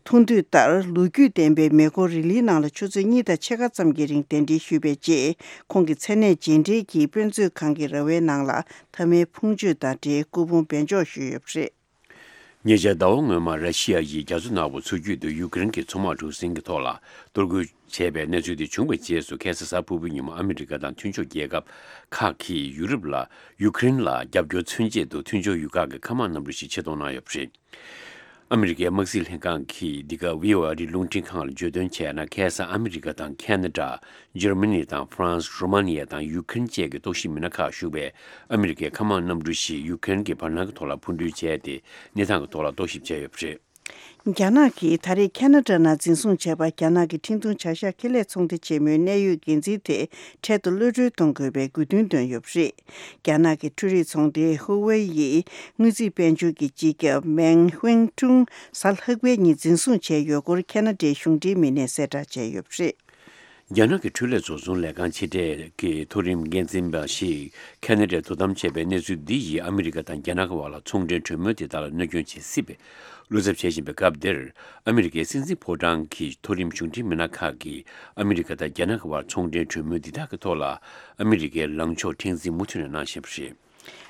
ཐུགས་འདོད་ལྟར་ལོ་རྒྱུས་ལྡན་པའི་མེ་འཁོར་རི་ལིའི་ནང་ལ་ཆུ་ཚོད་གཉིས་དང་ཕྱེད་ཀ་ཙམ་གྱི་རིང་གདན་འདྲེན་ཞུས་པའི་རྗེས། ཁོང་གི་མཚན་གནས་རྗེས་འབྲེལ་གྱིས་དཔེ་མཛོད་ཁང་གི་ར་བའི་ནང་ལ་མཐའ་མའི་ཕུང་མཆོད་དང་འབྲེལ་སྐུ་ཕུང་སྦས་འཇོག་ཞུས་ཡོད་པ་རེད། ཉེ་ཆར་ཟླ་བ་སྔོན་མ་ར་ཤི་ཡ་ཡིས་རྒྱ་མཚོ་ནག་པོ་མཚོ་རྒྱུད་དུ་ཡུ་ཀེ་རེན་གྱི་མཚོ་དམག་གྲུ་གཟིངས་ཀྱི་ཐོག་ལ་གཏོར་རྒོལ་བྱས་པའི་གནས་ཚུལ་དེ་བྱུང་བའི་རྗེས་སུ། ཁ་སང་གཟའ་ཕུར་བུའི་ཉིན་མོ་ཨ་མི་རི་ཀ་དང་མཐུན་ཕྱོགས་རྒྱལ་ཁབ་ཁག་གིས་ཡུ་རོབ་ལ་ཡུ་ཀེ་རེན་ལ་རྒྱབ་སྐྱོར་མཚོན་ཆེད་དུ་མཐུན་ཕྱོགས་ཡུལ་ཁག་གི་མཁའ་དམག་གནམ་གྲུ་ཞིག་ཆེད་གཏོང་གནང་ཡོད་པ་རེད། ཨ་མི་རི་ཀའི་དམག་སྲིད་ལྷན་ཁང་གིས་འདི་ག་བྷི་ཨོ་ཨེ་ཨ་རིའི་རླུང་འཕྲིན་ཁང་ལ་བརྗོད་དོན་བྱས་ན། ཁ་སང་ཨ་མི་རི་ཀ་དང་ཁ་ན་ཌ། འཇར་མ་ནི་དང་ཧྥ་རན་སི། རོ་མ་ནི་ཡ་དང་ཡུ་ཀེ་རེན་བཅས་ཀྱི་རྟོག་ཞིབ་མི་སྣ་ཁག་ཞུགས་པའི་ཨ་མི་རི་ཀའི་མཁའ་དམག་གནམ་གྲུ་ཞིག་ཡུ་ཀེ་རེན་གྱི་བར་སྣང་གི་ཐོག་ལ་འཕུར་འགྲུལ་བྱས་ཏེ། གནས་སྟངས་ཀྱི་ཐོག་ལ་རྟོག་ཞིབ་བྱས་ཡོད་པ་རེད། རྒྱ་ནག་གིས་ད་རེས་ཁ་ན་ཌ་ནང་འཛིན་བཟུང་བྱས་པ། རྒྱ་ནག་གི་འཕྲིན་ཐུང་བྱ་གཞག་ཁེ་ལས་ཚོང་སྡེ་ཆེན་མོའི་གནད་ཡོད་འགན་འཛིན་དེ་འཕྲལ་དུ་གློད་གྲོལ་གཏོང་དགོས་པའི་དགོས་འདུན་བཏོན་ཡོད་པ་རེད། རྒྱ་ནག་གི་འཕྲུལ་རིག་ཚོང་སྡེ་ཧུ་ཝེ་ཡི་དངུལ་རྩིས་དཔལ་འབྱོར་གྱི་སྤྱི་ཁྱབ་མེང་ཧུན་ཀྲུང་གཟའ་ལྷག་པའི་ཉིན་འཛིན་བཟུང་བྱས་ཡོད་སྐོར་ཁ་ན་ཌའི་གཞུང་འབྲེལ་མི་སྣས་གསལ་བསྒྲགས་བྱས་ཡོད་པ་རེད། རྒྱ་ནག་གི་འཕྲུལ་ལས་བཟོ་ཚོང་ལས་ཁང་ཆེ་གྲས་ཀྱི་མཐོ་རིམ་འགན་འཛིན་པ་ཞིག་ཁ་ན་ཌའི་དོ་དམ་བྱས་པའི་གནས་ཚུལ་འདི་ཡིས་ཨ་མི་རི་ཀ་དང་རྒྱ་ནག་གི་བར་ལ་ཚོང་འབྲེལ་གྲོས་མོལ་དེ་དག་ལ་གནོད་སྐྱོན་བྱེད་སྲིད་པའི་བློ་འཚབ་བྱེད་བཞིན་པའི་སྐབས་འདིར། ཨ་མི་རི་ཀའི་སྲིད་འཛིན་ཕོ་བྲང་གི་མཐོ་རིམ་གཞུང་འབྲེལ་མི་སྣ་ཁག་གིས་ཨ་མི་རི་ཀ་དང་རྒྱ་ནག་གི་བར་ཚོང་འབྲེལ་གྲོས་མོལ་འདི་དག་གི་ཐོག་ལ་ཨ་མི་རི་ཀའི་ལངས་ཕྱོགས་མཁྲེགས་འཛིན་མུ་མཐུད་ནས་གནང་བཞིན་པ་རེད།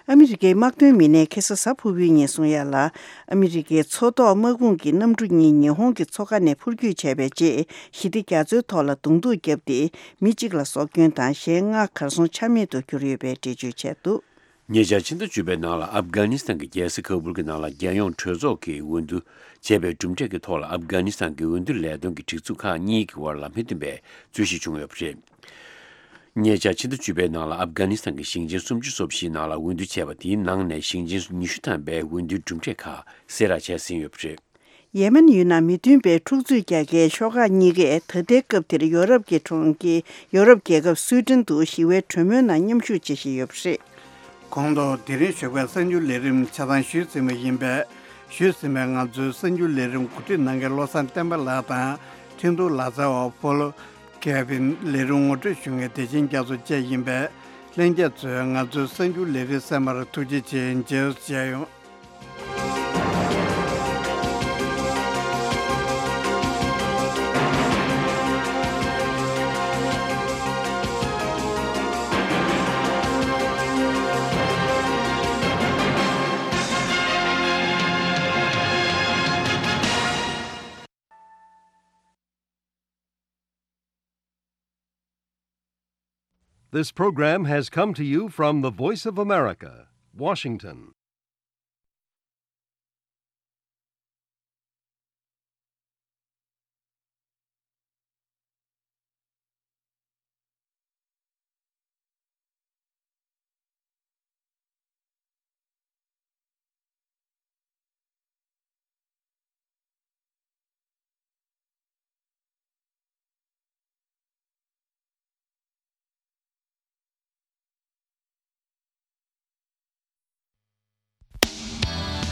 ཨ་མི་རི་ཀའི་དམག་དོན་མི་སྣས་ཁ་སང་གཟའ་ཕུར་བུའི་ཉིན་གསུང་ཡ་ལ། ཨ་མི་རི་ཀའི་མཚོ་ཐོག་དམག་དཔུང་གི་གནམ་གྲུ་གཉིས་ཉི་ཧོང་གི་མཚོ་ཁ་ནས་འཕུར་སྐྱོད་བྱས་པའི་རྗེས། ཞི་བདེ་རྒྱ་མཚོའི་ཐོག་ལ་རྡུང་རྡེག་བརྒྱབ་སྟེ། མི་གཅིག་ལ་སྲོག་སྐྱོན་དང་གཞན་ལྔ་གར་སོང་ཆ་མེད་དུ་གྱུར་ཡོད་པའི་འགྲེལ་བརྗོད་བྱས་འདུག་ཉེ་ཆར་ཕྱི་ཟླ་བཅུ་པའི་ནང་ལ་ཨབ་གྷ་ནི་སི་ཐན་གྱི་རྒྱལ་ས་ཁ་བུལ་གྱི་ནང་ལ་རྒྱལ་ཡོངས་གྲོས་ཚོགས་ཀྱི་འོས་བསྡུ་བྱས་པའི་གྲུབ་འབྲས་ཀྱི་ཐོག་ལ། ཨབ་གྷ་ནི་སི་ཐན་གྱི་འོས་བསྡུ་ལས་དོན་གྱི་སྒྲིག་འཛུགས་ཁག་གཉིས་ཀྱི་བར་ལ་མི་མཐུན་པའི་རྩོད་གཞི་བྱུང་ཡོད་པ་རེད། ཉེ་ཆར་ཕྱི་ཟླ་བཅུ་པའི་ནང་ལ་ཨབ་གྷ་ནི་སི་ཐན་གྱི་ཞིང་ཆེན་སུམ་ཅུ་སོ་བཞིའི་ནང་ལ་འོས་བསྡུ་བྱས་པ་དེའི་ནང་ནས་ཞིང་ཆེན་ཉི་ཤུ་ཐམ་པའི་འོས་བསྡུའི་གྲུབ་འབྲས་ཁག་གསལ་བསྒྲགས་བྱས་ཟིན་ཡོད་པ་རེད། ཡེ་མེན་ཡུལ་ནང་མི་མཐུན་པའི་འཁྲུག་རྩོད་རྒྱག་མཁན་ཤོག་ཁག་གཉིས་ཀས་ད་ལྟའི་སྐབས་འདིར་ཡོ་རོབ་ཀྱི་གྲོང་ཁྱེར་ཡོ་རོབ་རྒྱལ་ཁབ་སུའེ་ཏན་དུ་ཞི་བའི་གྲོས་མོལ་ནང་མཉམ་ཞུགས་བྱེད་བཞིན་ཡོད་པ་རེད། གོང་དུ་དེ་རིང་ཞོགས་པའི་གསར་འགྱུར་ལས་རིམ་ཆ་ཚང་ཞུས་ཟིན་པ་ཡིན་པས། ཞུས་ཟིན་པའི་ང་ཚོའི་གསར་འགྱུར་ལས་རིམ་གོ་སྒྲིག་གནང་མཁན་བློ་བཟང་བསྟན་པ་ལགས་དང་ཁྲིན་ཏུའུ་ལག་རྩལ་བ་ཕོ་ལོ་ཀེ་ཕིན། ལས་རིམ་ངོ་སྤྲོད་ཞུ་མཁན་བདེ་ཆེན་རྒྱ་མཚོ་བཅས་ཡིན་པས། ལྷན་རྒྱས་ཚོས་ང་ཚོའི་གསར་འགྱུར་ལས་རིམ་གསན་པར་ཐུགས་རྗེ་ཆེ། མཇལ་མཇལ་ཡོང་། This program has come to you from the Voice of America, Washington.